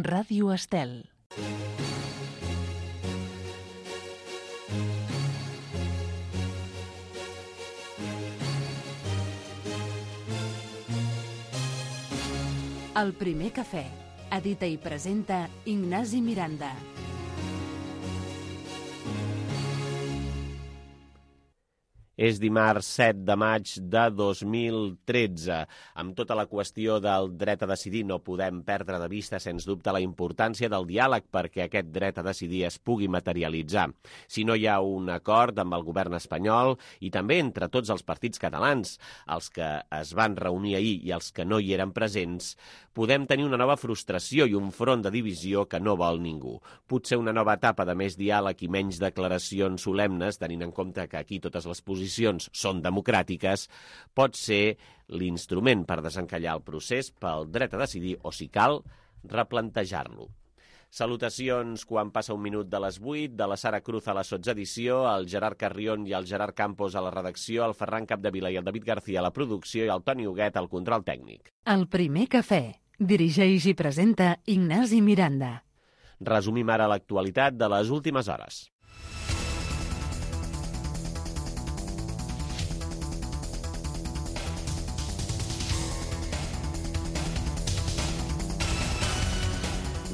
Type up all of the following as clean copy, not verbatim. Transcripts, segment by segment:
Ràdio Estel. El primer cafè. Edita i presenta Ignasi Miranda. És dimarts 7 de maig de 2013. Amb tota la qüestió del dret a decidir no podem perdre de vista, sens dubte, la importància del diàleg perquè aquest dret a decidir es pugui materialitzar. Si no hi ha un acord amb el govern espanyol i també entre tots els partits catalans, els que es van reunir ahir i els que no hi eren presents, podem tenir una nova frustració i un front de divisió que no vol ningú. Potser una nova etapa de més diàleg i menys declaracions solemnes, tenint en compte que aquí totes les posicions són democràtiques, pot ser l'instrument per desencallar el procés pel dret a decidir o, si cal, replantejar-lo. Salutacions quan passa un minut de les 8, de la Sara Cruz a la sotsedició, el Gerard Carrion i el Gerard Campos a la redacció, el Ferran Capdevila i el David García a la producció i el Toni Huguet al control tècnic. El primer cafè. Dirigeix i presenta Ignasi Miranda. Resumim ara l'actualitat de les últimes hores.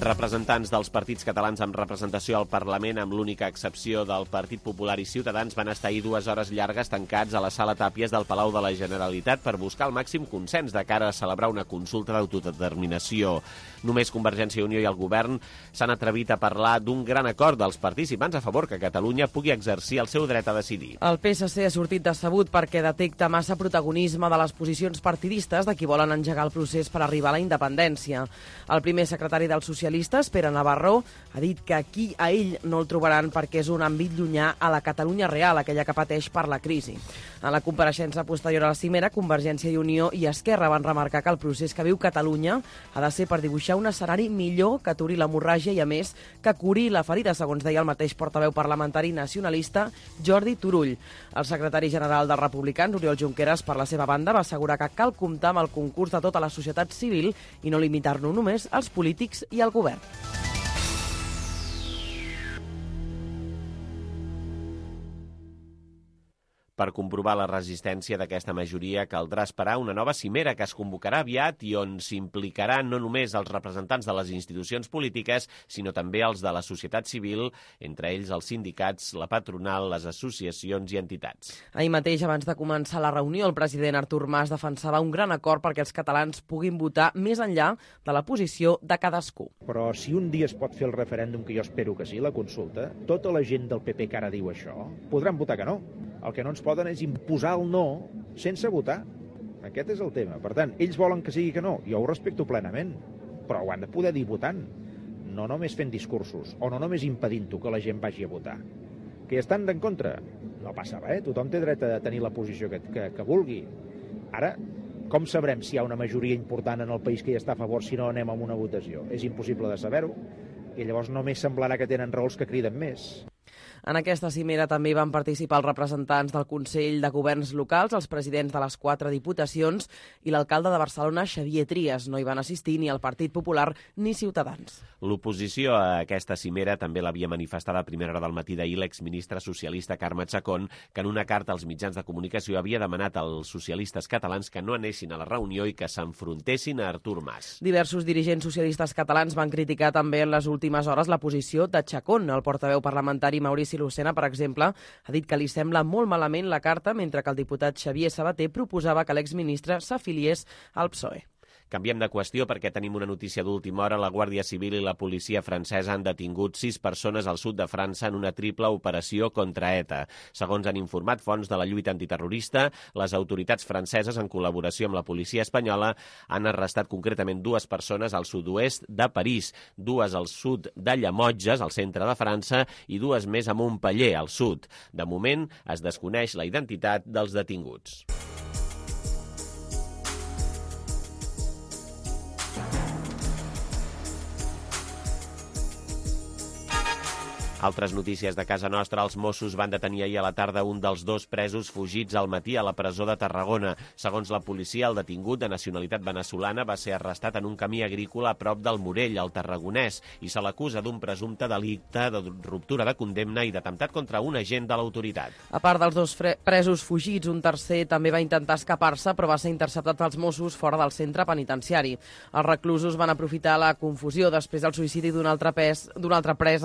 Representants dels partits catalans amb representació al Parlament, amb l'única excepció del Partit Popular i Ciutadans, van estar ahir 2 hores llargues tancats a la sala Tàpies del Palau de la Generalitat per buscar el màxim consens de cara a celebrar una consulta d'autodeterminació. Només Convergència i Unió i el govern s'han atrevit a parlar d'un gran acord dels participants a favor que Catalunya pugui exercir el seu dret a decidir. El PSC ha sortit decebut perquè detecta massa protagonisme de les posicions partidistes de qui volen engegar el procés per arribar a la independència. El primer secretari dels socialistes, Pere Navarro, ha dit que aquí a ell no el trobaran perquè és un àmbit llunyà a la Catalunya real, aquella que pateix per la crisi. En la compareixença posterior a la cimera, Convergència i Unió i Esquerra van remarcar que el procés que viu Catalunya ha de ser per dibuixar un escenari millor que aturi l'hemorràgia i, a més, que curi la ferida, segons deia el mateix portaveu parlamentari nacionalista Jordi Turull. El secretari general dels Republicans, Oriol Junqueras, per la seva banda, va assegurar que cal comptar amb el concurs de tota la societat civil i no limitar-lo només als polítics i al govern. Per comprovar la resistència d'aquesta majoria caldrà esperar una nova cimera que es convocarà aviat i on s'implicaran no només els representants de les institucions polítiques, sinó també els de la societat civil, entre ells els sindicats, la patronal, les associacions i entitats. Ahir mateix, abans de començar la reunió, el president Artur Mas defensava un gran acord perquè els catalans puguin votar més enllà de la posició de cadascú. Però si un dia es pot fer el referèndum, que jo espero que sí, la consulta, tota la gent del PP que ara diu això podran votar que no. El que no ens poden és imposar el no sense votar. Aquest és el tema. Per tant, ells volen que sigui que no. Jo ho respecto plenament, però ho han de poder dir votant. No només fent discursos, o no només impedint-ho que la gent vagi a votar. Que hi estan en contra? No passa res, tothom té dret a tenir la posició que vulgui. Ara, com sabrem si hi ha una majoria important en el país que hi està a favor si no anem a una votació? És impossible de saber-ho. I llavors només semblarà que tenen raons que criden més. En aquesta cimera també van participar els representants del Consell de Governs Locals, els presidents de les 4 diputacions i l'alcalde de Barcelona, Xavier Trias. No hi van assistir ni el Partit Popular ni Ciutadans. L'oposició a aquesta cimera també l'havia manifestada a primera hora del matí d'ahir l'exministre socialista Carme Chacón, que en una carta als mitjans de comunicació havia demanat als socialistes catalans que no anessin a la reunió i que s'enfrontessin a Artur Mas. Diversos dirigents socialistes catalans van criticar també en les últimes hores la posició de Chacón. El portaveu parlamentari Maurici Lucena, per exemple, ha dit que li sembla molt malament la carta, mentre que el diputat Xavier Sabater proposava que l'exministre s'afiliés al PSOE. Canviem de qüestió perquè tenim una notícia d'última hora. La Guàrdia Civil i la policia francesa han detingut 6 persones al sud de França en una triple operació contra ETA. Segons han informat fonts de la lluita antiterrorista, les autoritats franceses, en col·laboració amb la policia espanyola, han arrestat concretament 2 persones al sud-oest de París, 2 al sud de Llemotges, al centre de França, i 2 més a Montpeller, al sud. De moment, es desconeix la identitat dels detinguts. Altres notícies de casa nostra. Els Mossos van detenir ahir a la tarda un dels 2 presos fugits al matí a la presó de Tarragona. Segons la policia, el detingut de nacionalitat veneçolana va ser arrestat en un camí agrícola a prop del Morell, al Tarragonès, i se l'acusa d'un presumpte delicte de ruptura de condemna i d'atemptat contra un agent de l'autoritat. A part dels 2 presos fugits, un tercer també va intentar escapar-se, però va ser interceptat pels Mossos fora del centre penitenciari. Els reclusos van aprofitar la confusió després del suïcidi d'un altre pres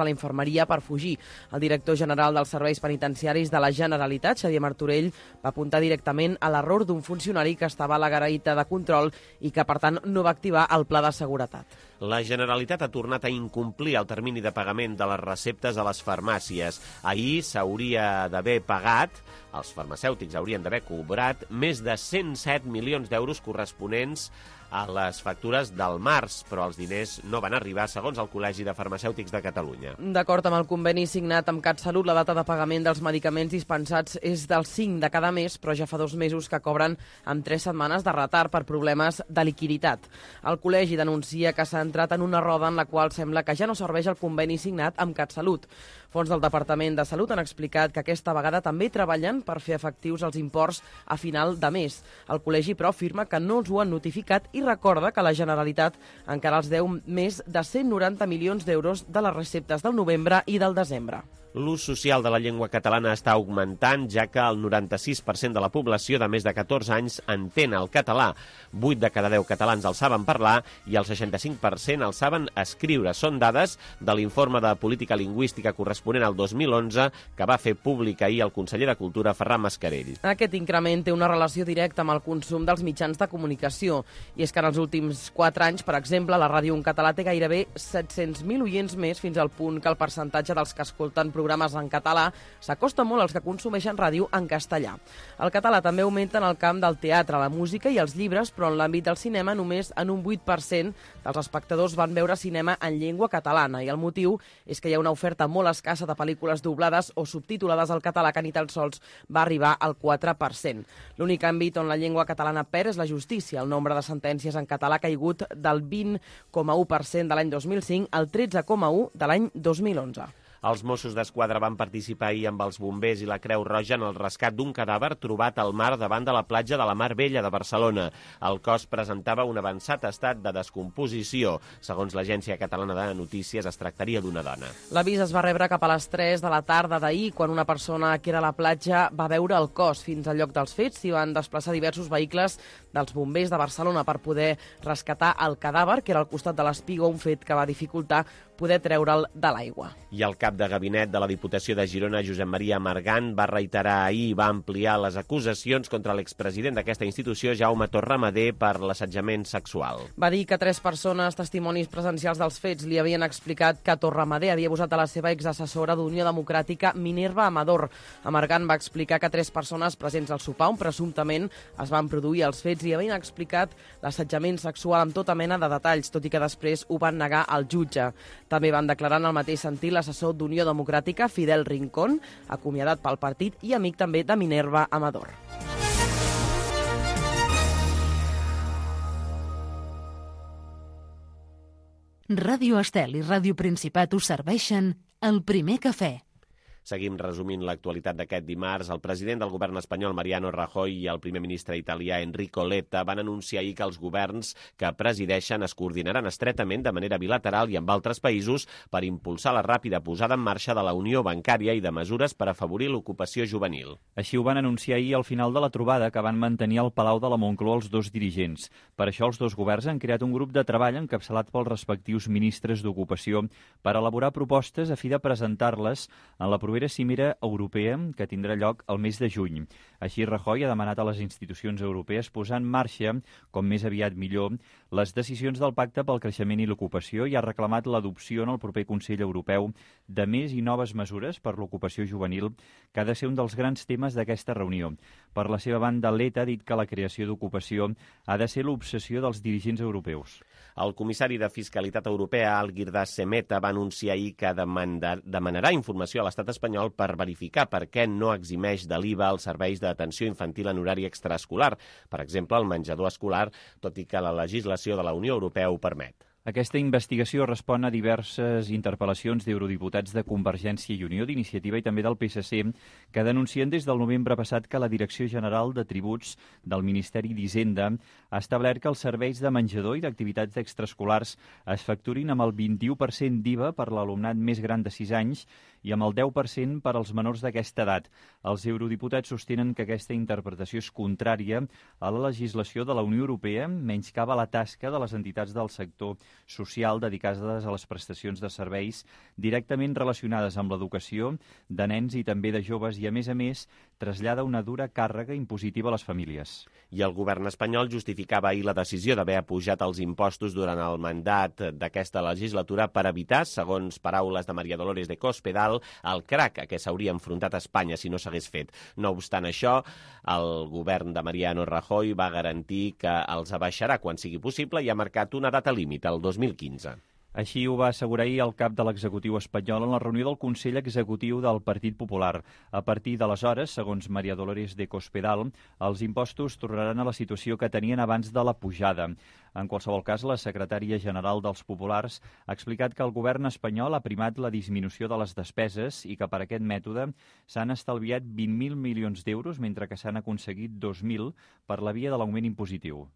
a la infermeria per fugir. El director general dels serveis penitenciaris de la Generalitat, Xavier Martorell, va apuntar directament a l'error d'un funcionari que estava a la garaïta de control i que, per tant, no va activar el pla de seguretat. La Generalitat ha tornat a incomplir el termini de pagament de les receptes a les farmàcies. Ahir s'hauria d'haver pagat, els farmacèutics haurien d'haver cobrat més de 107 milions d'euros corresponents a les factures del març, però els diners no van arribar, segons el Col·legi de Farmacèutics de Catalunya. D'acord amb el conveni signat amb CatSalut, la data de pagament dels medicaments dispensats és del 5 de cada mes, però ja fa 2 mesos que cobren amb 3 setmanes de retard per problemes de liquiditat. El Col·legi denuncia que s'ha entrat en una roda en la qual sembla que ja no serveix el conveni signat amb CatSalut. Fons del Departament de Salut han explicat que aquesta vegada també treballen per fer efectius els imports a final de mes. El Col·legi, però, afirma que no els ho han notificat i recorda que la Generalitat encara els deu més de 190 milions d'euros de les receptes del novembre i del desembre. L'ús social de la llengua catalana està augmentant, ja que el 96% de la població de més de 14 anys entén el català. 8 de cada 10 catalans el saben parlar i el 65% el saben escriure. Són dades de l'informe de política lingüística corresponent al 2011 que va fer públic ahir el conseller de Cultura, Ferran Mascarell. Aquest increment té una relació directa amb el consum dels mitjans de comunicació. I és que en els últims 4 anys, per exemple, la ràdio en català té gairebé 700.000 oients més, fins al punt que el percentatge dels que escolten programes en català s'acosta molt als que consumeixen ràdio en castellà. El català també augmenta en el camp del teatre, la música i els llibres, però en l'àmbit del cinema només en un 8% dels espectadors van veure cinema en llengua catalana, i el motiu és que hi ha una oferta molt escassa de pel·lícules doblades o subtitulades al català que ni tan sols va arribar al 4%. L'únic àmbit on la llengua catalana perd és la justícia. El nombre de sentències en català ha caigut del 20,1% de l'any 2005 al 13,1% de l'any 2011. Els Mossos d'Esquadra van participar ahir amb els bombers i la Creu Roja en el rescat d'un cadàver trobat al mar davant de la platja de la Mar Vella de Barcelona. El cos presentava un avançat estat de descomposició. Segons l'Agència Catalana de Notícies, es tractaria d'una dona. L'avís es va rebre cap a les 3 de la tarda d'ahir, quan una persona que era a la platja va veure el cos. Fins al lloc dels fets s'hi van desplaçar diversos vehicles dels bombers de Barcelona per poder rescatar el cadàver, que era al costat de l'espigó, un fet que va dificultar poder treure'l de l'aigua. I el cap de gabinet de la Diputació de Girona, Josep Maria Margant, va reiterar ahir i va ampliar les acusacions contra l'expresident d'aquesta institució, Jaume Torramadé, per l'assetjament sexual. Va dir que 3 persones, testimonis presencials dels fets, li havien explicat que Torramadé havia abusat de la seva exassessora d'Unió Democràtica, Minerva Amador. Margant va explicar que 3 persones presents al sopar, on presumptament es van produir els fets, i havien explicat l'assetjament sexual amb tota mena de detalls, tot i que després ho van negar al jutge. També van declarar en el mateix sentit l'assessor d'Unió Democràtica, Fidel Rincón, acomiadat pel partit i amic també de Minerva Amador. Ràdio Estel i Ràdio Principat us serveixen el primer cafè. Seguim resumint l'actualitat d'aquest dimarts. El president del govern espanyol, Mariano Rajoy, i el primer ministre italià, Enrico Letta, van anunciar ahir que els governs que presideixen es coordinaran estretament de manera bilateral i amb altres països per impulsar la ràpida posada en marxa de la Unió Bancària i de mesures per afavorir l'ocupació juvenil. Així ho van anunciar ahir al final de la trobada que van mantenir al Palau de la Moncloa els 2 dirigents. Per això els 2 governs han creat un grup de treball encapçalat pels respectius ministres d'Ocupació per elaborar propostes a fi de presentar-les en la propera cimera europea que tindrà lloc el mes de juny. Així, Rajoy ha demanat a les institucions europees posar en marxa, com més aviat millor, les decisions del Pacte pel Creixement i l'Ocupació i ha reclamat l'adopció en el proper Consell Europeu de més i noves mesures per l'ocupació juvenil, que ha de ser un dels grans temes d'aquesta reunió. Per la seva banda, Letta ha dit que la creació d'ocupació ha de ser l'obsessió dels dirigents europeus. El comissari de Fiscalitat Europea, Algirdas Semeta, va anunciar ahir que demanarà informació a l'estat espanyol per verificar per què no eximeix de l'IVA els serveis d'atenció infantil en horari extraescolar, per exemple, el menjador escolar, tot i que la legislació de la Unió Europea ho permet. Aquesta investigació respon a diverses interpel·lacions d'eurodiputats de Convergència i Unió, d'Iniciativa i també del PSC, que denuncien des del novembre passat que la Direcció General de Tributs del Ministeri d'Hisenda ha establert que els serveis de menjador i d'activitats extraescolars es facturin amb el 21% d'IVA per l'alumnat més gran de 6 anys i amb el 10% per als menors d'aquesta edat. Els eurodiputats sostenen que aquesta interpretació és contrària a la legislació de la Unió Europea, menyscaba la tasca de les entitats del sector social dedicades a les prestacions de serveis directament relacionades amb l'educació de nens i també de joves i, a més, trasllada una dura càrrega impositiva a les famílies. I el govern espanyol justificava ahir la decisió d'haver apujat els impostos durant el mandat d'aquesta legislatura per evitar, segons paraules de María Dolores de Cospedal, el crac a què s'hauria enfrontat Espanya si no s'hagués fet. No obstant això, el govern de Mariano Rajoy va garantir que els abaixarà quan sigui possible i ha marcat una data límit, el 2015. Així ho va assegurar ahir el cap de l'executiu espanyol en la reunió del Consell Executiu del Partit Popular. A partir d'aleshores, segons María Dolores de Cospedal, els impostos tornaran a la situació que tenien abans de la pujada. En qualsevol cas, la secretària general dels Populars ha explicat que el govern espanyol ha primat la disminució de les despeses i que per aquest mètode s'han estalviat 20.000 milions d'euros, mentre que s'han aconseguit 2.000 per la via de l'augment impositiu.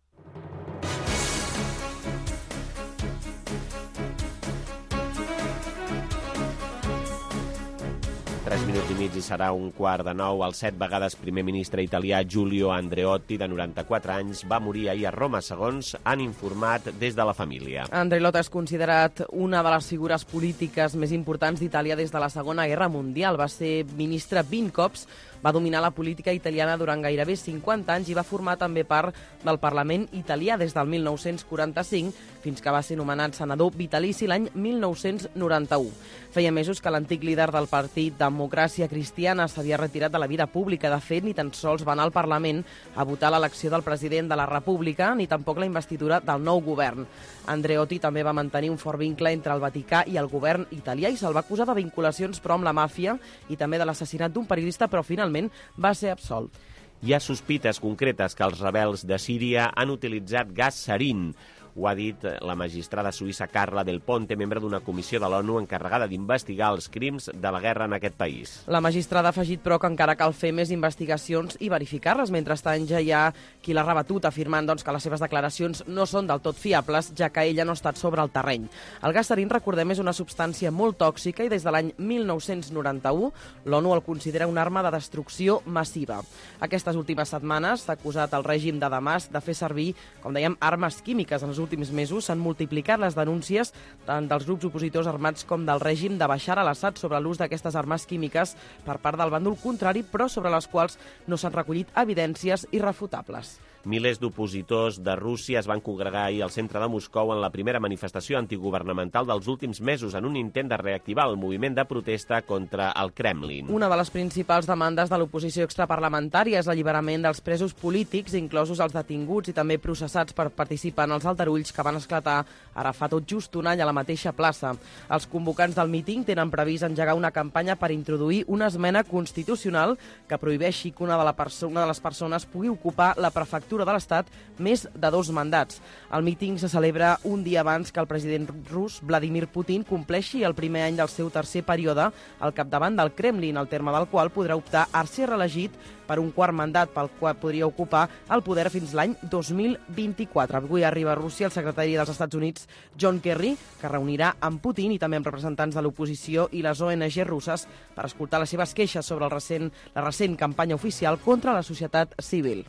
3 minuts i mig i serà 8:45. El 7 vegades primer ministre italià Giulio Andreotti, de 94 anys, va morir ahir a Roma, segons han informat des de la família. Andreotti és considerat una de les figures polítiques més importants d'Itàlia des de la Segona Guerra Mundial. Va ser ministre 20 cops, va dominar la política italiana durant gairebé 50 anys i va formar també part del Parlament italià des del 1945 fins que va ser nomenat senador vitalici l'any 1991. Feia mesos que l'antic líder del partit Democràcia Cristiana s'havia retirat de la vida pública. De fet, ni tan sols va anar al Parlament a votar l'elecció del president de la República, ni tampoc la investidura del nou govern. Andreotti també va mantenir un fort vincle entre el Vaticà i el govern italià i se'l va acusar de vinculacions però amb la màfia i també de l'assassinat d'un periodista, però finalment va ser absolt. Hi ha sospites concretes que els rebels de Síria han utilitzat gas sarin. Ho ha dit la magistrada suïssa Carla Del Ponte, membre d'una comissió de l'ONU encarregada d'investigar els crims de la guerra en aquest país. La magistrada ha afegit, però, que encara cal fer més investigacions i verificar-les. Mentrestant, ja hi ha qui l'ha rebatut, afirmant que les seves declaracions no són del tot fiables, ja que ella no ha estat sobre el terreny. El gas sarin, recordem, és una substància molt tòxica i des de l'any 1991 l'ONU el considera una arma de destrucció massiva. Aquestes últimes setmanes s'ha acusat el règim de Damasc de fer servir, com dèiem, armes químiques. En els últims mesos s'han multiplicat les denúncies tant dels grups opositors armats com del règim de Bashar al-Assad sobre l'ús d'aquestes armes químiques per part del bàndol contrari, però sobre les quals no s'han recollit evidències irrefutables. Milers d'opositors de Rússia es van congregar ahir al centre de Moscou en la primera manifestació antigovernamental dels últims mesos en un intent de reactivar el moviment de protesta contra el Kremlin. Una de les principals demandes de l'oposició extraparlamentària és l'alliberament dels presos polítics, inclosos els detinguts i també processats per participar en els aldarulls que van esclatar ara fa tot just un any a la mateixa plaça. Els convocants del míting tenen previst engegar una campanya per introduir una esmena constitucional que prohibeixi que una de les persones pugui ocupar la prefectura de l'Estat més de 2 mandats. El míting se celebra un dia abans que el president rus Vladimir Putin compleixi el primer any del seu tercer període al capdavant del Kremlin, al terme del qual podrà optar a ser reelegit per un quart mandat, pel qual podria ocupar el poder fins l'any 2024. Avui arriba a Rússia el secretari dels Estats Units, John Kerry, que reunirà amb Putin i també amb representants de l'oposició i les ONG russes per escoltar les seves queixes sobre la recent campanya oficial contra la societat civil.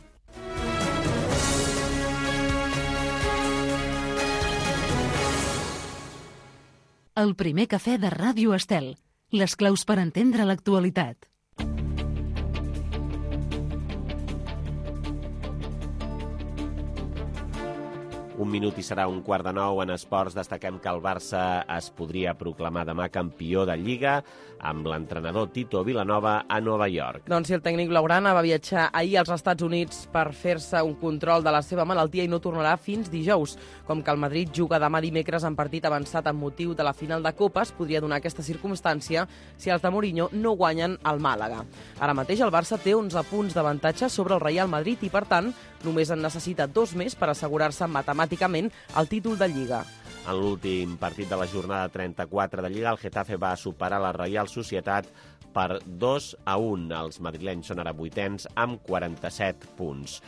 El primer cafè de Ràdio Estel. Les claus per entendre l'actualitat. Un minut i serà 8:45. En esports destaquem que el Barça es podria proclamar demà campió de Lliga amb l'entrenador Tito Vilanova a Nova York. Doncs si el tècnic blaugrana va viatjar ahir als Estats Units per fer-se un control de la seva malaltia i no tornarà fins dijous. Com que el Madrid juga demà dimecres en partit avançat amb motiu de la final de Copa, es podria donar aquesta circumstància si els de Mourinho no guanyen al Màlaga. Ara mateix el Barça té 11 punts d'avantatge sobre el Real Madrid i, per tant, només en necessita 2 més per assegurar-se matemàticament el títol de Lliga. En l'últim partit de la jornada 34 de Lliga, el Getafe va superar la Reial Societat per 2-1. Els madrilenys són ara 8ens amb 47 punts.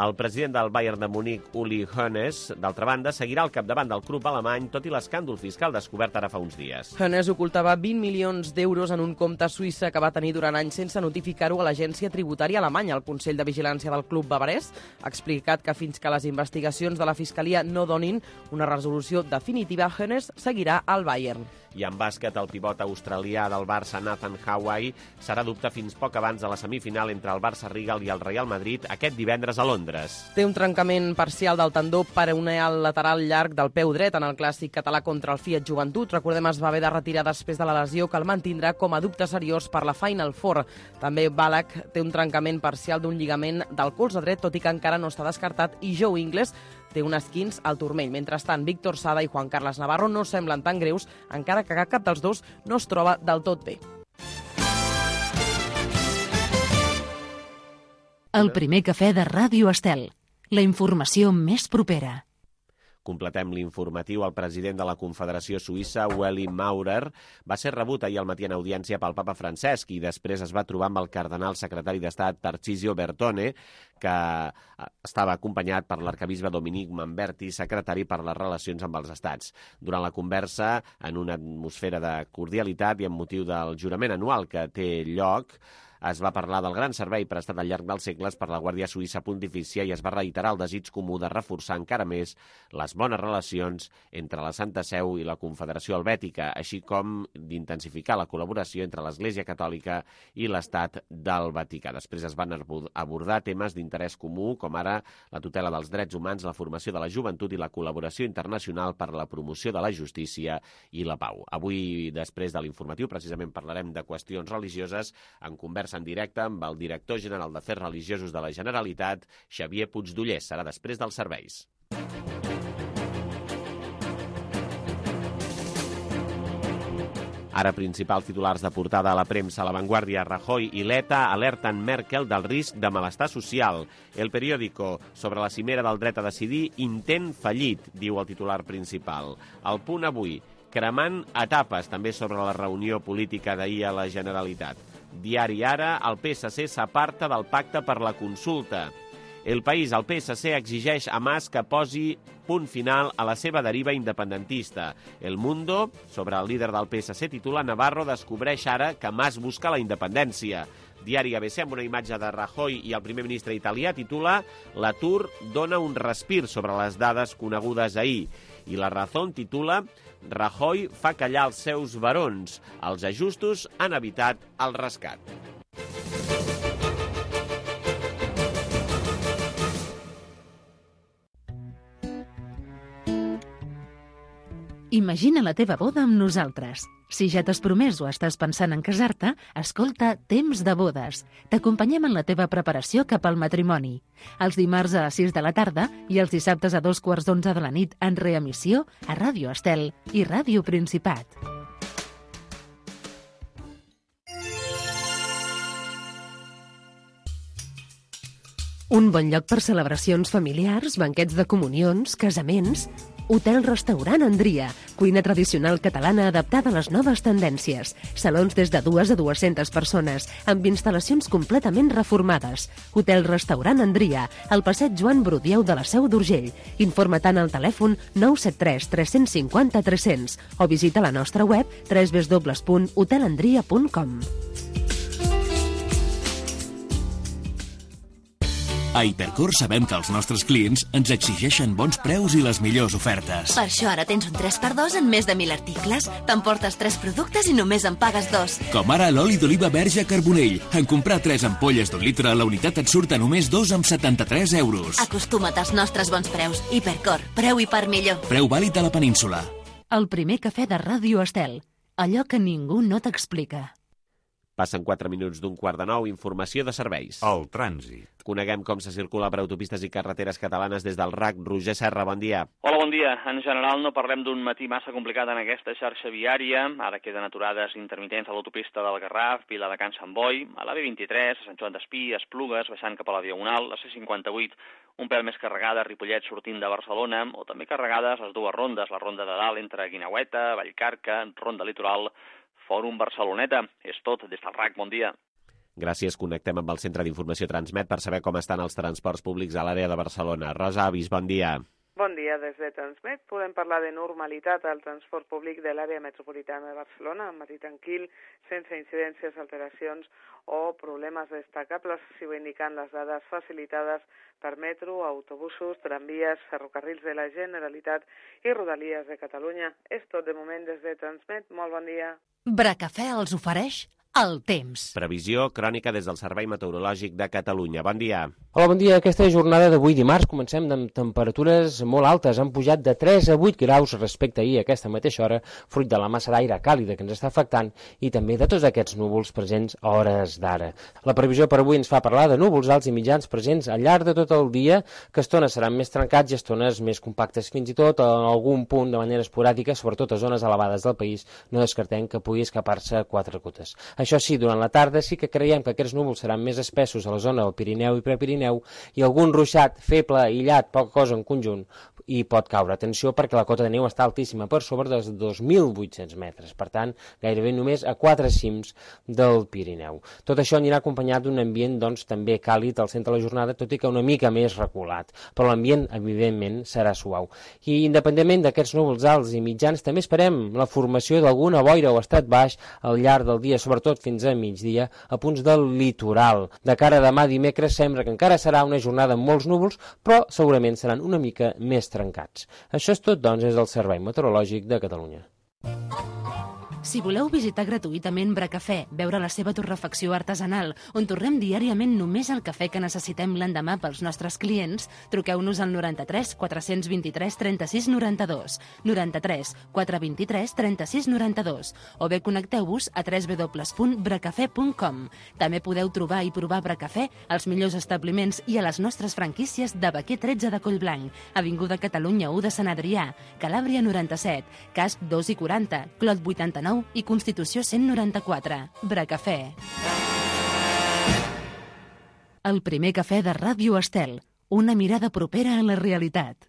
El president del Bayern de Múnich, Uli Hoeneß, d'altra banda, seguirà al capdavant del club alemany, tot i l'escàndol fiscal descobert ara fa uns dies. Hoeneß ocultava 20 milions d'euros en un compte suïssa que va tenir durant anys sense notificar-ho a l'agència tributària alemanya. El Consell de Vigilància del club bavarès ha explicat que fins que les investigacions de la Fiscalia no donin una resolució definitiva, Hoeneß seguirà al Bayern. I en bàsquet, el pivot australià del Barça, Nathan Howey, serà dubte fins poc abans de la semifinal entre el Barça-Rigal i el Real Madrid aquest divendres a Londres. Té un trencament parcial del tendó peroneal lateral llarg del peu dret en el clàssic català contra el Fiat Joventut. Recordem, es va haver de retirar després de la lesió que el mantindrà com a dubte seriós per la Final Four. També Ballack té un trencament parcial d'un lligament del colze dret, tot i que encara no està descartat, i Joe Ingles té un esquinç al turmell. Mentrestant, Víctor Sada i Juan Carlos Navarro no semblen tan greus, encara que cap dels dos no es troba del tot bé. El primer cafè de Ràdio Estel. La informació més propera. Completem l'informatiu. El president de la Confederació Suïssa, Ueli Maurer, va ser rebut ahir al matí en audiència pel papa Francesc i després es va trobar amb el cardenal secretari d'Estat Tarcisio Bertone, que estava acompanyat per l'arcabisbe Dominic Manberti, secretari per les relacions amb els estats. Durant la conversa, en una atmosfera de cordialitat i amb motiu del jurament anual que té lloc, es va parlar del gran servei prestat al llarg dels segles per la Guàrdia Suïssa Pontifícia i es va reiterar el desig comú de reforçar encara més les bones relacions entre la Santa Seu i la Confederació Helvètica, així com d'intensificar la col·laboració entre l'Església Catòlica i l'Estat del Vaticà. Després es van abordar temes d'interès comú, com ara la tutela dels drets humans, la formació de la joventut i la col·laboració internacional per a la promoció de la justícia i la pau. Avui, després de l'informatiu, precisament parlarem de qüestions religioses en conversa en directe amb el director general d'Afers Religiosos de la Generalitat, Xavier Puigdollers. Serà després dels serveis. Ara principals titulars de portada a la premsa. La Vanguardia, Rajoy i Letta alerten Merkel del risc de malestar social. El Periódico, sobre la cimera del dret a decidir, intent fallit, diu el titular principal. El Punt avui, cremant etapes, també sobre la reunió política d'ahir a la Generalitat. Diari Ara, el PSC s'aparta del pacte per la consulta. El País, el PSC exigeix a Mas que posi punt final a la seva deriva independentista. El Mundo, sobre el líder del PSC, titula Navarro descobreix ara que Mas busca la independència. Diari ABC, amb una imatge de Rajoy i el primer ministre italià, titula L'atur dona un respir sobre les dades conegudes ahir. I La Razón titula Rajoy fa callar els seus barons. Els ajustos han evitat el rescat. Imagina la teva boda amb nosaltres. Si ja t'has promès o estàs pensant en casar-te, escolta Temps de bodes. T'acompanyem en la teva preparació cap al matrimoni. Els dimarts a les 6 de la tarda i els dissabtes a 2:15 de la nit en reemissió a Ràdio Estel i Ràdio Principat. Un bon lloc per celebracions familiars, banquets de comunions, casaments. Hotel-restaurant Andria, cuina tradicional catalana adaptada a les noves tendències. Salons des de 2 a 200 persones, amb instal·lacions completament reformades. Hotel-restaurant Andria, al passeig Joan Brudieu de la Seu d'Urgell. Informa-te'n al telèfon 973 350 300 o visita la nostra web www.hotelandria.com. A Hipercor sabem que els nostres clients ens exigeixen bons preus i les millors ofertes. Per això ara tens un 3x2 en més de 1.000 articles. T'emportes 3 productes i només en pagues 2. Com ara l'oli d'oliva verge Carbonell. En comprar 3 ampolles d'1 litre, la unitat et surt a només 2,73 €. Acostuma't als nostres bons preus. Hipercor, preu i part millor. Preu vàlid a la península. El primer cafè de Ràdio Estel. Allò que ningú no t'explica. Passen 4 minuts d'un 8:45, informació de serveis. El trànsit. Coneguem com se circula per autopistes i carreteres catalanes des del RAC. Roger Serra, bon dia. Hola, bon dia. En general no parlem d'un matí massa complicat en aquesta xarxa viària. Ara queden aturades intermitents a l'autopista del Garraf, Vila de Can Sant Boi, a la B23, a Sant Joan d'Espí, a Esplugues, baixant cap a la Diagonal, la C58, un pèl més carregada a Ripollet sortint de Barcelona, o també carregades les dues rondes, la ronda de dalt entre Guineueta, Vallcarca, ronda litoral, Fòrum Barceloneta. És tot, des del RAC, bon dia. Gràcies, connectem amb el Centre d'Informació Transmet per saber com estan els transports públics a l'àrea de Barcelona. Rosa Avis, bon dia. Bon dia, des de Transmet podem parlar de normalitat al transport públic de l'àrea metropolitana de Barcelona, amb matí tranquil, sense incidències, alteracions o problemes destacables, si ho indiquen les dades facilitades per metro, autobusos, tramvies, ferrocarrils de la Generalitat i Rodalies de Catalunya. És tot de moment des de Transmet. Molt bon dia. Bracafè els ofereix el temps. Previsió crònica des del Servei Meteorològic de Catalunya. Bon dia. Hola, bon dia. Aquesta jornada d'avui dimarts comencem amb temperatures molt altes. Han pujat de 3 a 8 graus respecte a ahir a aquesta mateixa hora, fruit de la massa d'aire càlida que ens està afectant i també de tots aquests núvols presents a hores d'ara. La previsió per avui ens fa parlar de núvols alts i mitjans presents al llarg de tot el dia, que estones seran més trencats i estones més compactes. Fins i tot en algun punt de manera esporàdica, sobretot a zones elevades del país, no descartem que pugui escapar-se 4 gotes. Això sí, durant la tarda sí que creiem que aquests núvols seran més espessos a la zona del Pirineu i Prepirineu i algun ruixat feble, aïllat, poca cosa en conjunt, i pot caure. Atenció perquè la cota de neu està altíssima, per sobre dels 2.800 metres, per tant, gairebé només a 4 cims del Pirineu. Tot això anirà acompanyat d'un ambient doncs, també càlid al centre de la jornada, tot i que una mica més reculat, però l'ambient, evidentment, serà suau. I independentment d'aquests núvols alts i mitjans, també esperem la formació d'alguna boira o estat baix al llarg del dia, sobretot fins a migdia, a punts del litoral. De cara a demà dimecres sembla que encara serà una jornada amb molts núvols, però segurament seran una mica més trencats. Això és tot, doncs, des del Servei Meteorològic de Catalunya. Si voleu visitar gratuïtament Bracafè, veure la seva torrefacció artesanal, on torrem diàriament només el cafè que necessitem l'endemà pels nostres clients, truqueu-nos al 93 423 36 92, 93 423 36 92, o bé connecteu-vos a www.bracafè.com. També podeu trobar i provar Bracafè als millors establiments i a les nostres franquícies de Baquer 13 de Collblanc, Avinguda Catalunya 1 de Sant Adrià, Calàbria 97, Casp 2 i 40, Clot 89 i Constitució 194. Bracafè. El primer cafè de Ràdio Estel. Una mirada propera a la realitat.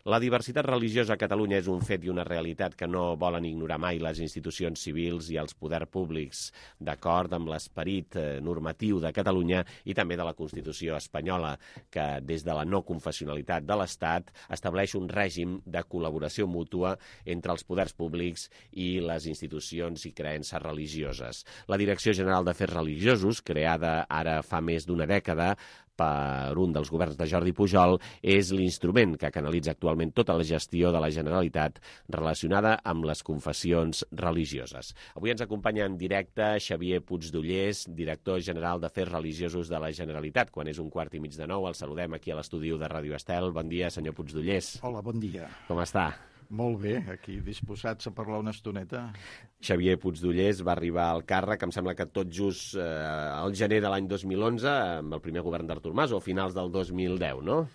La diversitat religiosa a Catalunya és un fet i una realitat que no volen ignorar mai les institucions civils i els poders públics, d'acord amb l'esperit normatiu de Catalunya i també de la Constitució espanyola, que des de la no confessionalitat de l'Estat estableix un règim de col·laboració mútua entre els poders públics i les institucions i creences religioses. La Direcció General d'Afers Religiosos, creada ara fa més d'una dècada, per un dels governs de Jordi Pujol, és l'instrument que canalitza actualment tota la gestió de la Generalitat relacionada amb les confessions religioses. Avui ens acompanya en directe Xavier Puigdollers, director general d'Afers Religiosos de la Generalitat. Quan és 8:45, el saludem aquí a l'estudi de Ràdio Estel. Bon dia, senyor Puigdollers. Hola, bon dia. Com està? Molt bé, aquí disposats a parlar una estoneta. Xavier Puigdollers va arribar al càrrec, em sembla que tot just al gener de l'any 2011, amb el primer govern d'Artur Mas, o finals del 2010, no?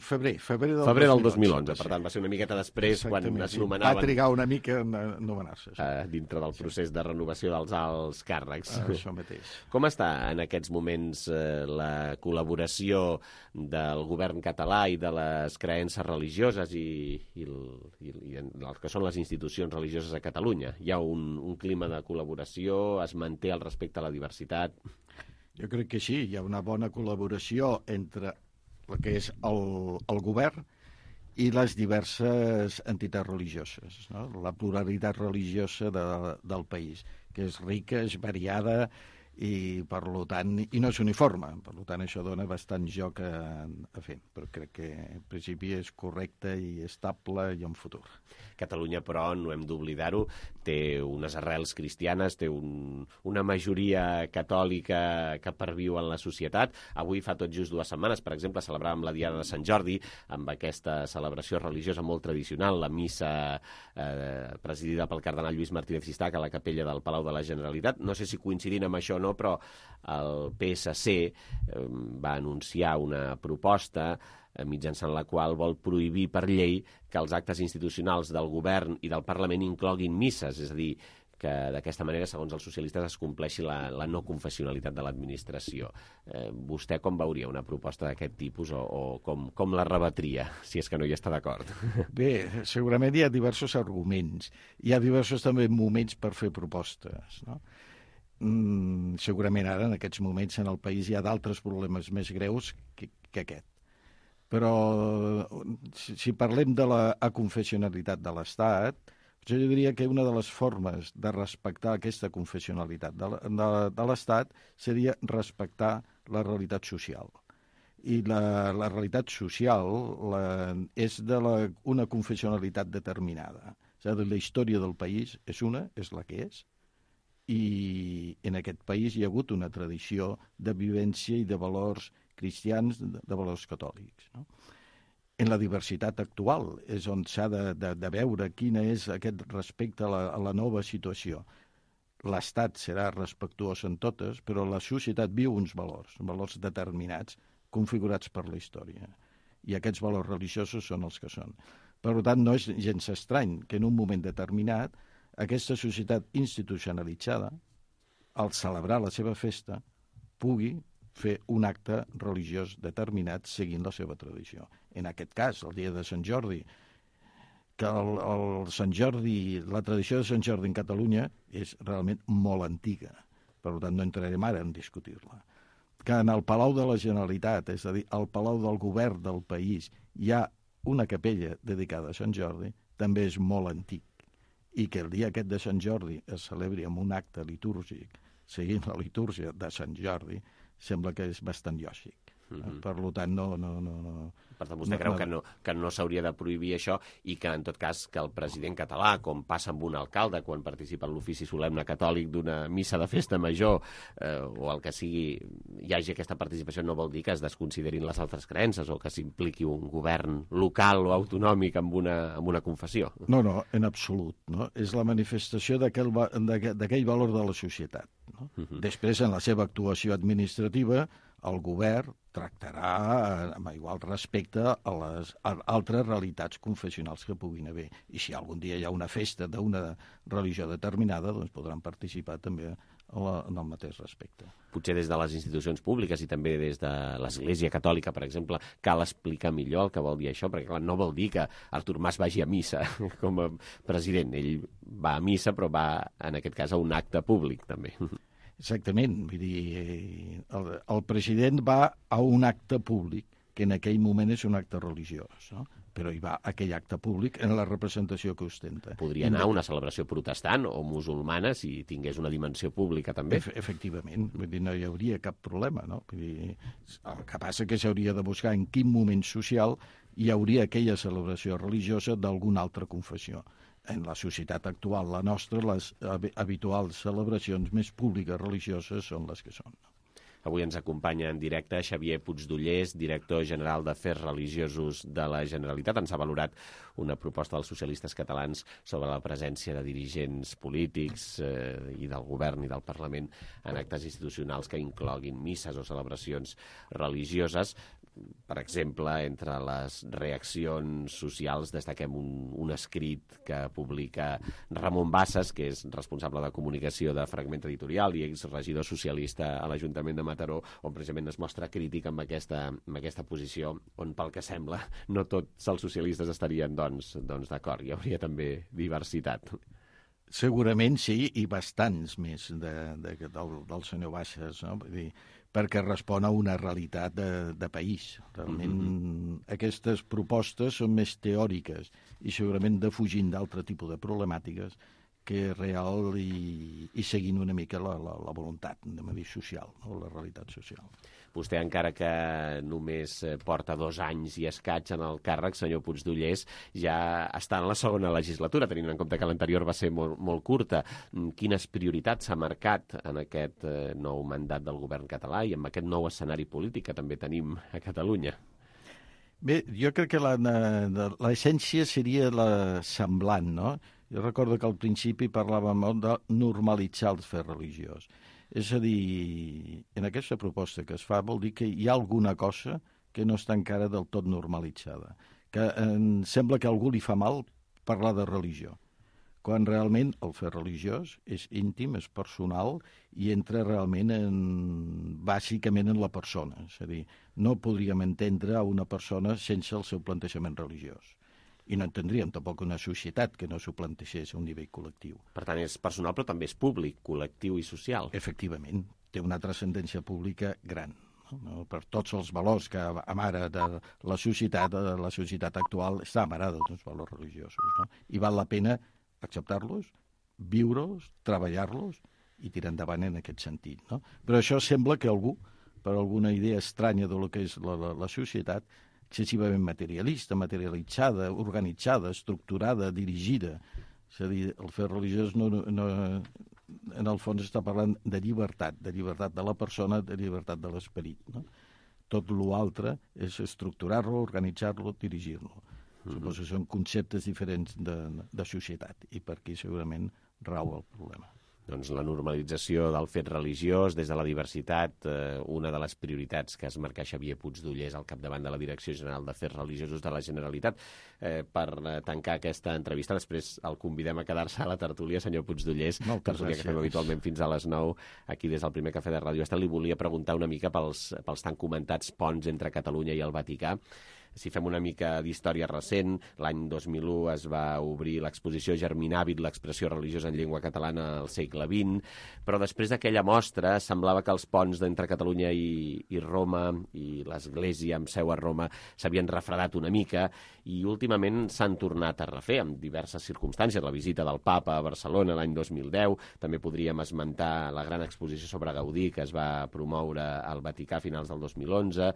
Febrer del 2011, per tant va ser una miqueta després quan es nomenaven... Va trigar una mica a nomenar-se. Dintre del procés de renovació dels alts càrrecs. Això mateix. Com està en aquests moments la col·laboració del govern català i de les creences religioses i el que són les institucions religioses a Catalunya? Hi ha un clima de col·laboració? Es manté el respecte a la diversitat? Jo crec que sí, hi ha una bona col·laboració entre el que és el govern i les diverses entitats religioses, no? La pluralitat religiosa del país, que és rica, és variada i, per tant, i no és uniforme. Per tant, això dona bastant joc a fer, però crec que en principi és correcte i estable i en futur. Catalunya, però, no hem d'oblidar-ho, té unes arrels cristianes, té una majoria catòlica que perviu en la societat. Avui, fa tot just 2 setmanes, per exemple, celebràvem la Diada de Sant Jordi, amb aquesta celebració religiosa molt tradicional, la missa presidida pel cardenal Lluís Martínez Sistac a la capella del Palau de la Generalitat. No sé si coincidint amb això o no, però el PSC va anunciar una proposta mitjançant la qual vol prohibir per llei que els actes institucionals del govern i del Parlament incloguin misses, és a dir, que d'aquesta manera, segons els socialistes, es compleixi la no confessionalitat de l'administració. Vostè com veuria una proposta d'aquest tipus o com la rebatria, si és que no hi està d'acord? Bé, segurament hi ha diversos arguments. Hi ha diversos també moments per fer propostes, no? Segurament ara, en aquests moments, en el país hi ha d'altres problemes més greus que aquest. Però si parlem de la aconfessionalitat de l'Estat, jo diria que una de les formes de respectar aquesta confessionalitat de l'Estat seria respectar la realitat social. I la realitat social és una confessionalitat determinada. És a dir, la història del país és la que és, i en aquest país hi ha hagut una tradició de vivència i de valors cristians, de valors catòlics, no? En la diversitat actual és on s'ha de veure quina és aquest respecte a la nova situació. L'Estat serà respectuós en totes, però la societat viu uns valors determinats, configurats per la història. I aquests valors religiosos són els que són. Per tant, no és gens estrany que en un moment determinat aquesta societat institucionalitzada, al celebrar la seva festa, pugui fer un acte religiós determinat seguint la seva tradició. En aquest cas, el dia de Sant Jordi, que la tradició de Sant Jordi en Catalunya és realment molt antiga, per tant no entrarem ara en discutir-la. Que en el Palau de la Generalitat, és a dir, al Palau del Govern del país, hi ha una capella dedicada a Sant Jordi, també és molt antic. I que el dia aquest de Sant Jordi es celebri amb un acte litúrgic, seguint la litúrgia de Sant Jordi, sembla que és bastant lògic. Per tant, no... Per tant, vostè creu que no s'hauria de prohibir això i que, en tot cas, que el president català, com passa amb un alcalde quan participa en l'ofici solemne catòlic d'una missa de festa major o el que sigui, hi hagi aquesta participació, no vol dir que es desconsiderin les altres creences o que s'impliqui un govern local o autonòmic amb una confessió. No, en absolut. No? És la manifestació d'aquell valor de la societat. No? Després, en la seva actuació administrativa, el govern tractarà amb igual respecte a les altres realitats confessionals que puguin haver. I si algun dia hi ha una festa d'una religió determinada, doncs podran participar també en el mateix respecte. Potser des de les institucions públiques i també des de l'Església Catòlica, per exemple, cal explicar millor el que vol dir això, perquè clar, no vol dir que Artur Mas vagi a missa com a president. Ell va a missa, però va, en aquest cas, a un acte públic, també. Exactament, vull dir, el president va a un acte públic, que en aquell moment és un acte religiós, no? Però hi va a aquell acte públic en la representació que ostenta. Podria anar a una celebració protestant o musulmana si tingués una dimensió pública, també. Efectivament, vull dir, no hi hauria cap problema, no? Vull dir, el que passa que s'hauria de buscar en quin moment social hi hauria aquella celebració religiosa d'alguna altra confessió. En la societat actual, la nostra, les habituals celebracions més públiques religioses són les que són. Avui ens acompanya en directe Xavier Puigdollers, director general d'Afers Religiosos de la Generalitat. Ens ha valorat una proposta dels socialistes catalans sobre la presència de dirigents polítics i del govern i del Parlament en actes institucionals que incloguin misses o celebracions religioses. Per exemple, entre les reaccions socials destaquem un escrit que publica Ramon Bassas, que és responsable de comunicació de Fragment Editorial i exregidor socialista a l'Ajuntament de Mataró, on precisament es mostra crític amb aquesta posició, on pel que sembla no tots els socialistes estarien doncs d'acord. Hi hauria també diversitat. Segurament sí, i bastants més del senyor Bassas, no? Vull dir, perquè respon a una realitat de país. Realment aquestes propostes són més teòriques i segurament defugint d'altre tipus de problemàtiques que real i seguint una mica la voluntat de dir social, no? La realitat social. Vostè, encara que només porta 2 anys i escaig en el càrrec, senyor Puigdollers, ja està en la segona legislatura, tenint en compte que l'anterior va ser molt curta. Quines prioritats s'ha marcat en aquest nou mandat del govern català i amb aquest nou escenari polític que també tenim a Catalunya? Bé, jo crec que l'essència seria la semblant, no? Jo recordo que al principi parlàvem molt de normalitzar el fer religiós. És a dir, en aquesta proposta que es fa vol dir que hi ha alguna cosa que no està encara del tot normalitzada. Que em sembla que a algú li fa mal parlar de religió, quan realment el fet religiós és íntim, és personal i entra realment bàsicament en la persona. És a dir, no podríem entendre una persona sense el seu plantejament religiós. I no entendríem tampoc una societat que no s'ho plantegés a un nivell col·lectiu. Per tant, és personal però també és públic, col·lectiu i social. Efectivament, té una transcendència pública gran, no? Per tots els valors que amara de la societat actual està amarada d'uns valors religiosos, no? I val la pena acceptar-los, viure-los, treballar-los i tirar endavant en aquest sentit, no? Però això sembla que algú, per alguna idea estranya de lo que és la societat, excessivament materialista, materialitzada, organitzada, estructurada, dirigida. És a dir, el fet religiós en el fons està parlant de llibertat de la persona, de llibertat de l'esperit, no? Tot l'altre és estructurar-lo, organitzar-lo, dirigir-lo. Suposo que són conceptes diferents de societat i per aquí segurament rau el problema. Doncs la normalització del fet religiós des de la diversitat, una de les prioritats que es marca Xavier Puigdollers al capdavant de la Direcció General d'Afers Religiosos de la Generalitat. Per tancar aquesta entrevista, després el convidem a quedar-se a la tertúlia, senyor Puigdollers, tertúlia que fem habitualment fins a les 9, aquí des del primer cafè de Ràdio Estel. Li volia preguntar una mica pels tan comentats ponts entre Catalunya i el Vaticà. Si fem una mica d'història recent, l'any 2001 es va obrir l'exposició Germinàvit, l'expressió religiosa en llengua catalana al segle XX, però després d'aquella mostra semblava que els ponts entre Catalunya i Roma i l'Església amb seu a Roma s'havien refredat una mica i últimament s'han tornat a refer amb diverses circumstàncies. La visita del Papa a Barcelona l'any 2010, també podríem esmentar la gran exposició sobre Gaudí que es va promoure al Vaticà a finals del 2011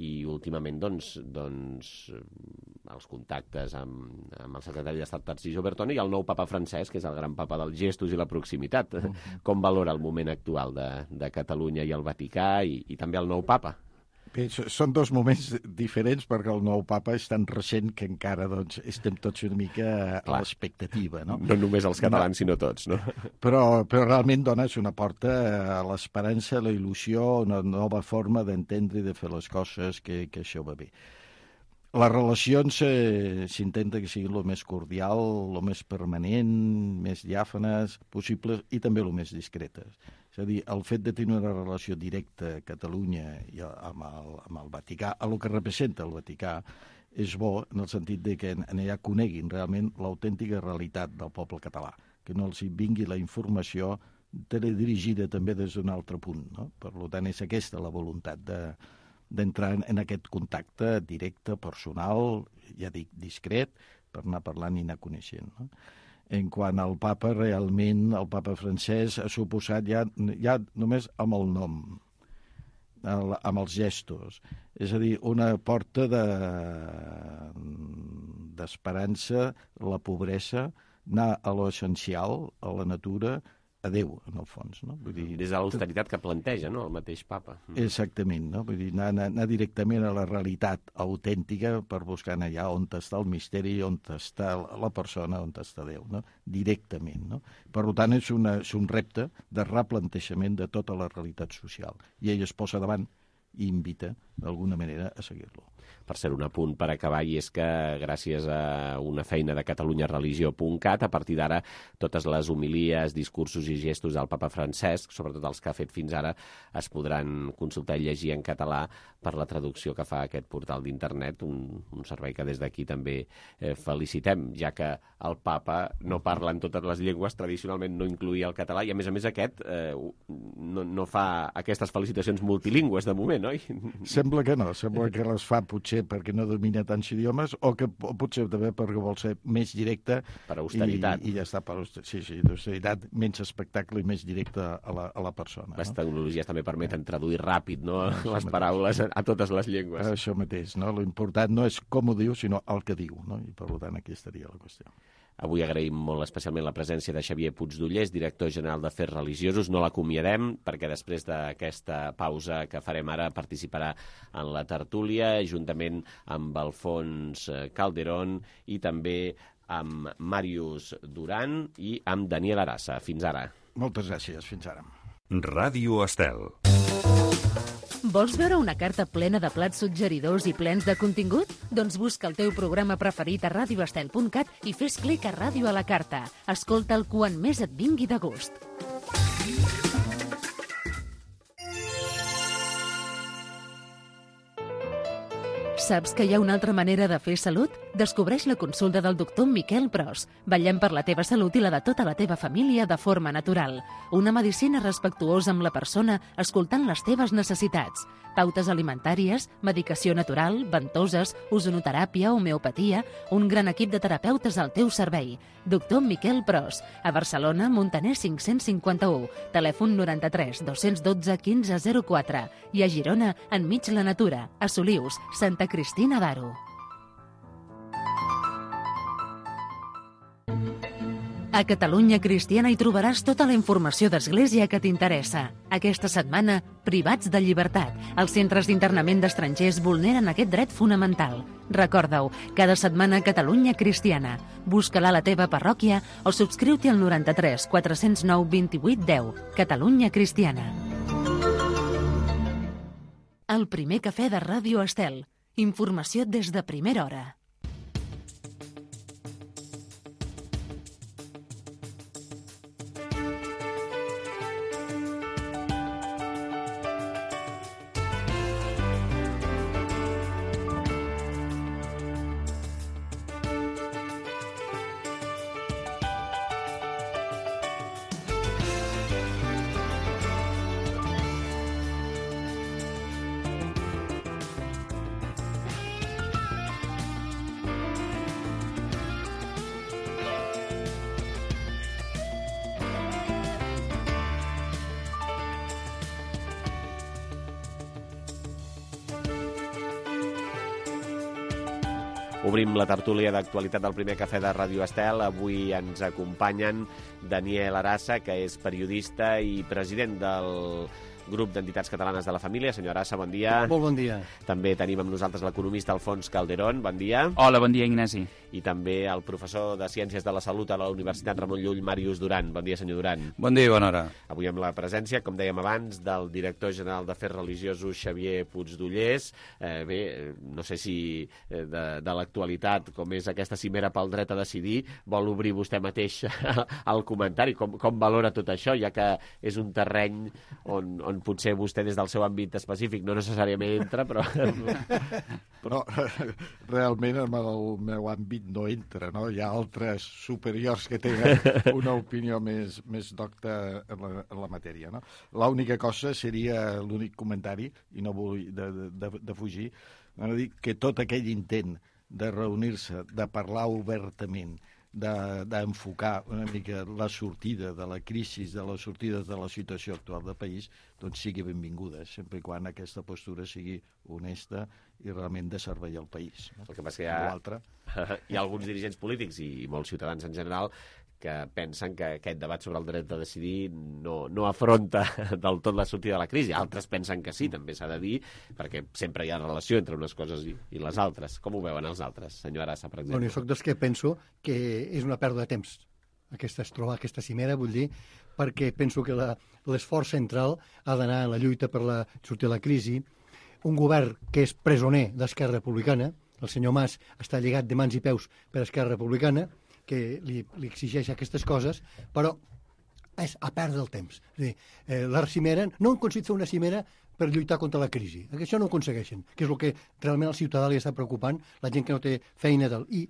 i últimament els contactes amb el secretari d'Estat Tarcisio Bertone i el nou papa francès, que és el gran papa dels gestos i la proximitat. Com valora el moment actual de Catalunya i el Vaticà i també el nou papa? Bé, són dos moments diferents perquè el nou papa és tan recent que encara estem tots una mica a l'expectativa, no? No només els catalans, sinó tots, no? Però realment dona una porta a l'esperança, a la il·lusió, una nova forma d'entendre i de fer les coses que això va bé. Les relacions s'intenta que siguin el més cordial, el més permanent, més diàfanes possibles i també el més discretes. És a dir, el fet de tenir una relació directa a Catalunya i amb el Vaticà, a el que representa el Vaticà, és bo en el sentit de que allà coneguin realment l'autèntica realitat del poble català, que no els vingui la informació teledirigida també des d'un altre punt, no? Per tant, és aquesta la voluntat d'entrar en aquest contacte directe, personal, ja dic, discret, per anar parlant i anar coneixent, no? En quant al papa, realment, el papa francès ha suposat ja només amb el nom, amb els gestos. És a dir, una porta d'esperança, la pobresa, anar a l'essencial, a la natura, a Déu, en el fons, no? Vull dir, des de l'austeritat que planteja, no?, el mateix papa. Exactament, no? Vull dir, anar directament a la realitat autèntica per buscar allà on està el misteri, on està la persona, on està Déu, no? Directament, no? Per tant, és un repte de replantejament de tota la realitat social. I ell es posa davant i invita, d'alguna manera, a seguir-lo. Per ser un apunt per acabar, i és que gràcies a una feina de catalunyareligió.cat, a partir d'ara, totes les homilies, discursos i gestos del papa Francesc, sobretot els que ha fet fins ara, es podran consultar i llegir en català per la traducció que fa aquest portal d'internet, un servei que des d'aquí també felicitem, ja que el papa no parla en totes les llengües, tradicionalment no incloïa el català, i a més aquest no fa aquestes felicitacions multilingües de moment, oi? Sembla que no, sembla que les fa potser perquè no domina tants idiomes o que potser també perquè vol ser més directe per austeritat. I ja està, per austeritat, menys espectacle i més directe a la persona. Les tecnologies també permeten traduir ràpid, no?, les paraules a totes les llengües. Això mateix, no? L'important no és com ho diu, sinó el que diu, no? I per tant aquí estaria la qüestió. Avui agraïm molt especialment la presència de Xavier Puigdollers, director general d'Afers Religiosos. No l'acomiadem perquè després d'aquesta pausa que farem ara participarà en la tertúlia juntament amb Alfons Calderón i també amb Màrius Duran i amb Daniel Arassa. Fins ara. Moltes gràcies. Fins ara. Ràdio Estel. Vols veure una carta plena de plats suggeridors i plens de contingut? Doncs busca el teu programa preferit a radioestel.cat i fes clic a Ràdio a la Carta. Escolta'l quan més et vingui de gust. Saps que hi ha una altra manera de fer salut? Descobreix la consulta del doctor Miquel Pros. Vetllem per la teva salut i la de tota la teva família de forma natural. Una medicina respectuosa amb la persona, escoltant les teves necessitats. Pautes alimentàries, medicació natural, ventoses, ozonoteràpia, homeopatia, un gran equip de terapeutes al teu servei. Doctor Miquel Pros, a Barcelona, Montaner 551, telèfon 93 212 1504 i a Girona, enmig la natura, a Solius, Santa Cristina d'Aro. A Catalunya Cristiana hi trobaràs tota la informació d'Església que t'interessa. Aquesta setmana, privats de llibertat. Els centres d'internament d'estrangers vulneren aquest dret fonamental. Recorda-ho, cada setmana Catalunya Cristiana. Busca-la a la teva parròquia o subscriu-t'hi al 93 409 28 10. Catalunya Cristiana. El primer cafè de Ràdio Estel. Informació des de primera hora. Obrim la tertúlia d'actualitat del primer cafè de Ràdio Estel. Avui ens acompanyen Daniel Arassa, que és periodista i president del grup d'entitats catalanes de la família. Senyor Arassa, bon dia. Molt bon dia. També tenim amb nosaltres l'economista Alfons Calderón. Bon dia. Hola, bon dia, Ignasi. I també el professor de Ciències de la Salut a la Universitat Ramon Llull, Màrius Duran. Bon dia, senyor Duran. Bon dia i bona hora. Avui amb la presència, com dèiem abans, del director general d'Afers Religiosos, Xavier Puigdollers. No sé si de l'actualitat, com és aquesta cimera pel dret a decidir, vol obrir vostè mateix el comentari. Com valora tot això, ja que és un terreny on potser vostè des del seu àmbit específic no necessàriament entra, però... Però realment en el meu àmbit no entra, no? Hi ha altres superiors que tenen una opinió més docta en la matèria, no? L'única cosa seria, l'únic comentari, i no vull de fugir, dir que tot aquell intent de reunir-se, de parlar obertament, d'enfocar una mica la sortida de la crisi, de la sortida de la situació actual del país, doncs sigui benvinguda, sempre i quan aquesta postura sigui honesta i realment de servei al país. El que passa que hi ha alguns dirigents polítics i molts ciutadans en general que pensen que aquest debat sobre el dret a decidir no afronta del tot la sortida de la crisi. Altres pensen que sí, també s'ha de dir, perquè sempre hi ha relació entre unes coses i les altres. Com ho veuen els altres, senyor Arassa, per exemple? Bueno, jo soc dels que penso que és una pèrdua de temps aquesta cimera, vull dir, perquè penso que l'esforç central ha d'anar en la lluita per la sortida de la crisi. Un govern que és presoner d'Esquerra Republicana, el senyor Mas està lligat de mans i peus per Esquerra Republicana, que li exigeix aquestes coses, però és a perdre el temps. És a dir, la cimera, no han aconseguit fer una cimera per lluitar contra la crisi. Això no ho aconsegueixen, que és el que realment al ciutadà li està preocupant, la gent que no té feina I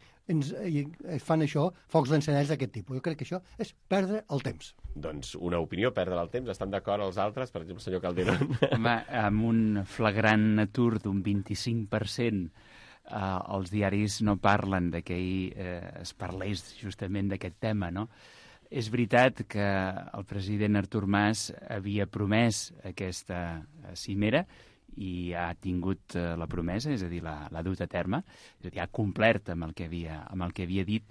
fan això, focs d'encenalls d'aquest tipus. Jo crec que això és perdre el temps. Doncs una opinió, perdre el temps. Estan d'acord els altres, per exemple, senyor Calderón? Home, amb un flagrant atur d'un 25%, els diaris no parlen de que es parlés justament d'aquest tema, no? És veritat que el president Artur Mas havia promès aquesta cimera i ha tingut la promesa, és a dir, l'ha dut a terme, és a dir, ha complert amb el que havia dit.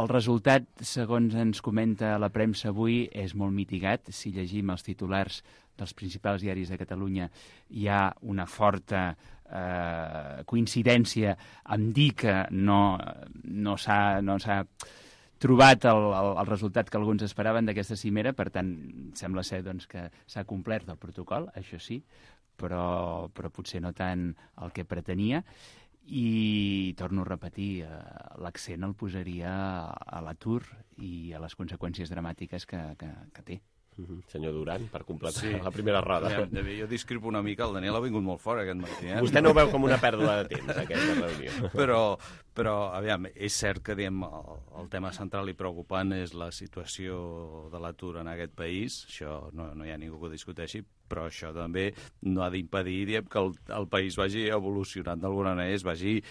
El resultat, segons ens comenta la premsa avui, és molt mitigat. Si llegim els titulars dels principals diaris de Catalunya, hi ha una forta coincidència en dir que no s'ha trobat el resultat que alguns esperaven d'aquesta cimera. Per tant, sembla ser doncs, que s'ha complert el protocol, això sí, però potser no tant el que pretenia. I torno a repetir, l'accent el posaria a l'atur i a les conseqüències dramàtiques que té. Senyor Duran, per completar la primera roda. Jo discrepo una mica, el Daniel ha vingut molt fort aquest matí. Vostè no ho veu com una pèrdua de temps, aquesta reunió. Però aviam, és cert que el tema central i preocupant és la situació de l'atur en aquest país, això no hi ha ningú que ho discuteixi, però això també no ha d'impedir que el país vagi evolucionant d'alguna manera, es vagi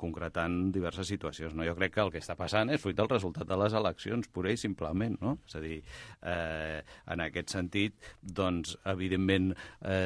concretant diverses situacions. Jo crec que el que està passant és fruit del resultat de les eleccions, pura i simplement. És a dir, en aquest sentit, doncs, evidentment,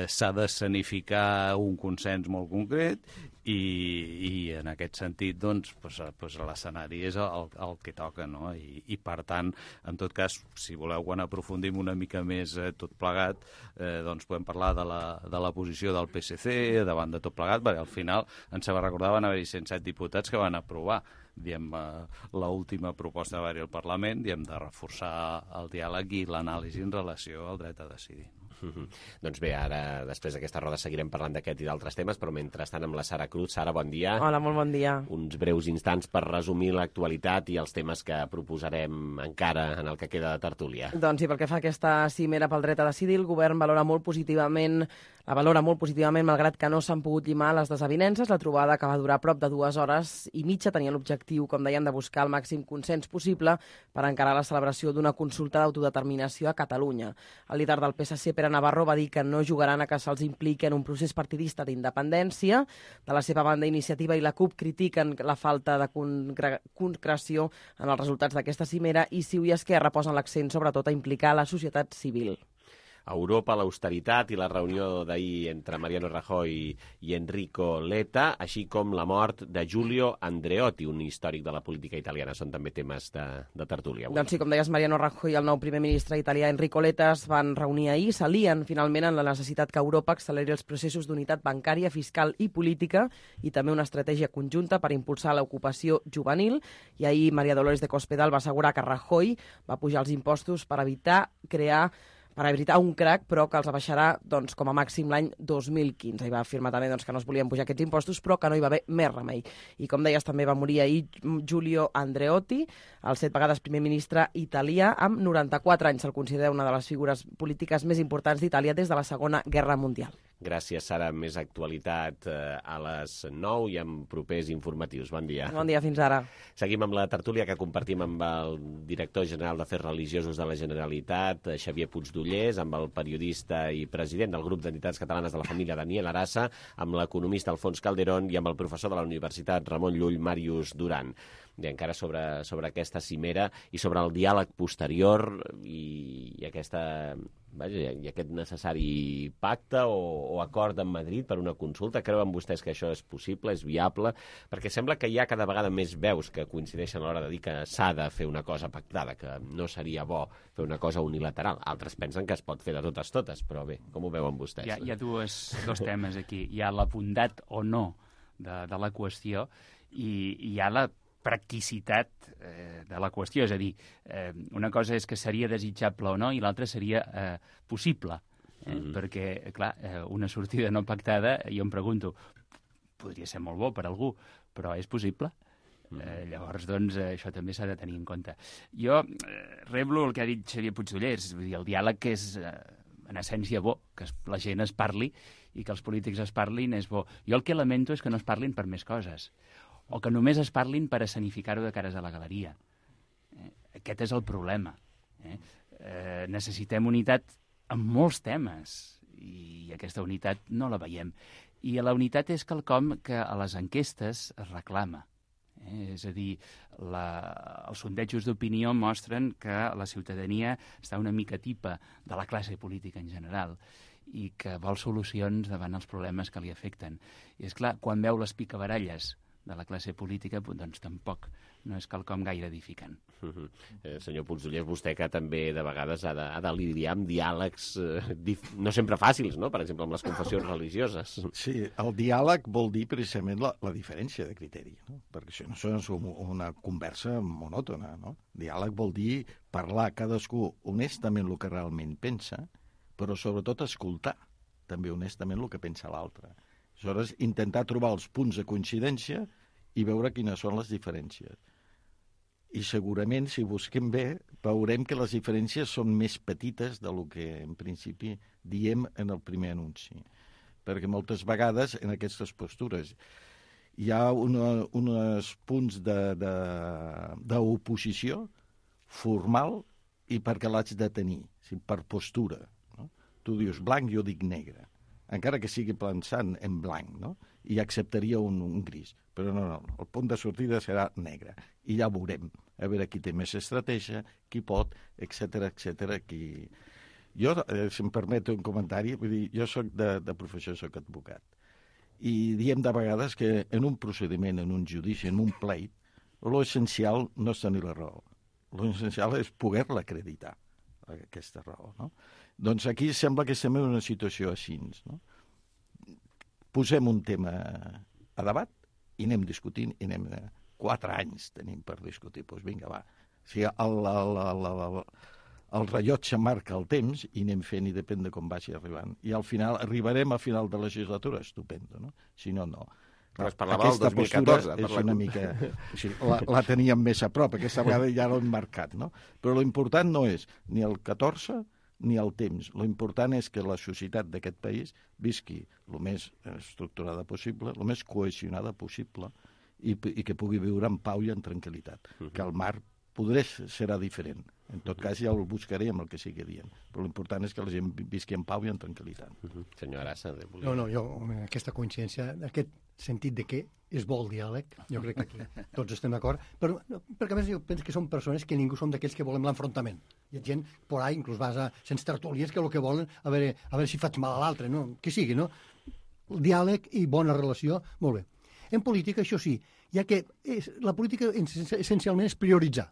s'ha d'escenificar un consens molt concret i en aquest sentit, doncs, l'escenari és el que toca, no? I per tant, en tot cas, si voleu, quan aprofundim una mica més tot plegat, doncs podem parlar de la posició del PSC davant de tot plegat, perquè al final ens va recordar van haver-hi 107 diputats que van aprovar l'última proposta de haver-hi al Parlament, de reforçar el diàleg i l'anàlisi en relació al dret a decidir. Doncs bé, ara, després d'aquesta roda, seguirem parlant d'aquest i d'altres temes, però mentrestant amb la Sara Cruz. Sara, bon dia. Hola, molt bon dia. Uns breus instants per resumir l'actualitat i els temes que proposarem encara en el que queda de tertúlia. Doncs sí, pel que fa a aquesta cimera pel dret a decidir, el govern la valora molt positivament, malgrat que no s'han pogut llimar les desavinences. La trobada, que va durar prop de 2 hores i mitja, tenia l'objectiu, com dèiem, de buscar el màxim consens possible per encarar la celebració d'una consulta d'autodeterminació a Catalunya. El líder del PSC, Pere Navarro, va dir que no jugaran a que se'ls impliqui en un procés partidista d'independència. De la seva banda, Iniciativa i la CUP critiquen la falta de concreció en els resultats d'aquesta cimera i Ciu i Esquerra posen l'accent sobretot a implicar la societat civil. A Europa, l'austeritat i la reunió d'ahir entre Mariano Rajoy i Enrico Letta, així com la mort de Giulio Andreotti, un històric de la política italiana. Són també temes de tertúlia. Doncs sí, com deies, Mariano Rajoy i el nou primer ministre italià Enrico Letta es van reunir ahir, s'alien finalment en la necessitat que Europa acceleri els processos d'unitat bancària, fiscal i política i també una estratègia conjunta per impulsar l'ocupació juvenil. I ahir María Dolores de Cospedal va assegurar que Rajoy va pujar els impostos per evitar un crac, però que els abaixarà com a màxim l'any 2015. I va afirmar també que no es volien pujar aquests impostos, però que no hi va haver més remei. I com deies, també va morir ahir Giulio Andreotti, el 7 vegades primer ministre italià, amb 94 anys. Se'l considera una de les figures polítiques més importants d'Itàlia des de la Segona Guerra Mundial. Gràcies, Sara. Més actualitat a les 9 i amb propers informatius. Bon dia. Bon dia, fins ara. Seguim amb la tertúlia que compartim amb el director general d'Afers Religiosos de la Generalitat, Xavier Puigdollers, amb el periodista i president del grup d'entitats catalanes de la família, Daniel Arassa, amb l'economista Alfons Calderón i amb el professor de la Universitat Ramon Llull, Màrius Duran. I encara sobre aquesta cimera i sobre el diàleg posterior i aquest necessari pacte o acord en Madrid per una consulta. Creuen vostès que això és possible, és viable? Perquè sembla que hi ha cada vegada més veus que coincideixen a l'hora de dir que s'ha de fer una cosa pactada, que no seria bo fer una cosa unilateral. Altres pensen que es pot fer de totes, però bé, com ho veuen vostès? Hi ha dos temes aquí. Hi ha la bondat o no de la qüestió i hi ha la practicitat de la qüestió. És a dir, una cosa és que seria desitjable o no i l'altra seria possible. Perquè, clar, una sortida no pactada, jo em pregunto, podria ser molt bo per algú, però és possible? Llavors, doncs, això també s'ha de tenir en compte. Jo reblo el que ha dit Xavier Puigdollers, vull dir, el diàleg és, en essència, bo, que la gent es parli i que els polítics es parlin és bo. Jo el que lamento és que no es parlin per més coses, o que només es parlin per escenificar-ho de cares a la galeria. Aquest és el problema. Necessitem unitat en molts temes i aquesta unitat no la veiem. I la unitat és quelcom que a les enquestes es reclama. És a dir, els sondejos d'opinió mostren que la ciutadania està una mica tipa de la classe política en general i que vol solucions davant els problemes que li afecten. I és clar, quan veu les picabaralles de la classe política, doncs tampoc no és quelcom gaire edificant. Senyor Puigdollers, vostè que també de vegades ha de lidiar amb diàlegs no sempre fàcils, no? Per exemple, amb les confessions religioses. Sí, el diàleg vol dir precisament la diferència de criteri, no? Perquè això no és una conversa monòtona, no? Diàleg vol dir parlar cadascú honestament el que realment pensa, però sobretot escoltar també honestament el que pensa l'altre. Aleshores, intentar trobar els punts de coincidència i veure quines són les diferències. I segurament, si busquem bé, veurem que les diferències són més petites del que en principi diem en el primer anunci. Perquè moltes vegades en aquestes postures hi ha uns punts d'oposició formal i perquè l'haig de tenir, per postura. No? Tu dius blanc, jo dic negre. Encara que sigui pensant en blanc, no? I acceptaria un gris. Però no, el punt de sortida serà negre. I ja veurem, a veure qui té més estratègia, qui pot, etc. Jo, si em permet un comentari, vull dir, jo soc de professió, soc advocat. I diem de vegades que en un procediment, en un judici, en un pleit, l'essencial no és tenir la raó. L'essencial és poder-la acreditar, aquesta raó, no? Doncs aquí sembla que estem en una situació així, no? Posem un tema a debat i anem discutint, i anem 4 anys tenim per discutir. Doncs vinga, va. Si el rellotge marca el temps i anem fent i depèn de com vagi arribant. I al final arribarem a final de legislatura, estupendo, no? Si no, no. Però es parlava del 2014. És una mica... La teníem més a prop, aquesta vegada ja l'hem marcat, no? Però l'important no és ni el 14 ni el temps. L'important és que la societat d'aquest país visqui el més estructurada possible, el més cohesionada possible i que pugui viure en pau i en tranquil·litat. Que el mar serà diferent. En tot cas ja el buscarem el que sigui dient. Però l'important és que la gent visqui en pau i en tranquil·litat. Senyor Arassa. No, jo, aquesta coincidència, aquest sentit de que és bo el diàleg, jo crec que aquí tots estem d'acord, però perquè a més jo penso que som persones que ningú som d'aquells que volem l'enfrontament. Hi ha gent por ahí, inclús vas a sense tertúlies, que el que volen a veure si faig mal a l'altre, no? Que sigui, no? El diàleg i bona relació, molt bé. En política, això sí, ja que la política essencialment és prioritzar.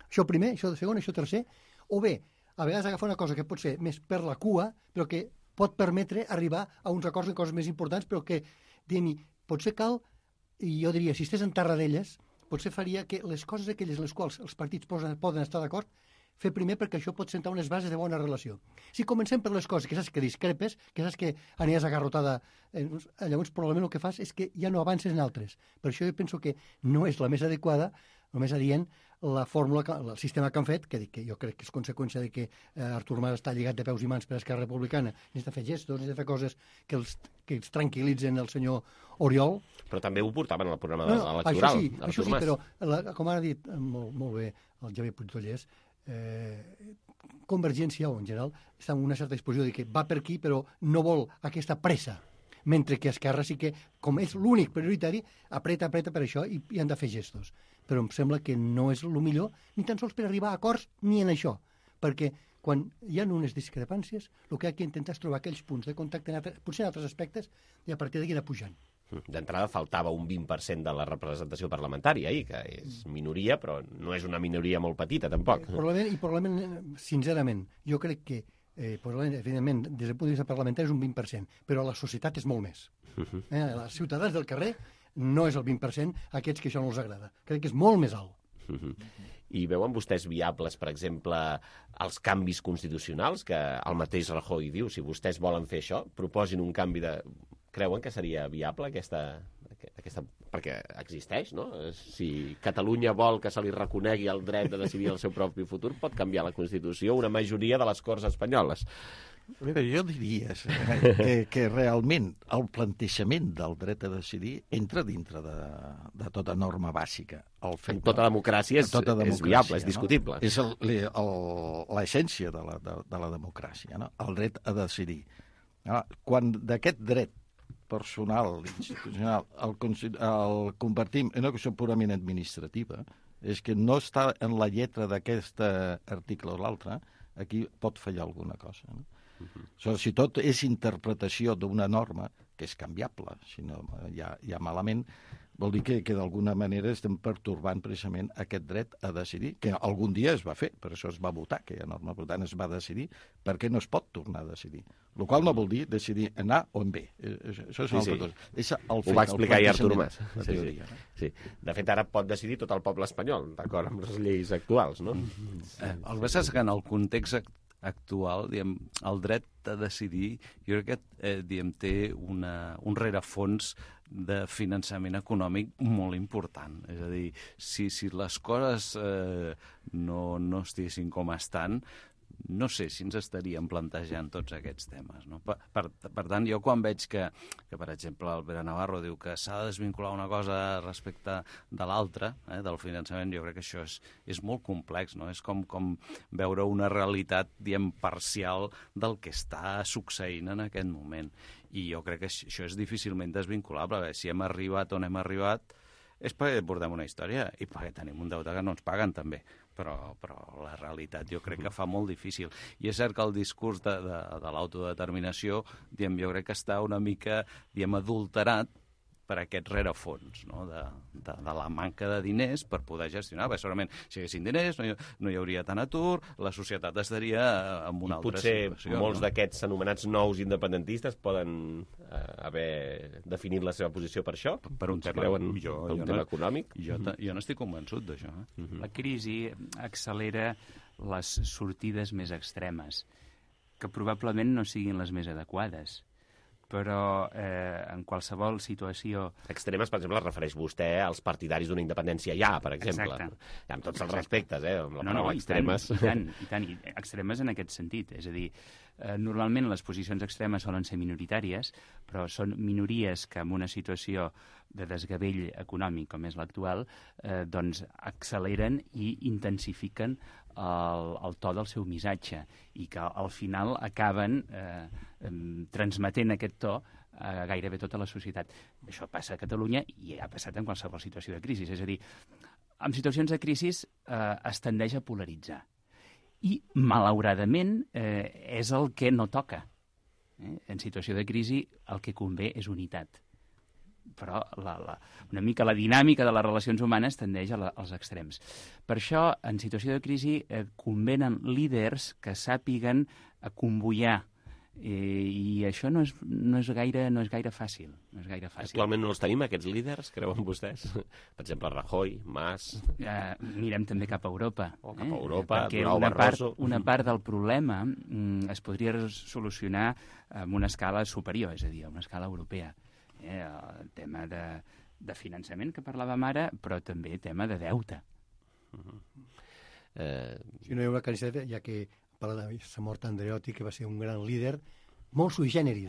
Això primer, això segon, això tercer, o bé, a vegades agafar una cosa que pot ser més per la cua, però que pot permetre arribar a uns acords en coses més importants, però que, diguem-hi, potser cal, i jo diria, si estàs en terra d'elles, potser faria que les coses aquelles en les quals els partits poden estar d'acord, fer primer perquè això pot sentar unes bases de bona relació. Si comencem per les coses que saps que discrepes, que saps que aniràs agarrotada, llavors probablement el que fas és que ja no avances en altres. Per això jo penso que no és la més adequada, el més adient, la fórmula, el sistema que han fet, que jo crec que és conseqüència de que Artur Mas està lligat de peus i mans per Esquerra Republicana, necessita fer gestos, necessita fer coses que els tranquil·litzen el senyor Oriol. Però també ho portaven al programa electoral. Això sí, però com ha dit molt bé el Javier Puigdollers, Convergència, o en general, està en una certa disposició de que va per aquí, però no vol aquesta pressa, mentre que Esquerra sí que, com és l'únic prioritari, apreta per això i han de fer gestos. Però em sembla que no és el millor, ni tan sols per arribar a acords ni en això, perquè quan hi ha unes discrepàncies, el que hi ha que intentar és trobar aquells punts de contacte, potser en altres aspectes, i a partir d'aquí anar pujant. D'entrada faltava un 20% de la representació parlamentària ahir, que és minoria, però no és una minoria molt petita, tampoc. Probablement, sincerament, jo crec que, evidentment, des del punt de vista parlamentari és un 20%, però la societat és molt més. Els ciutadans del carrer no és el 20%, aquests que això no els agrada. Crec que és molt més alt. I veuen vostès viables, per exemple, els canvis constitucionals, que el mateix Rajoy diu, si vostès volen fer això, proposin un canvi de... Creuen que seria viable aquesta... Perquè existeix, no? Si Catalunya vol que se li reconegui el dret de decidir el seu propi futur, pot canviar la Constitució una majoria de les Corts espanyoles. Mira, jo diria que realment el plantejament del dret a decidir entra dintre de tota norma bàsica. En tota democràcia és viable, és discutible. És l'essència de la democràcia, no? El dret a decidir. Quan d'aquest dret personal, institucional, el convertim en una qüestió purament administrativa, és que no està en la lletra d'aquest article o l'altre, aquí pot fallar alguna cosa, no? Si tot és interpretació d'una norma, que és canviable, si no hi ha malament, vol dir que d'alguna manera estem pertorbant precisament aquest dret a decidir, que algun dia es va fer, per això es va votar aquella norma, per tant es va decidir, perquè no es pot tornar a decidir. El qual no vol dir decidir en A o en B. Això és una altra cosa. Ho va explicar ahir Artur Mas. Sí. De fet, ara pot decidir tot el poble espanyol, d'acord amb les lleis actuals, no? El que passa és que en el context actual, el dret a decidir, jo crec que té un rerefons de finançament econòmic molt important. És a dir, si les coses no estiguessin com estan, no sé si ens estaríem plantejant tots aquests temes. No? Per tant, jo quan veig que, per exemple, el Pere Navarro diu que s'ha de desvincular una cosa respecte de l'altra, del finançament, jo crec que això és molt complex, no? És com veure una realitat, parcial del que està succeint en aquest moment. I jo crec que això és difícilment desvinculable. Si hem arribat on hem arribat és perquè portem una història i perquè tenim un deute que no ens paguen, també. Però la realitat jo crec que fa molt difícil. I és cert que el discurs de l'autodeterminació, jo crec que està una mica, adulterat per aquest rerefons, no? de la manca de diners per poder gestionar. Segurament, si hi haguessin diners, no hi hauria tant atur, la societat estaria en una altra situació. Potser molts d'aquests anomenats nous independentistes poden haver definit la seva posició per això? Per un tema econòmic? Jo n'estic convençut d'això. La crisi accelera les sortides més extremes, que probablement no siguin les més adequades. Però en qualsevol situació... Extremes, per exemple, es refereix vostè als partidaris d'una independència per exemple. Exacte. Amb tots els respectes, amb la paraula extremes. I tant, extremes en aquest sentit. És a dir, normalment les posicions extremes solen ser minoritàries, però són minories que en una situació de desgavell econòmic com és l'actual, doncs acceleren i intensifiquen el to del seu missatge i que al final acaben transmetent aquest to a gairebé tota la societat. Això passa a Catalunya i ha passat en qualsevol situació de crisi. És a dir, en situacions de crisi es tendeix a polaritzar. I, malauradament, és el que no toca. En situació de crisi el que convé és unitat. Però una mica la dinàmica de les relacions humanes tendeix als extrems. Per això, en situació de crisi, convenen líders que sàpiguen convoiar. I això no és gaire fàcil. Actualment no els tenim, aquests líders, creuen vostès? Per exemple, Rajoy, Mas... Mirem també cap a Europa. Cap a Europa, perquè una part del problema es podria solucionar amb una escala superior, és a dir, a una escala europea. El tema de finançament que parlàvem ara, però també tema de deute. Si no hi haurà caritat, ja que parla de la mort Andreotti, que va ser un gran líder, molt sui generis.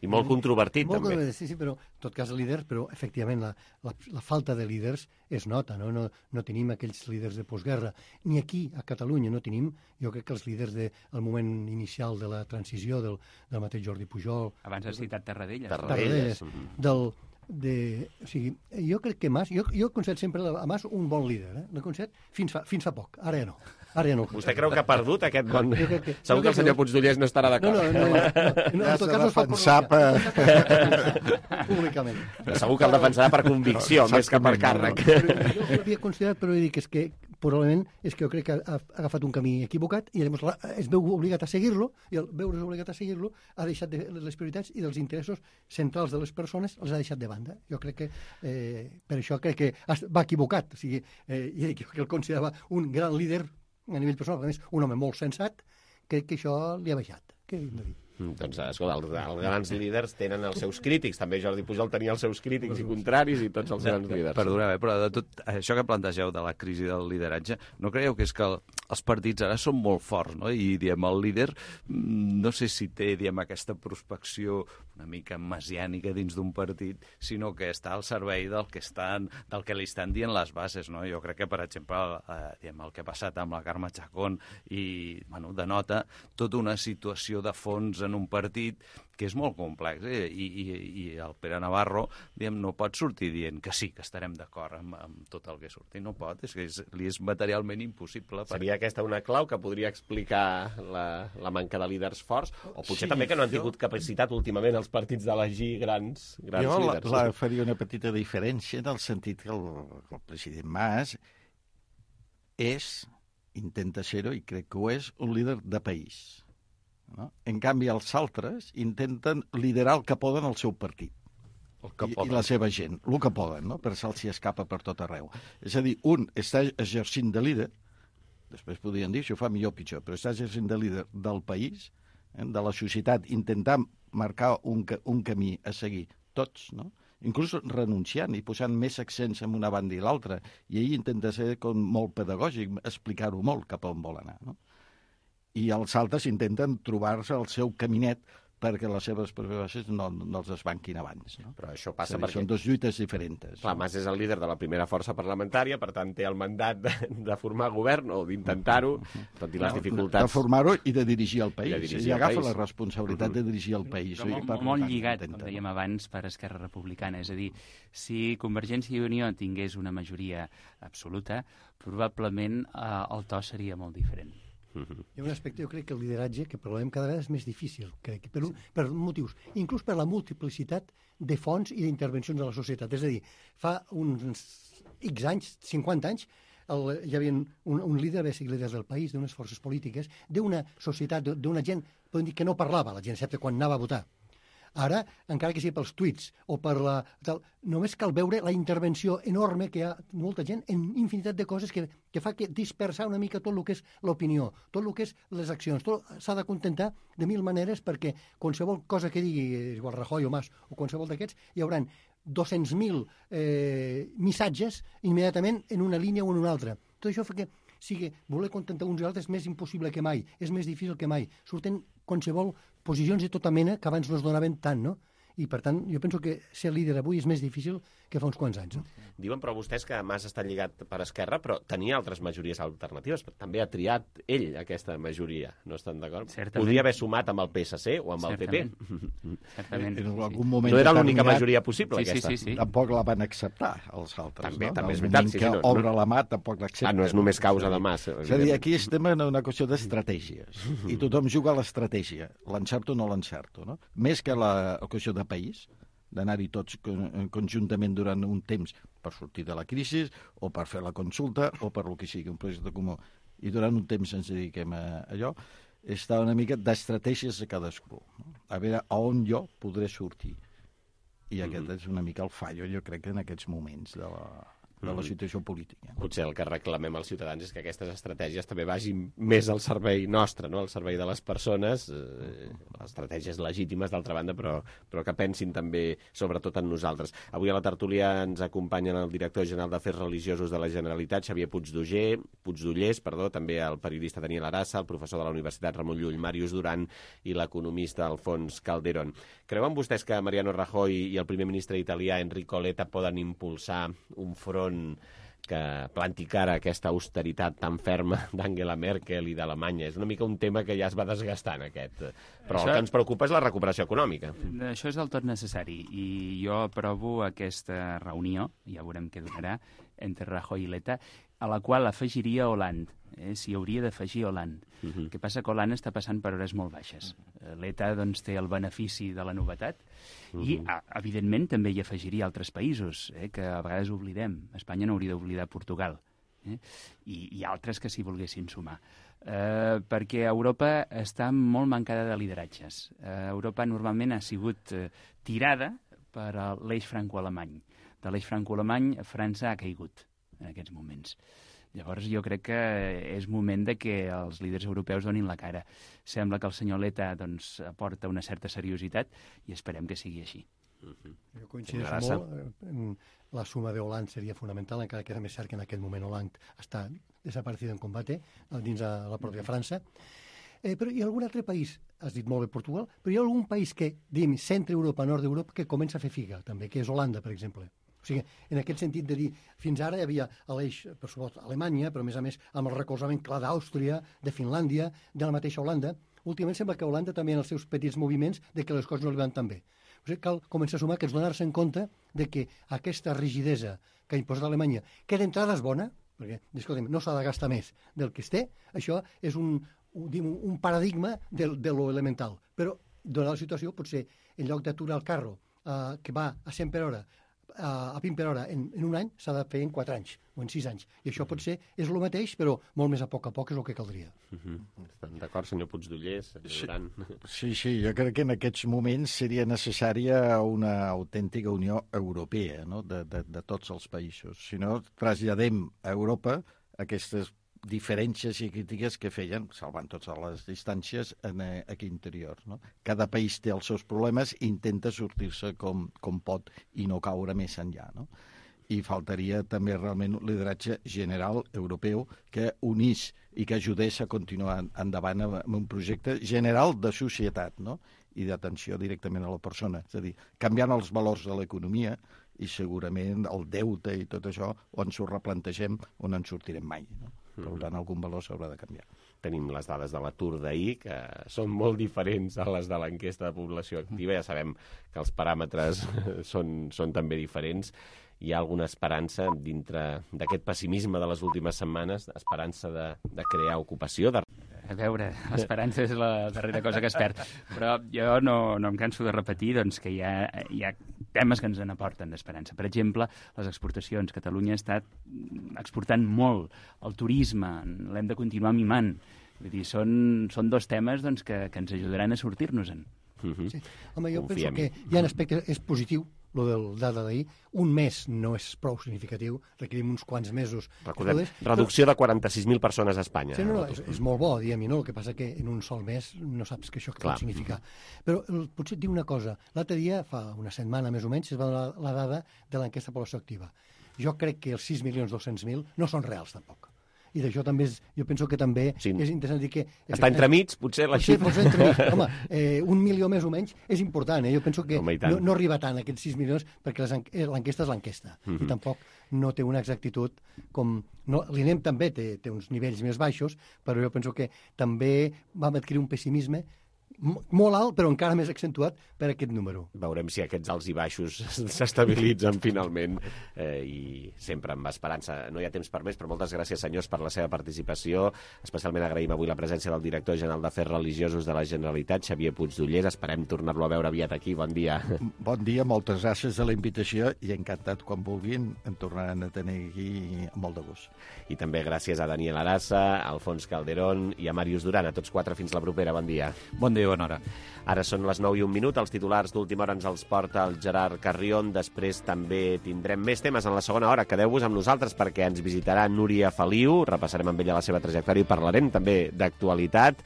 I molt controvertit, també. Sí, però en tot cas líders, però efectivament la falta de líders es nota, no? No tenim aquells líders de postguerra. Ni aquí, a Catalunya, no tenim, jo crec que els líders del moment inicial de la transició del mateix Jordi Pujol... Abans has citat Tarradellas. Tarradellas. O sigui, jo crec que Mas... Jo concedo sempre a Mas un bon líder. L'he concedit fins fa poc. Ara ja no. Vostè creu que ha perdut aquest bon... Segur que el senyor Puigdollers no estarà d'acord. No, en tot cas no es pot públicament. Segur que el defensarà per convicció, més que per càrrec. Jo l'havia considerat, però dic que probablement és que jo crec que ha agafat un camí equivocat i llavors es veu obligat a seguir-lo, i al veure's obligat a seguir-lo ha deixat les prioritats i dels interessos centrals de les persones els ha deixat de banda. Jo crec que per això crec que va equivocat. O sigui, que el considerava un gran líder a nivell personal, a més, un home molt sensat, crec que això li ha baixat. Què hem de dir? Doncs, escolta, els grans líders tenen els seus crítics. També Jordi Pujol tenia els seus crítics i contraris i tots els grans líders. Perdoneu, però de tot això que plantegeu de la crisi del lideratge, no creieu que és que els partits ara són molt forts, no? I, el líder, no sé si té, aquesta prospecció una mica messiànica dins d'un partit, sinó que està al servei del que li estan dient les bases, no? Jo crec que, per exemple, el que ha passat amb la Carme Chacón i, denota tota una situació de fons en un partit que és molt complex, i el Pere Navarro no pot sortir dient que sí, que estarem d'acord amb tot el que surti. No pot, és que li és materialment impossible. Seria aquesta una clau que podria explicar la manca de líders forts? O potser també que no han tingut capacitat últimament els partits d'elegir grans líders? Jo faria una petita diferència en el sentit que el president Mas intenta ser-ho, i crec que ho és, un líder de país. No? En canvi, els altres intenten liderar el que poden al seu partit i la seva gent, el que poden, no? Per se'ls escapa per tot arreu. És a dir, un està exercint de líder Després podrien dir si ho fa millor o pitjor, però estàs sent de líder del país, de la societat, intentar marcar un camí a seguir tots, no? Inclús renunciant i posant més accents en una banda i l'altra. I ell intenta ser com molt pedagògic, explicar-ho molt cap on vol anar, no? I els altres intenten trobar-se el seu caminet perquè les seves preocupacions no els desbanquin abans. No? Però això passa perquè... Són dues lluites diferents. Clar, Mas és el líder de la primera força parlamentària, per tant té el mandat de formar govern o d'intentar-ho, tot i les dificultats... De formar-ho i de dirigir el país. I agafa la responsabilitat de dirigir el país. Molt lligat, com dèiem abans, per Esquerra Republicana. És a dir, si Convergència i Unió tingués una majoria absoluta, probablement el to seria molt diferent. Hi ha un aspecte, jo crec que el lideratge, que probablement cada vegada és més difícil, crec, per motius, inclús per la multiplicitat de fonts i d'intervencions de la societat. És a dir, fa uns X anys, 50 anys, hi havia un líder, bàsic líders del país, d'unes forces polítiques, d'una societat, d'una gent, podem dir que no parlava, la gent, excepte quan anava a votar. Ara, encara que sigui pels tuits o per la... només cal veure la intervenció enorme que hi ha molta gent en infinitat de coses que fa que dispersar una mica tot el que és l'opinió, tot el que és les accions. S'ha de contentar de 1000 maneres perquè qualsevol cosa que digui igual Rajoy o Mas o qualsevol d'aquests hi haurà 200.000 missatges immediatament en una línia o en una altra. Tot això fa que sigui voler contentar uns i altres és més impossible que mai, és més difícil que mai. Surten qualsevol posicions de tota mena que abans no es donaven tant, no? I, per tant, jo penso que ser líder avui és més difícil que fa uns quants anys. No? Diuen, però vostès, que Mas està lligat per Esquerra, però tenia altres majories alternatives. També ha triat ell aquesta majoria, no estan d'acord? Podria haver sumat amb el PSC o amb el PP. Certament. En algun moment no era l'única majoria possible, aquesta. Sí. Tampoc la van acceptar, els altres. També és veritat. Que obre la mà, tampoc l'accepta. No és només causa de Mas. És a dir, aquí estem en una qüestió d'estratègies. I tothom juga a l'estratègia. L'encerto o no l'encerto, no? Més que la qüestió de país, d'anar-hi tots conjuntament durant un temps per sortir de la crisi o per fer la consulta o per el que sigui, un projecte comú. I durant un temps ens dediquem a allò, està una mica d'estratègies de cadascú. No? A veure a on jo podré sortir. I aquest és una mica el fallo, jo crec, en aquests moments de la situació política. Potser el que reclamem als ciutadans és que aquestes estratègies també vagin més al servei nostre, no? Al servei de les persones, estratègies legítimes, d'altra banda, però que pensin també, sobretot, en nosaltres. Avui a la tertúlia ens acompanyen el director general d'Afers Religiosos de la Generalitat, Xavier Puigdollers, també el periodista Daniel Arassa, el professor de la Universitat Ramon Llull, Màrius Duran, i l'economista Alfons Calderón. Creuen vostès que Mariano Rajoy i el primer ministre italià Enrico Letta poden impulsar un front que planti cara a aquesta austeritat tan ferma d'Angela Merkel i d'Alemanya? És una mica un tema que ja es va desgastant, aquest. Però el que ens preocupa és la recuperació econòmica. Això és del tot necessari, i jo aprovo aquesta reunió, ja veurem què donarà, entre Rajoy i Letta, a la qual afegiria Hollande. S'hi hauria d'afegir Hollande. El que passa que Hollande està passant per hores molt baixes. Letta té el benefici de la novetat i, evidentment, també hi afegiria altres països, que a vegades oblidem. Espanya no hauria d'oblidar Portugal. I altres que s'hi volguessin sumar. Perquè Europa està molt mancada de lideratges. Europa normalment ha sigut tirada per l'eix franco-alemany. De l'eix franco-alemany, França ha caigut en aquests moments. Llavors jo crec que és moment de que els líders europeus donin la cara. Sembla que el senyor Letta aporta una certa seriositat i esperem que sigui així. Jo coincideixo molt. La suma de Hollande seria fonamental, encara que és més cert que en aquest moment Hollande està desaparecido en combate dins de la pròpia França. Però hi ha algun altre país, has dit molt bé Portugal, però hi ha algun país que, diguem, centre-Europa, nord d'Europa, que comença a fer figa, també, que és Holanda, per exemple. O sigui, en aquest sentit de dir, fins ara hi havia l'eix, per supost, Alemanya, però a més amb el recolzament clar d'Àustria, de Finlàndia, de la mateixa Holanda. Últimament sembla que Holanda també en els seus petits moviments de que les coses no li van tan bé. O sigui, cal començar a sumar que és donar-se en compte de que aquesta rigidesa que ha imposat Alemanya, que d'entrada és bona, perquè, escolta'm, no s'ha de gastar més del que es té, això és un paradigma de lo elemental. Però, donada la situació, potser en lloc d'aturar el carro que va a 100 per hora, a 20 per hora en un any, s'ha de fer en 4 anys o en 6 anys. I això potser és el mateix, però molt més a poc és el que caldria. Estan d'acord, senyor Puigdollers? Sí, jo crec que en aquests moments seria necessària una autèntica Unió Europea, no? de tots els països. Si no, traslladem a Europa aquestes diferències i crítiques que feien, salvant totes les distàncies, aquí interior. No? Cada país té els seus problemes i intenta sortir-se com pot i no caure més enllà. No? I faltaria també realment un lideratge general europeu que unís i que ajudés a continuar endavant amb un projecte general de societat, no? I d'atenció directament a la persona. És a dir, canviant els valors de l'economia i segurament el deute i tot això, o ens ho replantegem o no en sortirem mai. No? Per tant, algun valor s'haurà de canviar. Tenim les dades de l'atur d'ahir, que són molt diferents a les de l'enquesta de població activa. Ja sabem que els paràmetres són també diferents. Hi ha alguna esperança dintre d'aquest pessimisme de les últimes setmanes, esperança de crear ocupació? A veure, l'esperança és la darrera cosa que es perd. Però jo no em canso de repetir doncs, que hi ha temes que ens n'aporten d'esperança. Per exemple, les exportacions. Catalunya ha estat exportant molt. El turisme l'hem de continuar mimant. Vull dir, són dos temes doncs, que ens ajudaran a sortir-nos-en. Sí. Home, jo penso que hi ha un aspecte, és positiu, lo del dada d'ahir. Un mes no és prou significatiu, requerim uns quants mesos. Recordem, reducció de 46.000 persones a Espanya. Sí, no, és molt bo, diguem-hi, no? El que passa que en un sol mes no saps que això pot significar. Però potser et dic una cosa. L'altre dia, fa una setmana més o menys, es va donar la dada de l'enquesta de població activa. Jo crec que els 6.200.000 no són reals, tampoc. I d'això també jo penso que també és interessant dir que... Està entremig, potser la xifra. Home, 1 milió més o menys és important. Jo penso que no arriba tant a aquests 6 milions perquè l'enquesta és l'enquesta. I tampoc no té una exactitud com... L'INEM també té uns nivells més baixos, però jo penso que també vam adquirir un pessimisme molt alt, però encara més accentuat per aquest número. Veurem si aquests alts i baixos s'estabilitzen finalment i sempre amb esperança. No hi ha temps per més, però moltes gràcies, senyors, per la seva participació. Especialment agraïm avui la presència del director general d'Afers Religiosos de la Generalitat, Xavier Puigdollers. Esperem tornar-lo a veure aviat aquí. Bon dia. Bon dia, moltes gràcies de la invitació i encantat quan vulguin em tornaran a tenir aquí amb molt de gust. I també gràcies a Daniel Arassa, a Alfons Calderón i a Màrius Duran. A tots quatre, fins la propera. Bon dia. Bon dia, bona hora. Ara són les 9:01. Els titulars d'última hora ens els porta el Gerard Carrion. Després també tindrem més temes en la segona hora. Quedeu-vos amb nosaltres perquè ens visitarà Núria Feliu. Repassarem amb ella la seva trajectòria i parlarem també d'actualitat.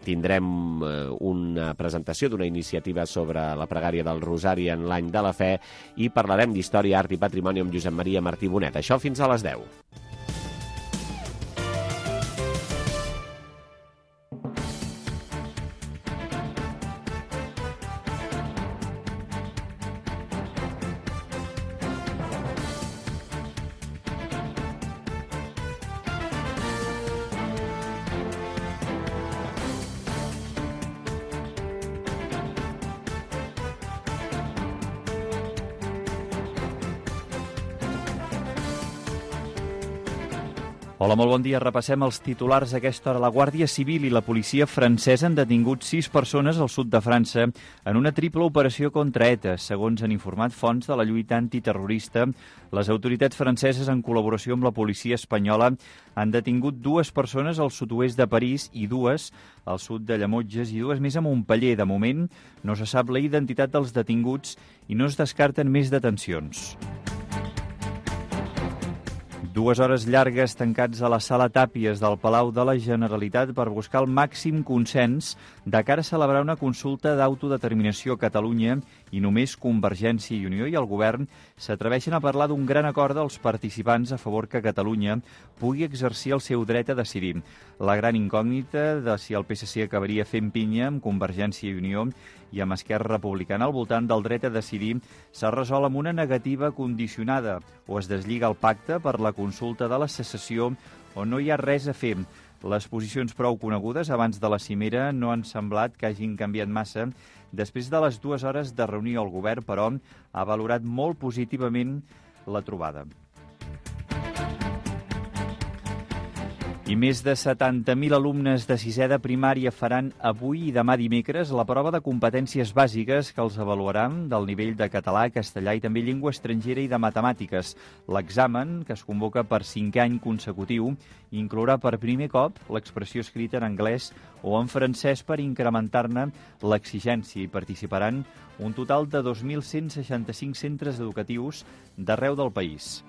Tindrem una presentació d'una iniciativa sobre la pregària del Rosari en l'any de la fe i parlarem d'història, art i patrimoni amb Josep Maria Martí Bonet. Això fins a les 10. Hola, molt bon dia. Repassem els titulars a aquesta hora. La Guàrdia Civil i la policia francesa han detingut 6 persones al sud de França en una triple operació contra ETA. Segons han informat fonts de la lluita antiterrorista, les autoritats franceses, en col·laboració amb la policia espanyola, han detingut 2 persones al sud-oest de París i 2 al sud de Llemotges i 2 més a Montpeller. De moment, no se sap la identitat dels detinguts i no es descarten més detencions. 2 hores llargues tancats a la sala Tàpies del Palau de la Generalitat per buscar el màxim consens de cara a celebrar una consulta d'autodeterminació a Catalunya i només Convergència i Unió i el govern s'atreveixen a parlar d'un gran acord dels participants a favor que Catalunya pugui exercir el seu dret a decidir. La gran incògnita de si el PSC acabaria fent pinya amb Convergència i Unió i amb Esquerra Republicana al voltant del dret a decidir s'ha resolt amb una negativa condicionada o es deslliga el pacte per la consulta de la secessió o no hi ha res a fer. Les posicions prou conegudes abans de la cimera no han semblat que hagin canviat massa. Després de les 2 hores de reunió, el govern, però, ha valorat molt positivament la trobada. I més de 70.000 alumnes de 6è de primària faran avui i demà dimecres la prova de competències bàsiques que els avaluaran del nivell de català, castellà i també llengua estrangera i de matemàtiques. L'examen, que es convoca per 5è any consecutiu, inclourà per primer cop l'expressió escrita en anglès o en francès per incrementar-ne l'exigència i participaran un total de 2.165 centres educatius d'arreu del país.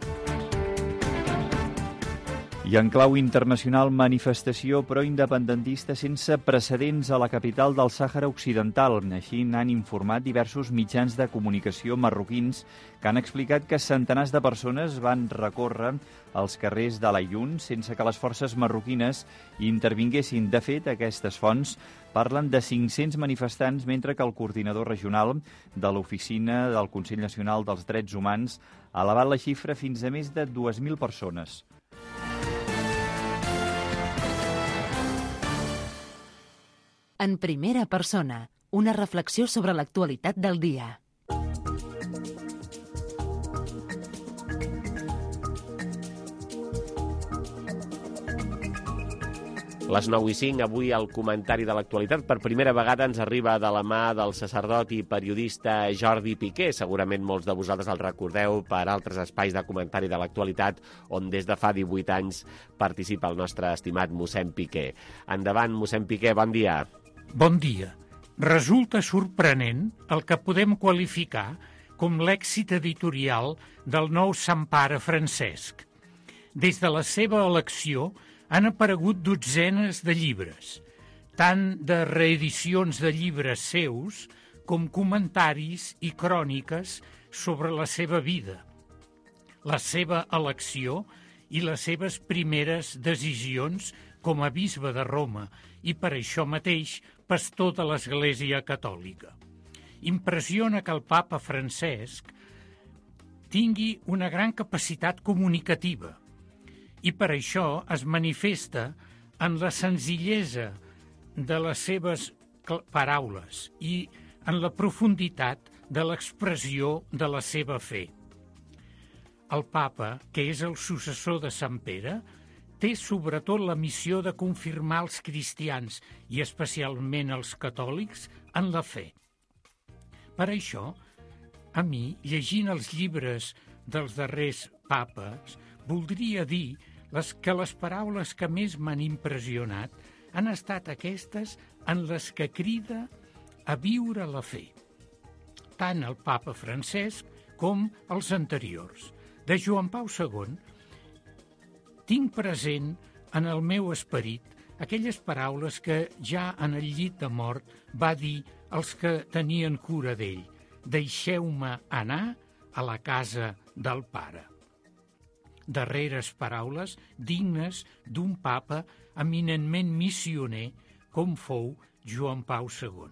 I en clau internacional, manifestació proindependentista sense precedents a la capital del Sàhara Occidental. Així n'han informat diversos mitjans de comunicació marroquins que han explicat que centenars de persones van recórrer als carrers de l'Aïun sense que les forces marroquines intervinguessin. De fet, aquestes fonts parlen de 500 manifestants, mentre que el coordinador regional de l'Oficina del Consell Nacional dels Drets Humans ha elevat la xifra fins a més de 2.000 persones. En primera persona, una reflexió sobre l'actualitat del dia. Les 9:05, avui el comentari de l'actualitat per primera vegada ens arriba de la mà del sacerdot i periodista Jordi Piqué. Segurament molts de vosaltres el recordeu per altres espais de comentari de l'actualitat on des de fa 18 anys participa el nostre estimat mossèn Piqué. Endavant, mossèn Piqué, bon dia. Bon dia. Resulta sorprenent el que podem qualificar com l'èxit editorial del nou Sant Pare Francesc. Des de la seva elecció han aparegut dotzenes de llibres, tant de reedicions de llibres seus com comentaris i cròniques sobre la seva vida, la seva elecció i les seves primeres decisions com a bisbe de Roma i per això mateix pastor de l'Església Catòlica. Impressiona que el papa Francesc tingui una gran capacitat comunicativa i per això es manifesta en la senzillesa de les seves paraules i en la profunditat de l'expressió de la seva fe. El papa, que és el successor de Sant Pere, té sobretot la missió de confirmar els cristians i especialment els catòlics en la fe. Per això, a mi, llegint els llibres dels darrers papes, voldria dir que les paraules que més m'han impressionat han estat aquestes en les que crida a viure la fe. Tant el papa Francesc com els anteriors. De Joan Pau II tinc present en el meu esperit aquelles paraules que ja en el llit de mort va dir als que tenien cura d'ell: deixeu-me anar a la casa del Pare. Darreres paraules dignes d'un papa eminentment missioner com fou Joan Pau II.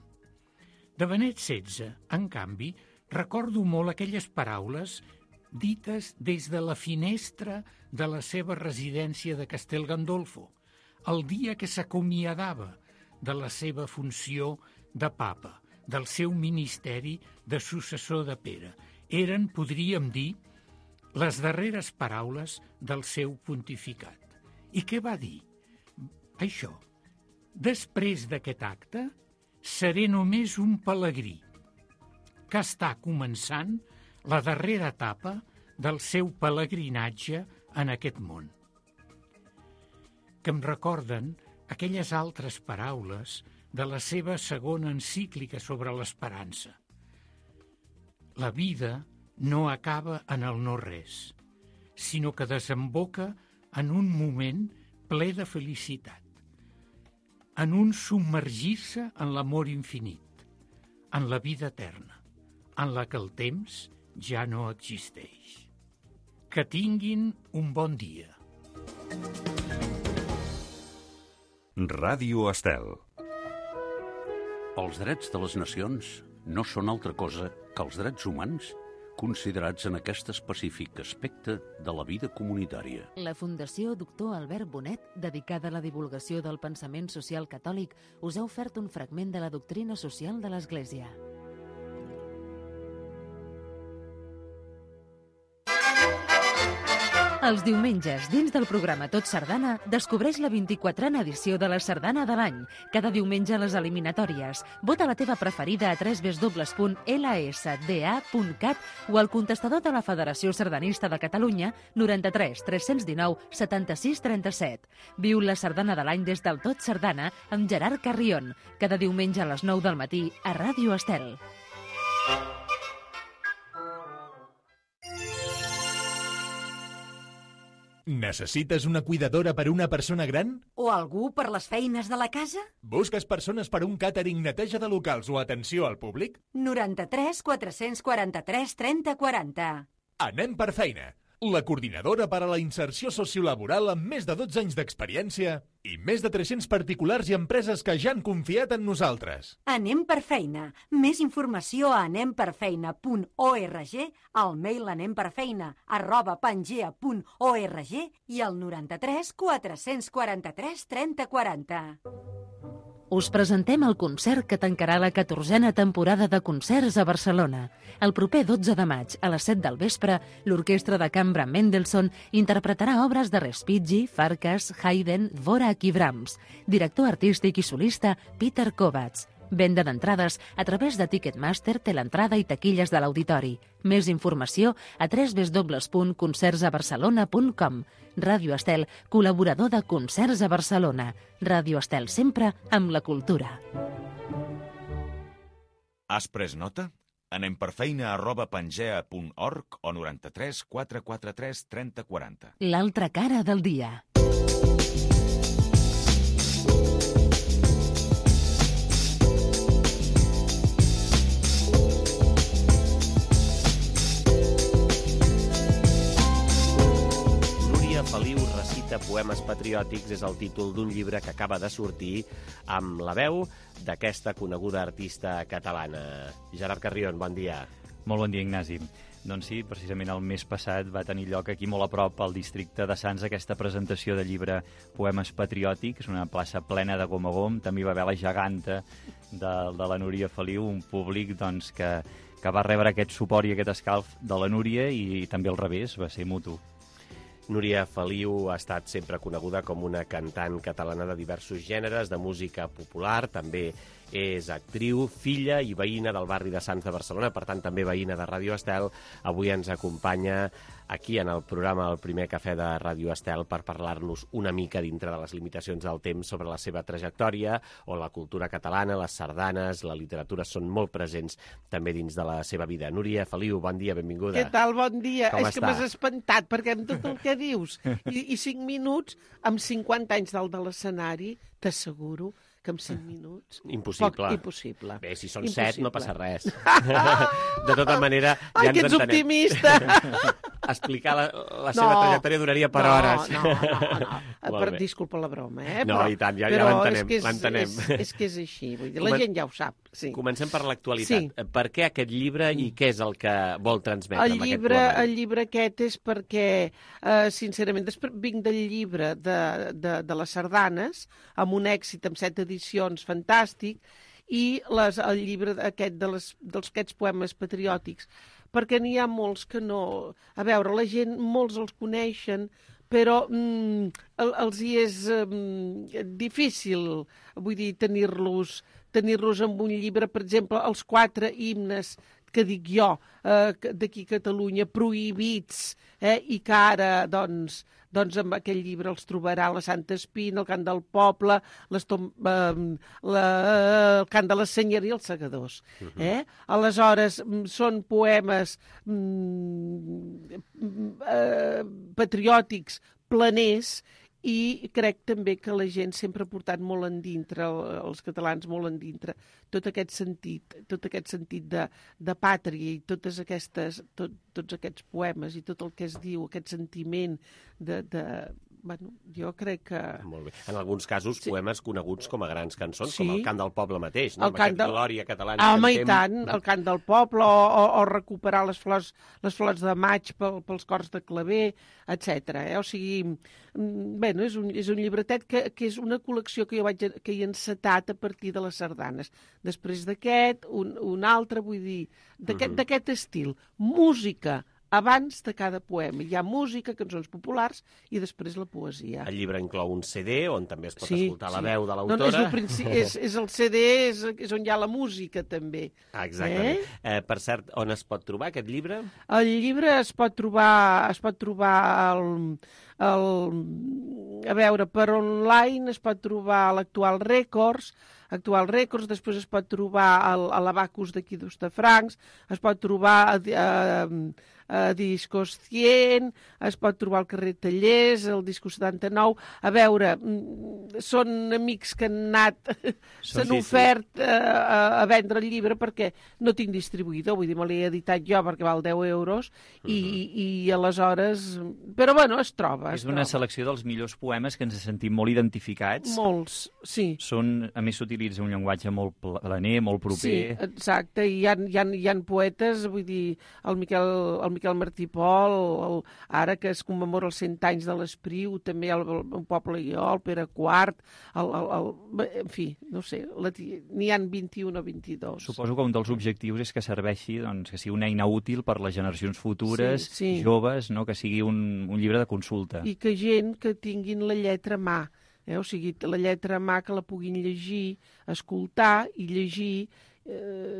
De Benet XVI, en canvi, recordo molt aquelles paraules dites des de la finestra de la seva residència de Castel Gandolfo, el dia que s'acomiadava de la seva funció de papa, del seu ministeri de successor de Pere. Eren, podríem dir, les darreres paraules del seu pontificat. I què va dir? Això: després d'aquest acte, seré només un pelegrí que està començant la darrera etapa del seu pelegrinatge en aquest món. Que em recorden aquelles altres paraules de la seva segona encíclica sobre l'esperança. La vida no acaba en el no-res, sinó que desemboca en un moment ple de felicitat, en un submergir-se en l'amor infinit, en la vida eterna, en la que el temps ja no existeix. Que tinguin un bon dia. Ràdio Estel. Els drets de les nacions no són altra cosa que els drets humans considerats en aquest específic aspecte de la vida comunitària. La Fundació Doctor Albert Bonet, dedicada a la divulgació del pensament social catòlic, us ha ofert un fragment de la doctrina social de l'Església. Els diumenges, dins del programa Tot Sardana, descobreix la 24a edició de la Sardana de l'any. Cada diumenge a les eliminatòries. Vota la teva preferida a www.lsda.cat o al contestador de la Federació Sardanista de Catalunya 93 319 76 37. Viu la Sardana de l'any des del Tot Sardana amb Gerard Carrion. Cada diumenge a les 9 del matí a Ràdio Estel. Necessites una cuidadora per una persona gran? O algú per les feines de la casa? Busques persones per un càtering, neteja de locals o atenció al públic? 93 443 30 40. Anem per feina. La coordinadora per a la inserció sociolaboral amb més de 12 anys d'experiència i més de 300 particulars i empreses que ja han confiat en nosaltres. Anem per feina. Més informació a anemperfeina.org, al mail anemperfeina@pangea.org i al 93 443 30 40. Us presentem el concert que tancarà la 14a temporada de concerts a Barcelona. El proper 12 de maig, a les 7 del vespre, l'Orquestra de Cambra Mendelssohn interpretarà obres de Respighi, Farkas, Haydn, Dvorak i Brahms. Director artístic i solista, Peter Kovacs. Venda d'entrades a través de Ticketmaster, Teleentrada i taquilles de l'auditori. Més informació a www.concertsabarcelona.com. Ràdio Estel, col·laborador de Concerts a Barcelona. Ràdio Estel sempre amb la cultura. Has pres nota? Anem per feina@pangea.org o 93 443 30 40. L'altra cara del dia. Feliu recita poemes patriòtics és el títol d'un llibre que acaba de sortir amb la veu d'aquesta coneguda artista catalana. Gerard Carrion, bon dia. Molt bon dia, Ignasi. Doncs sí, precisament el mes passat va tenir lloc aquí molt a prop, al districte de Sants, aquesta presentació de llibre Poemes Patriòtics, una plaça plena de gom a gom. També hi va haver la geganta de la Núria Feliu, un públic doncs, que va rebre aquest suport i aquest escalf de la Núria i també al revés, va ser mutu. Núria Feliu ha estat sempre coneguda com una cantant catalana de diversos gèneres, de música popular, també és actriu, filla i veïna del barri de Sants de Barcelona, per tant també veïna de Ràdio Estel. Avui ens acompanya aquí en el programa El primer cafè de Ràdio Estel per parlar-nos una mica dintre de les limitacions del temps sobre la seva trajectòria, on la cultura catalana, les sardanes, la literatura són molt presents també dins de la seva vida. Núria Feliu, bon dia, benvinguda. Què tal, bon dia? Com És que m'has espantat, perquè amb tot el que dius i 5 minuts, amb 50 anys dalt de l'escenari, t'asseguro que en 5 minuts... Impossible. Impossible. Bé, si són 7 no passa res. De tota manera, ja Ai, ens que ets entenem. optimista! Explicar la seva trajectòria duraria per hores. No. Disculpa la broma, No, però, i tant, ja l'entenem. l'entenem. És que és així, vull dir, la gent ja ho sap. Sí. Comencem per l'actualitat. Sí. Per què aquest llibre i què és el que vol transmetre amb aquest poema? El llibre aquest és perquè, sincerament, després vinc del llibre de les sardanes, amb un èxit, amb 7 edicions, fantàstic, i el llibre aquest d'aquests poemes patriòtics, perquè n'hi ha molts que no... A veure, la gent, molts els coneixen, però els hi és difícil, vull dir, tenir-los en un llibre. Per exemple, els 4 himnes que dic jo, d'aquí a Catalunya, prohibits, i que ara, doncs amb aquell llibre els trobarà la Santa Espina, el Cant del Poble, el Cant de la Senyeria i els Segadors. Aleshores, són poemes patriòtics, planers, i crec també que la gent sempre ha portat molt endintre, els catalans molt endintre, tot aquest sentit de pàtria i tots aquests poemes i tot el que es diu, aquest sentiment Bueno, jo crec que... Molt bé. En alguns casos, poemes coneguts com a grans cançons, Sí. com el Cant del Poble mateix, no? El cant Amb aquesta del- glòria catalana. Home, que i tant, el Cant del Poble, o recuperar les flors de maig pels cors de claver, etc. O sigui, bueno, és un llibretet que és una col·lecció que jo que he encetat a partir de les sardanes. Després d'aquest, un altre, vull dir, d'aquest estil. Música abans de cada poema. Hi ha música, cançons populars, i després la poesia. El llibre inclou un CD on també es pot escoltar la veu de No, l'autora. és el CD, és on hi ha la música, també. Exactament. Per cert, on es pot trobar aquest llibre? El llibre es pot trobar a veure, per online es pot trobar a l'Actual Records, després es pot trobar a l'Abacus d'aquí d'Hostafrancs, es pot trobar Discos 100, es pot trobar al carrer Tallers, el Disco 79. A veure, són amics que han anat, s'han ofert a vendre el llibre perquè no tinc distribuïdor, vull dir, me l'he editat jo perquè val 10 euros i aleshores... Però bueno, es troba. És una selecció dels millors poemes que ens sentim molt identificats. Molts, sí. A més, s'utilitza un llenguatge molt planer, molt proper. Sí, exacte, i hi ha poetes, vull dir, el Miquel Martí Pol, ara que es commemora els 100 anys de l'Espriu, també el Poble i jo, el Pere IV, en fi, no sé, n'hi ha 21 o 22. Suposo que un dels objectius és que serveixi, doncs, que sigui una eina útil per les generacions futures, joves, no? Que sigui un llibre de consulta. I que gent que tinguin la lletra a mà, o sigui, la lletra a mà que la puguin llegir, escoltar i llegir.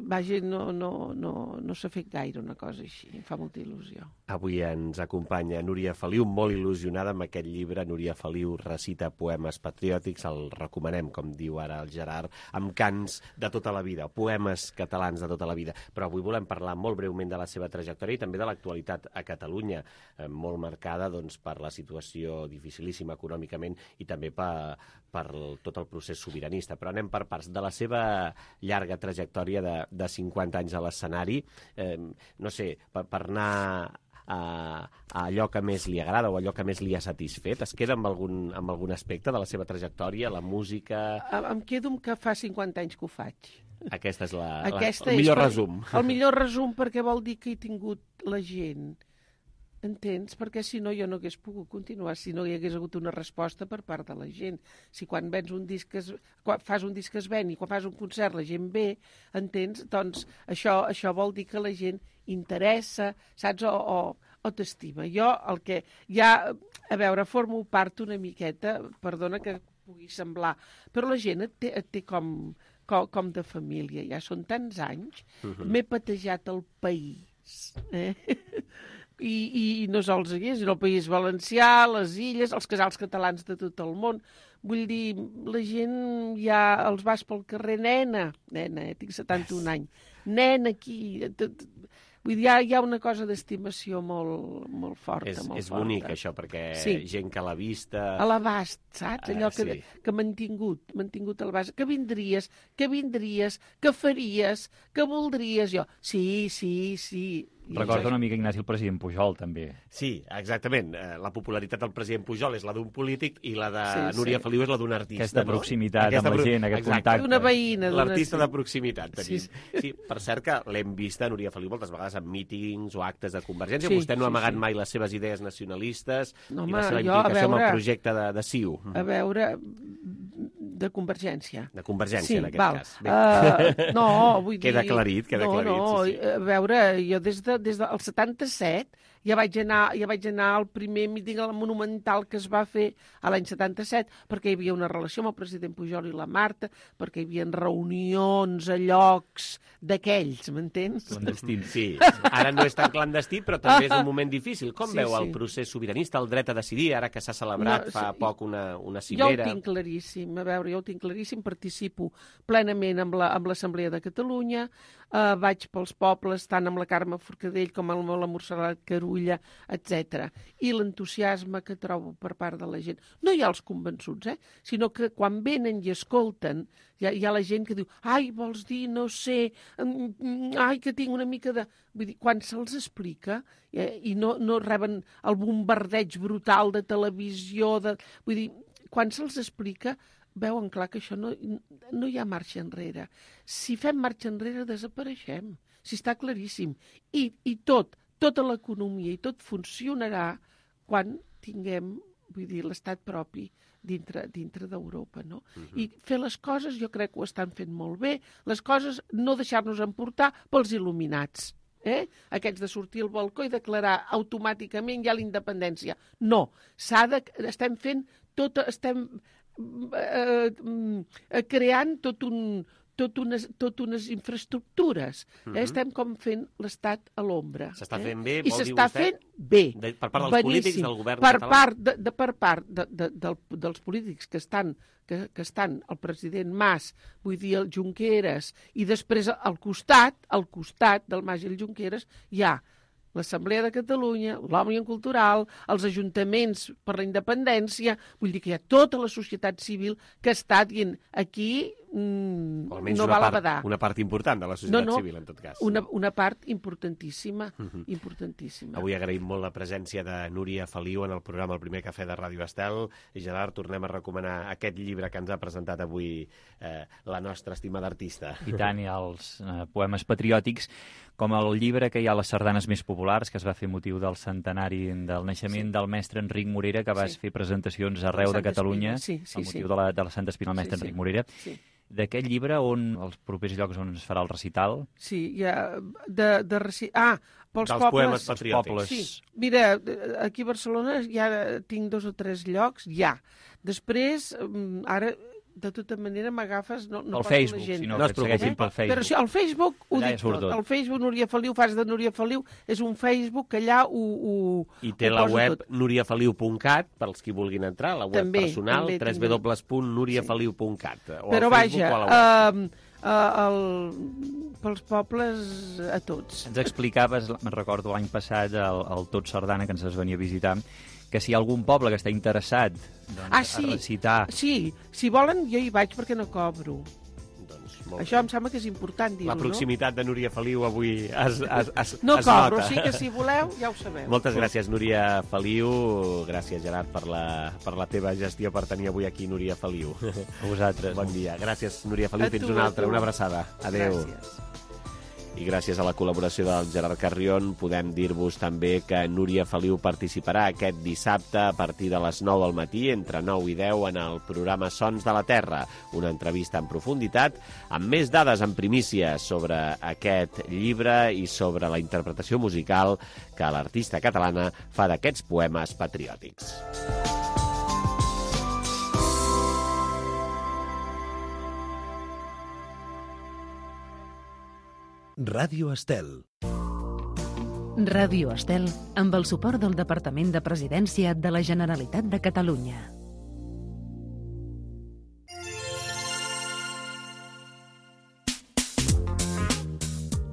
Vaja, no s'ha fet gaire una cosa així, em fa molta il·lusió. Avui ens acompanya Núria Feliu, molt il·lusionada amb aquest llibre. Núria Feliu recita poemes patriòtics, el recomanem, com diu ara el Gerard, amb cants de tota la vida, poemes catalans de tota la vida. Però avui volem parlar molt breument de la seva trajectòria i també de l'actualitat a Catalunya, molt marcada doncs, per la situació dificilíssima econòmicament i també per tot el procés sobiranista. Però anem per parts. De la seva llarga trajectòria de 50 anys a l'escenari, no sé, per anar a allò que més li agrada o allò que més li ha satisfet? Es queda amb algun aspecte de la seva trajectòria, la música? Em quedo amb que fa 50 anys que ho faig. Aquest és el millor resum. El millor resum perquè vol dir que he tingut la gent. Entens? Perquè si no jo no hagués pogut continuar, si no hi hagués hagut una resposta per part de la gent. Si quan fas un disc que es ven i quan fas un concert la gent ve, entens? Doncs això vol dir que la gent interessa, saps? O t'estima. Jo el que ja, a veure, formo part una miqueta, perdona que pugui semblar, però la gent et té com de família. Ja són tants anys, m'he patejat el país, I no sols aquí, sinó el País Valencià, les Illes, els casals catalans de tot el món. Vull dir, la gent ja els vas pel carrer, nena, tinc 71 anys, nena aquí... Vull dir, hi ha una cosa d'estimació molt forta. És bonic, això, perquè gent que a la vista... A l'abast, saps? Allò que m'han tingut a l'abast. Que vindries, que faries, que voldries jo. Sí. Recorda una mica Ignasi el president Pujol, també. Sí, exactament. La popularitat del president Pujol és la d'un polític i la de Núria Feliu és la d'un artista. Aquesta proximitat amb la gent, aquest contacte. Una veïna. L'artista de proximitat, tenim. Sí, per cert que l'hem vista, Núria Feliu, moltes vegades en mítings o actes de Convergència. Vostè no ha amagat mai les seves idees nacionalistes i la seva implicació amb el projecte de CiU. A veure, de Convergència. De Convergència, en aquest cas. No, vull dir... Queda aclarit, sí. A veure, jo des del 77 ja vaig anar al primer míting monumental que es va fer a l'any 77, perquè hi havia una relació amb el president Pujol i la Marta, perquè hi havia reunions a llocs d'aquells, m'entens? Clandestins. Sí, ara no és tan clandestí, però també és un moment difícil. Com veu el procés sobiranista, el dret a decidir, ara que s'ha celebrat fa poc una cimera? Jo ho tinc claríssim, participo plenament amb l'Assemblea de Catalunya, vaig pels pobles, tant amb la Carme Forcadell com amb la Montserrat Carulla, etc. I l'entusiasme que trobo per part de la gent. No hi ha els convençuts, sinó que quan venen i escolten, hi ha la gent que diu, ai, vols dir, no sé, ai, que tinc una mica de... Vull dir, quan se'ls explica i no reben el bombardeig brutal de televisió, vull dir, quan se'ls explica, veuen clar que això no hi ha marxa enrere. Si fem marxa enrere, desapareixem. Si està claríssim. I tota l'economia i tot funcionarà quan tinguem, vull dir, l'estat propi dintre d'Europa, no? I fer les coses, jo crec que ho estan fent molt bé, les coses no deixar-nos emportar pels il·luminats. Aquests de sortir al balcó i declarar automàticament ja la independència. No, estem fent estem creant tot unes infraestructures. Estem com fent l'estat a l'ombra. S'està fent bé, vol dir vostè? I s'està fent bé. Per part dels polítics del govern català? Per part dels polítics que estan, el president Mas, vull dir el Junqueras, i després al costat del Mas i el Junqueras, hi ha l'Assemblea de Catalunya, l'Òmnium Cultural, els ajuntaments per la independència, vull dir que hi ha tota la societat civil que està dient aquí no val a badar. Una part important de la societat civil, en tot cas. Una part importantíssima, importantíssima. Avui agraïm molt la presència de Núria Feliu en el programa El primer cafè de Ràdio Estel. I Gerard, tornem a recomanar aquest llibre que ens ha presentat avui la nostra estimada artista. I tant, i els poemes patriòtics, com el llibre que hi ha les sardanes més populars, que es va fer motiu del centenari del naixement del mestre Enric Morera, que vas fer presentacions arreu de Catalunya amb motiu de la Santa Espina del mestre Enric Morera. D'aquest llibre, on els propers llocs on es farà el recital? Sí, hi ha pels dels pobles. Poemes patriòtics. Sí. Mira, aquí a Barcelona ja tinc 2 o 3 llocs, ja. Després, ara, de tota manera, m'agafes... No el Facebook, si no et segueixin pel Facebook. Però sí, el Facebook ho dic tot. El Facebook Núria Feliu, fas de Núria Feliu, és un Facebook que allà I té la web nuriafeliu.cat, pels qui vulguin entrar, la web personal, www.nuriafeliu.cat. Però vaja, pels pobles a tots. Ens explicaves, me'n recordo l'any passat, el Tot Sardana, que ens es venia a visitar, que si hi ha algun poble que està interessat a recitar... Sí, si volen jo hi vaig perquè no cobro. Això em sembla que és important dir-ho, no? La proximitat de Núria Feliu avui es no cobro, nota. sí que si voleu ja ho sabeu. Moltes gràcies, Núria Feliu. Gràcies, Gerard, per la teva gestió per tenir avui aquí Núria Feliu. A vosaltres. Bon dia. Gràcies, Núria Feliu. Fins una altra. Una abraçada. Adéu. Gràcies. I gràcies a la col·laboració del Gerard Carrion podem dir-vos també que Núria Feliu participarà aquest dissabte a partir de les 9 del matí, entre 9 i 10, en el programa Sons de la Terra, una entrevista en profunditat, amb més dades en primícia sobre aquest llibre i sobre la interpretació musical que l'artista catalana fa d'aquests poemes patriòtics. Ràdio Estel. Ràdio Estel, amb el suport del Departament de Presidència de la Generalitat de Catalunya.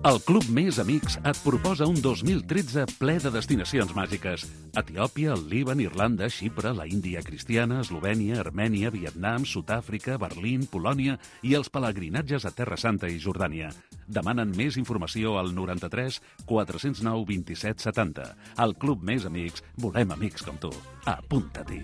El Club Més Amics et proposa un 2013 ple de destinacions màgiques. Etiòpia, el Líban, Irlanda, Xipre, la Índia cristiana, Eslovènia, Armènia, Vietnam, Sud-àfrica, Berlín, Polònia i els pelegrinatges a Terra Santa i Jordània. Demanen més informació al 93 409 27 70. Al Club Més Amics volem amics com tu. Apunta-t'hi.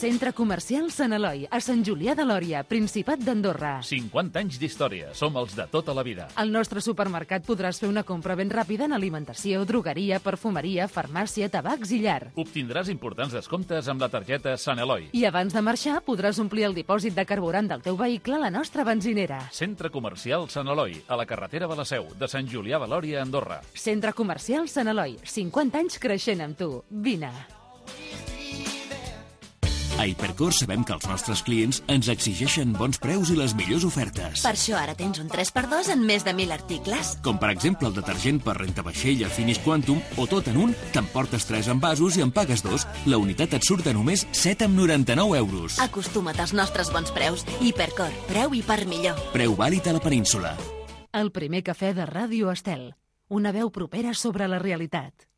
Centre Comercial Sant Eloi, a Sant Julià de Lòria, Principat d'Andorra. 50 anys d'història, som els de tota la vida. Al nostre supermercat podràs fer una compra ben ràpida en alimentació, drogueria, perfumeria, farmàcia, tabacs i llar. Obtindràs importants descomptes amb la targeta Sant Eloi. I abans de marxar podràs omplir el dipòsit de carburant del teu vehicle a la nostra benzinera. Centre Comercial Sant Eloi, a la carretera de la Seu, de Sant Julià de Lòria, Andorra. Centre Comercial Sant Eloi, 50 anys creixent amb tu. Vine. A Hipercor sabem que els nostres clients ens exigeixen bons preus i les millors ofertes. Per això ara tens un 3x2 en més de 1.000 articles. Com per exemple el detergent per rentavaixella Finish Quantum, o tot en un, t'emportes 3 envasos i en pagues 2. La unitat et surt a només 7,99 euros. Acostuma't als nostres bons preus. Hipercor, preu i per millor. Preu vàlid a la península. El primer cafè de Ràdio Estel. Una veu propera sobre la realitat.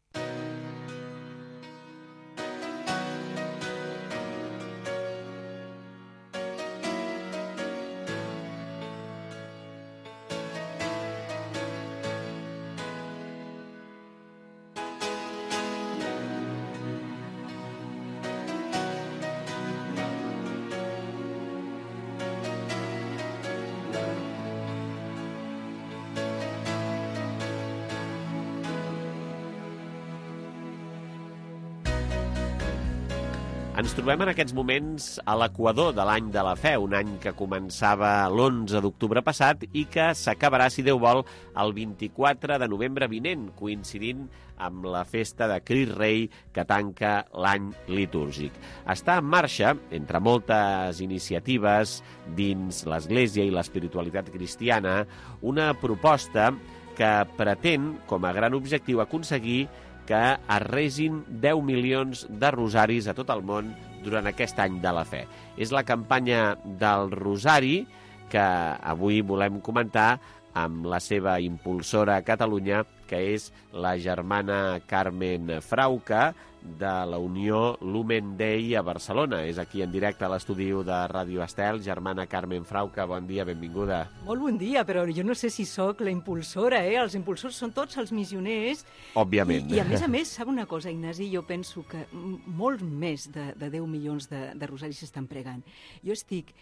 Ens trobem en aquests moments a l'equador de l'any de la fe, un any que començava l'11 d'octubre passat i que s'acabarà, si Déu vol, el 24 de novembre vinent, coincidint amb la festa de Crist Rei que tanca l'any litúrgic. Està en marxa, entre moltes iniciatives dins l'Església i l'espiritualitat cristiana, una proposta que pretén, com a gran objectiu, aconseguir que es resin 10 milions de rosaris a tot el món durant aquest any de la fe. És la campanya del Rosari que avui volem comentar amb la seva impulsora a Catalunya, que és la germana Carmen Frauca, de la Unió Lumen Dei a Barcelona. És aquí en directe a l'estudi de Ràdio Estel. Germana Carmen Frauca, bon dia, benvinguda. Molt bon dia, però jo no sé si sóc la impulsora, Els impulsors són tots els missioners. Òbviament. I a més, sap una cosa, Ignasi? Jo penso que molt més de 10 milions de rosaris s'estan pregant. Jo estic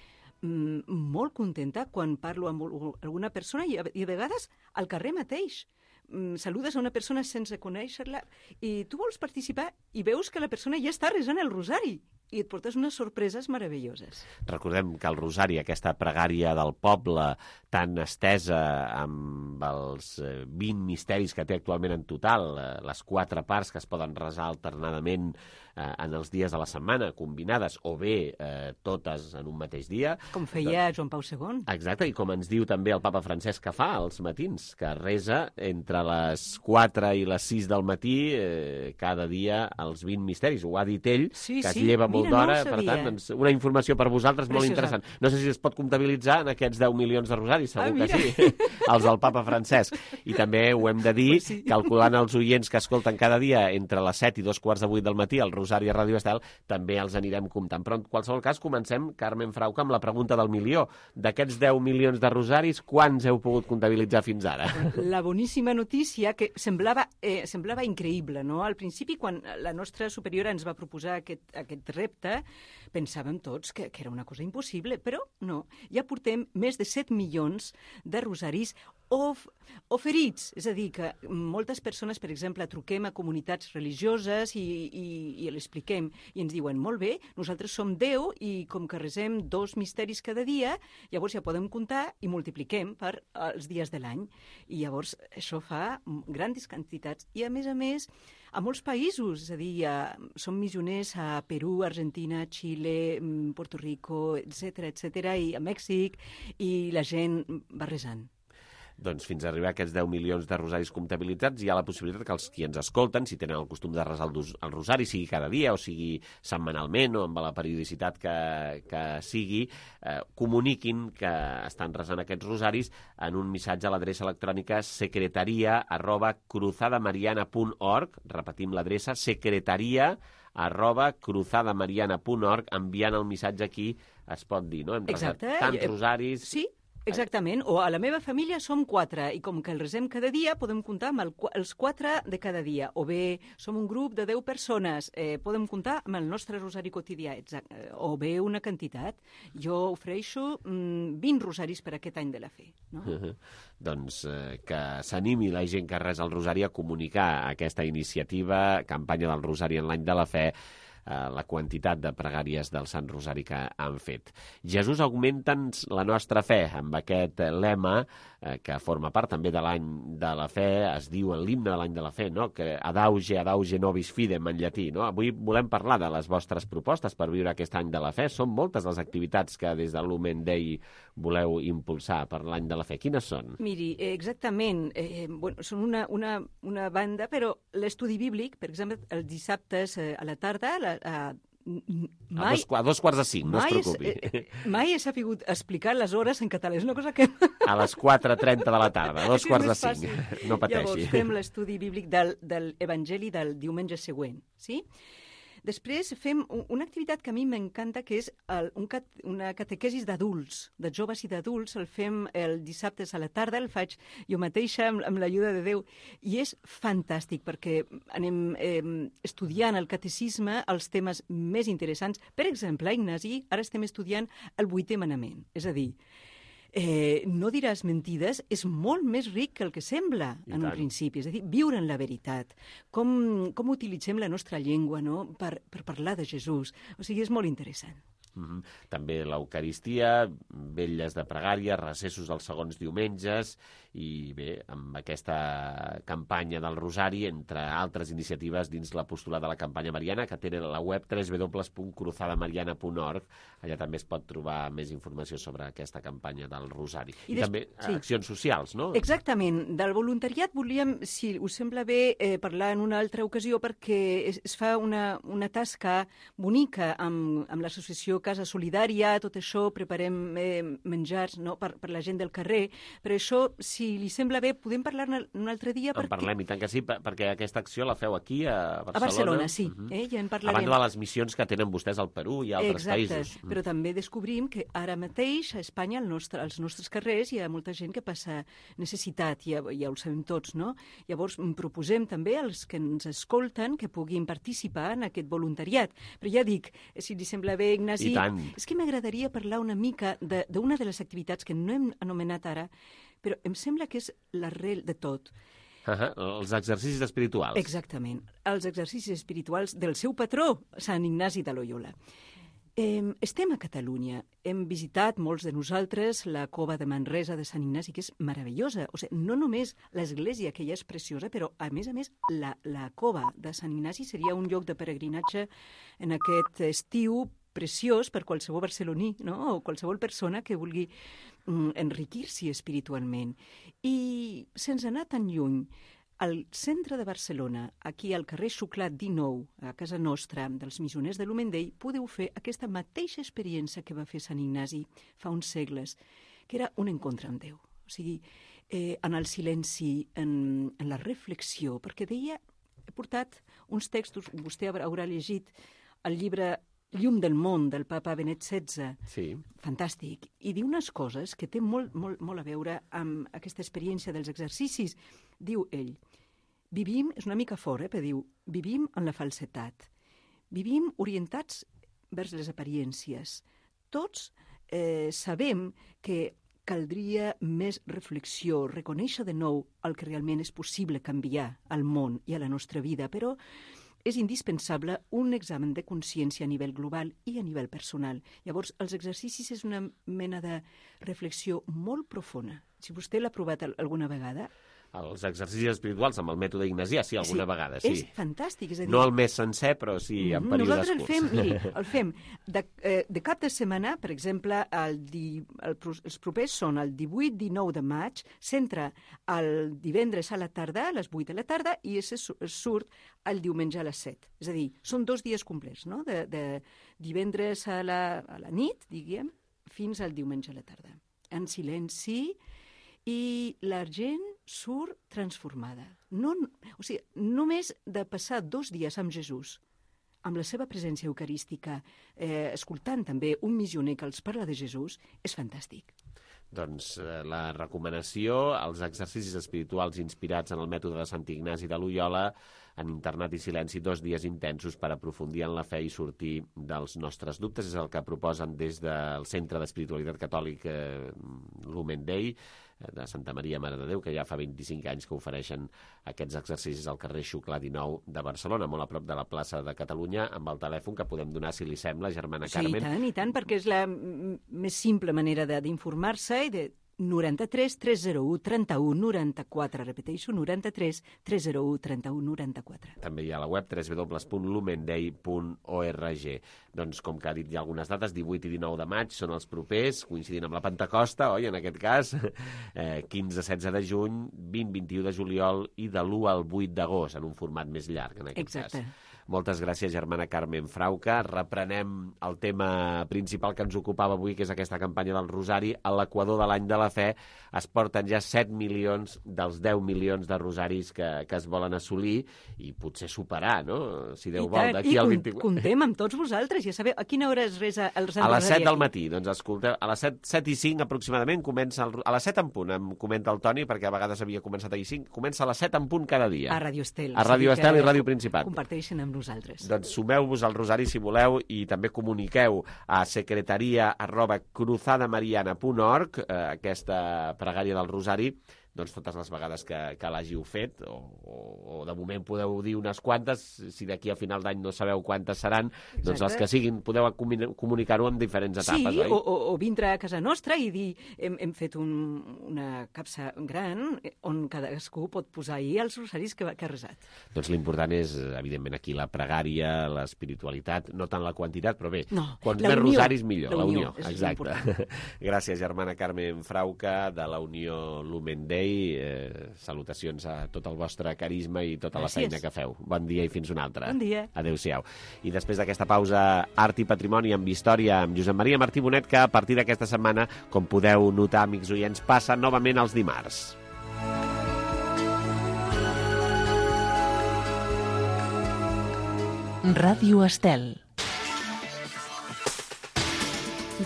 molt contenta quan parlo amb alguna persona i a vegades al carrer mateix. Saludes a una persona sense conèixer-la i tu vols participar i veus que la persona ja està resant el rosari i et portes unes sorpreses meravelloses. Recordem que el rosari, aquesta pregària del poble tan estesa amb els 20 misteris que té actualment en total, les 4 parts que es poden resar alternadament en els dies de la setmana, combinades, o bé totes en un mateix dia. Com feia Joan Pau II. Exacte, i com ens diu també el papa Francesc que fa als matins, que resa entre les 4 i les 6 del matí cada dia els 20 misteris. Ho ha dit ell, que es lleva molt d'hora, per tant, doncs, una informació per vosaltres molt interessant. No sé si es pot comptabilitzar en aquests 10 milions de rosaris, segur que sí, els del papa Francesc. I també ho hem de dir, calculant els oients que escolten cada dia entre les 7 i 2:15 del matí el rosari a Ràdio Estel, també els anirem comptant. Però en qualsevol cas comencem, Carmen Frauca, amb la pregunta del milió. D'aquests 10 milions de rosaris, quants heu pogut comptabilitzar fins ara? La boníssima notícia que semblava increïble, no? Al principi, quan la nostra superiora ens va proposar aquest repte, pensàvem tots que era una cosa impossible, però no. Ja portem més de 7 milions de rosaris oferits. És a dir, que moltes persones, per exemple, truquem a comunitats religioses i l'expliquem i ens diuen, molt bé, nosaltres som 10 i com que resem 2 misteris cada dia, llavors ja podem comptar i multipliquem per els dies de l'any. I llavors això fa grans quantitats. I a més, a molts països, és a dir, som missioners a Perú, Argentina, Xile, Puerto Rico, etc., i a Mèxic, i la gent va resant. Doncs fins a arribar a aquests 10 milions de rosaris comptabilitzats hi ha la possibilitat que els qui ens escolten, si tenen el costum de resar el rosari, sigui cada dia o sigui setmanalment o amb la periodicitat que sigui, comuniquin que estan resant aquests rosaris en un missatge a l'adreça electrònica secretaria@cruzadamariana.org. Repetim l'adreça, secretaria@cruzadamariana.org. Enviant el missatge aquí es pot dir, no? Hem resat tants rosaris... Sí. Exactament, o a la meva família som 4 i com que el resem cada dia podem comptar amb els 4 de cada dia, o bé som un grup de 10 persones, podem comptar amb el nostre rosari quotidià, o bé una quantitat. Jo ofereixo 20 rosaris per aquest any de la fe. No? Doncs que s'animi la gent que resa el rosari a comunicar aquesta iniciativa, campanya del rosari en l'any de la fe, la quantitat de pregàries del Sant Rosari que han fet. Jesús, augmenta'ns la nostra fe, amb aquest lema que forma part també de l'any de la fe, es diu en l'himne de l'any de la fe, no? Que adauge nobis fidem en llatí. No? Avui volem parlar de les vostres propostes per viure aquest any de la fe. Són moltes les activitats que des de Lumen Dei voleu impulsar per l'any de la fe. Quines són? Miri, exactament. Són una banda, però l'estudi bíblic, per exemple, els dissabtes a la tarda, a 2:45, no es preocupi. Mai he sabut explicar les hores en català, és una cosa que... A les 4:30 de la tarda, 2:45, no pateixi. Llavors fem l'estudi bíblic del Evangeli del diumenge següent, sí? Després fem una activitat que a mi m'encanta, que és una catequesis d'adults, de joves i d'adults. El fem el dissabtes a la tarda, el faig jo mateixa amb l'ajuda de Déu. I és fantàstic perquè anem estudiant el catecisme, els temes més interessants. Per exemple, Ignasi, ara estem estudiant el 8è manament. És a dir, no diràs mentides és molt més ric que el que sembla en un principi. És a dir, viure en la veritat. Com utilitzem la nostra llengua, no? per parlar de Jesús. O sigui, és molt interessant. També l'Eucaristia, vetlles de pregària, recessos els segons diumenges i bé, amb aquesta campanya del Rosari, entre altres iniciatives dins l'apostolat de la campanya mariana, que té la web www.cruzadamariana.org. Allà també es pot trobar més informació sobre aquesta campanya del Rosari. I també accions socials, no? Exactament. Del voluntariat volíem, si us sembla bé, parlar en una altra ocasió perquè es fa una tasca bonica amb l'associació Casa Solidària, tot això, preparem menjars per la gent del carrer. Per això, si li sembla bé, podem parlar-ne un altre dia. En parlem, i tant que sí, perquè aquesta acció la feu aquí, a Barcelona. A Barcelona, sí. Ja en parlarem. A banda de les missions que tenen vostès al Perú i a altres països. Exacte, però també descobrim que ara mateix a Espanya, als nostres carrers, hi ha molta gent que passa necessitat, ja ho sabem tots, no? Llavors, proposem també als que ens escolten que puguin participar en aquest voluntariat. Però ja dic, si li sembla bé, Ignasi, és que m'agradaria parlar una mica d'una de les activitats que no hem anomenat ara, però em sembla que és l'arrel de tot. Els exercicis espirituals. Exactament, els exercicis espirituals del seu patró, Sant Ignasi de Loyola. Estem a Catalunya. Hem visitat, molts de nosaltres, la cova de Manresa de Sant Ignasi, que és meravellosa. O sigui, no només l'església, que ja és preciosa, però, a més, la cova de Sant Ignasi seria un lloc de peregrinatge en aquest estiu preciós per qualsevol barceloní, no? O qualsevol persona que vulgui enriquir-s'hi espiritualment. I sense anar tan lluny, al centre de Barcelona, aquí al carrer Xuclat 19, a casa nostra, dels missioners de l'Humendell, podeu fer aquesta mateixa experiència que va fer Sant Ignasi fa uns segles, que era un encontre amb Déu. O sigui, en el silenci, en la reflexió, perquè deia, he portat uns textos, vostè haurà llegit el llibre Llum del món, del papa Benet XVI, fantàstic, i diu unes coses que té molt a veure amb aquesta experiència dels exercicis. Diu ell, vivim, és una mica fort, però diu, vivim en la falsetat, vivim orientats vers les apariències. Tots sabem que caldria més reflexió, reconèixer de nou el que realment és possible canviar al món i a la nostra vida, però és indispensable un examen de consciència a nivell global i a nivell personal. Llavors, els exercicis és una mena de reflexió molt profunda. Si vostè l'ha provat alguna vegada... Els exercicis espirituals amb el mètode ignasià, sí, alguna vegada, sí. És fantàstic, és a dir... No el mes sencer, però sí en períodes curts. Nosaltres el fem de cap de setmana, per exemple, els propers són el 18-19 de maig, s'entra el divendres a la tarda, a les 8 de la tarda, i es surt el diumenge a les 7. És a dir, són 2 dies complets, no? De divendres a la nit, diguem, fins al diumenge a la tarda. En silenci... I la gent surt transformada. O sigui, només de passar 2 dies amb Jesús, amb la seva presència eucarística, escoltant també un missioner que els parla de Jesús, és fantàstic. Doncs la recomanació, els exercicis espirituals inspirats en el mètode de Sant Ignasi de Loyola, en internat i silenci, 2 dies intensos per aprofundir en la fe i sortir dels nostres dubtes. És el que proposen des del Centre d'Espiritualitat Catòlica l'Humendell, de Santa Maria Mare de Déu, que ja fa 25 anys que ofereixen aquests exercicis al carrer Xuclà 19 de Barcelona, molt a prop de la plaça de Catalunya, amb el telèfon que podem donar, si li sembla, germana Carmen. Sí, i tant, perquè és la més simple manera d'informar-se i de 93 301 31 94, repeteixo, 93 301 31 94. També hi ha la web www.lumendei.org. Doncs, com que ha dit ja algunes dates, 18 i 19 de maig són els propers, coincidint amb la Pentecosta, oi, en aquest cas, 15-16 de juny, 20-21 de juliol i de l'1 al 8 d'agost, en un format més llarg, en aquest cas. Moltes gràcies, germana Carmen Frauca. Reprenem el tema principal que ens ocupava avui, que és aquesta campanya del Rosari. A l'Equador de l'Any de la Fe es porten ja 7 milions dels 10 milions de rosaris que es volen assolir i potser superar, no? Si Déu vol, d'aquí al 24... Comptem amb tots vosaltres, ja sabeu, a quina hora es resa el Sant Rosari? A les 7 del aquí? matí, doncs escolteu, a les 7 i 5 aproximadament comença, a les 7 en punt, em comenta el Toni, perquè a vegades havia començat a 5, comença a les 7 en punt cada dia. A Ràdio Estel. A Ràdio Estel i Ràdio Principat. Comparteixen amb nosaltres. Doncs sumeu-vos al Rosari si voleu i també comuniqueu a secretaria@cruzadamariana.org aquesta pregària del Rosari, doncs totes les vegades que l'hàgiu fet, o de moment podeu dir unes quantes, si d'aquí a final d'any no sabeu quantes seran, doncs les que siguin, podeu comunicar-ho en diferents etapes, oi? Sí, o vindre a casa nostra i dir, hem fet una capsa gran on cadascú pot posar ahir els rosaris que ha resat. Doncs l'important és, evidentment, aquí la pregària, l'espiritualitat, no tant la quantitat, però bé, quants més rosaris millor, la unió, exacte. Gràcies, germana Carmen Frauca, de la Unió L'Humendell. i salutacions a tot el vostre carisma i tota la feina que feu. Bon dia i fins una altra. Bon dia. Adéu-siau. I després d'aquesta pausa, Art i Patrimoni amb història amb Josep Maria Martí Bonet, que a partir d'aquesta setmana, com podeu notar, amics oients, passa novament els dimarts. Ràdio Estel.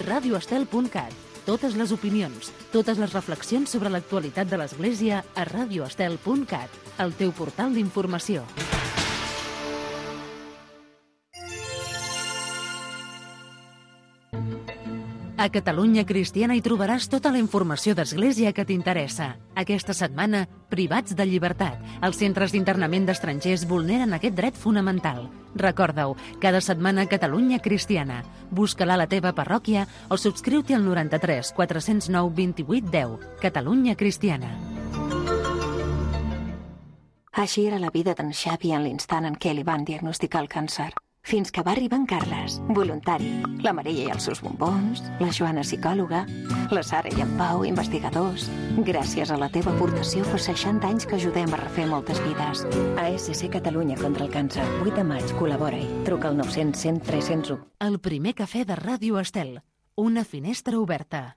radioestel.cat. Totes les opinions, totes les reflexions sobre l'actualitat de l'Església a radioestel.cat, el teu portal d'informació. A Catalunya Cristiana hi trobaràs tota la informació d'Església que t'interessa. Aquesta setmana, privats de llibertat. Els centres d'internament d'estrangers vulneren aquest dret fonamental. Recorda-ho, cada setmana Catalunya Cristiana. Busca-la a la teva parròquia o subscriu-t'hi al 93 409 28 10. Catalunya Cristiana. Així era la vida d'en Xavi en l'instant en què li van diagnosticar el càncer. Fins que va arribar en Carles, voluntari, la Maria i els seus bombons, la Joana psicòloga, la Sara i en Pau, investigadors. Gràcies a la teva aportació fa 60 anys que ajudem a refer moltes vides. ASC Catalunya contra el càncer. 8 de maig, col·labora-hi. Truca al 900 100 301. El primer cafè de Ràdio Estel. Una finestra oberta.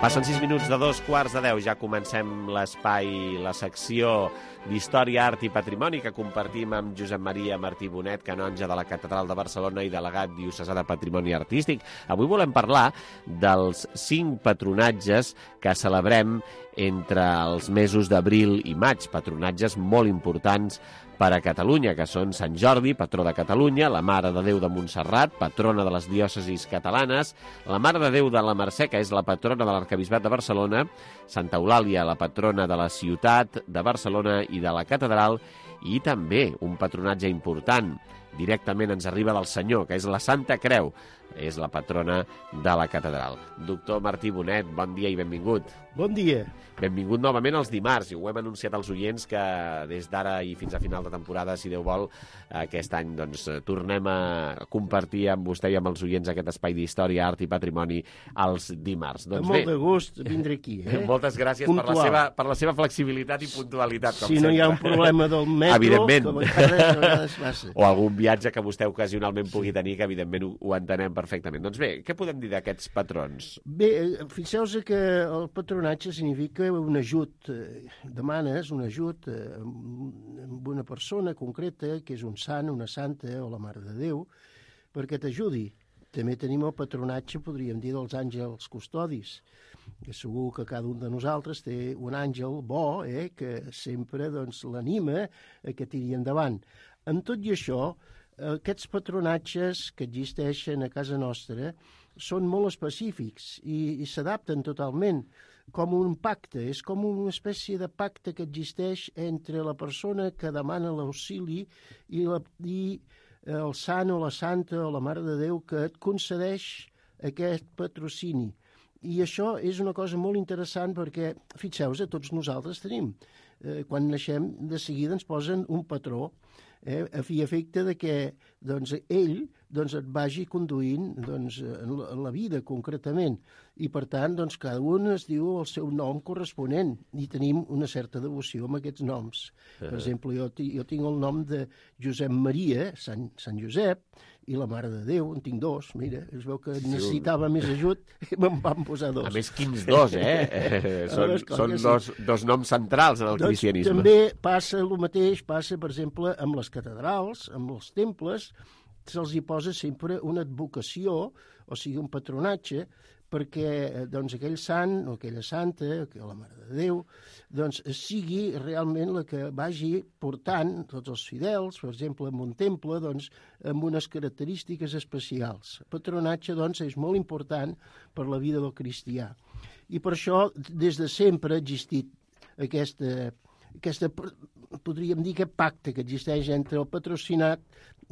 Passen 6 minuts de 2:15. Ja comencem l'espai, la secció d'Història, Art i Patrimoni que compartim amb Josep Maria Martí Bonet, canonge de la Catedral de Barcelona i delegat diocesà de Patrimoni Artístic. Avui volem parlar dels 5 patronatges que celebrem entre els mesos d'abril i maig, patronatges molt importants per a Catalunya, que són Sant Jordi, patró de Catalunya, la Mare de Déu de Montserrat, patrona de les diòcesis catalanes, la Mare de Déu de la Mercè, que és la patrona de l'Arquebisbat de Barcelona, Santa Eulàlia, la patrona de la ciutat de Barcelona i de la catedral, i també un patronatge important, directament ens arriba del Senyor, que és la Santa Creu, és la patrona de la catedral. Doctor Martí Bonet, bon dia i benvingut. Bon dia. Benvingut novament als dimarts, i ho hem anunciat als oients que des d'ara i fins a final de temporada, si Déu vol, aquest any doncs, tornem a compartir amb vostè i amb els oients aquest espai d'història, art i patrimoni els dimarts. Doncs amb molt de gust vindré aquí. Moltes gràcies per la seva flexibilitat i puntualitat, com si sempre. No hi ha un problema del metro, evidentment. que a vegades passa. O algun viatge que vostè ocasionalment pugui tenir, que evidentment ho entenem perfectament. Doncs bé, què podem dir d'aquests patrons? Bé, fixeu-vos que el patronatge significa un ajut, demanes un ajut amb una persona concreta, que és un sant, una santa o la Mare de Déu, perquè t'ajudi. També tenim el patronatge, podríem dir, dels àngels custodis, que segur que cada un de nosaltres té un àngel bo, que sempre doncs, l'anima a que tiri endavant. Amb tot i això, aquests patronatges que existeixen a casa nostra són molt específics i s'adapten totalment com un pacte, és com una espècie de pacte que existeix entre la persona que demana l'auxili i el sant o la santa o la Mare de Déu que et concedeix aquest patrocini. I això és una cosa molt interessant perquè, fixeu-vos, tots nosaltres tenim. Quan naixem, de seguida ens posen un patró, a fi i efecte de que doncs, ell et vagi conduint en la vida concretament. I per tant, doncs, cada un es diu el seu nom corresponent i tenim una certa devoció amb aquests noms. Per exemple, jo tinc el nom de Josep Maria, Sant Josep, i la Mare de Déu, en tinc dos. Mira, es veu que necessitava més ajut i me'n van posar dos. A més, quins dos, Són dos noms centrals en el cristianisme. També passa el mateix, per exemple, amb les catedrals, amb els temples, se'ls hi posa sempre una advocació, o sigui, un patronatge, perquè doncs, aquell sant o aquella santa, o la Mare de Déu, doncs, sigui realment la que vagi portant tots els fidels, per exemple, en un temple, doncs, amb unes característiques especials. El patronatge doncs, és molt important per la vida del cristià. I per això, des de sempre ha existit aquesta podríem dir, aquest pacte que existeix entre el patrocinat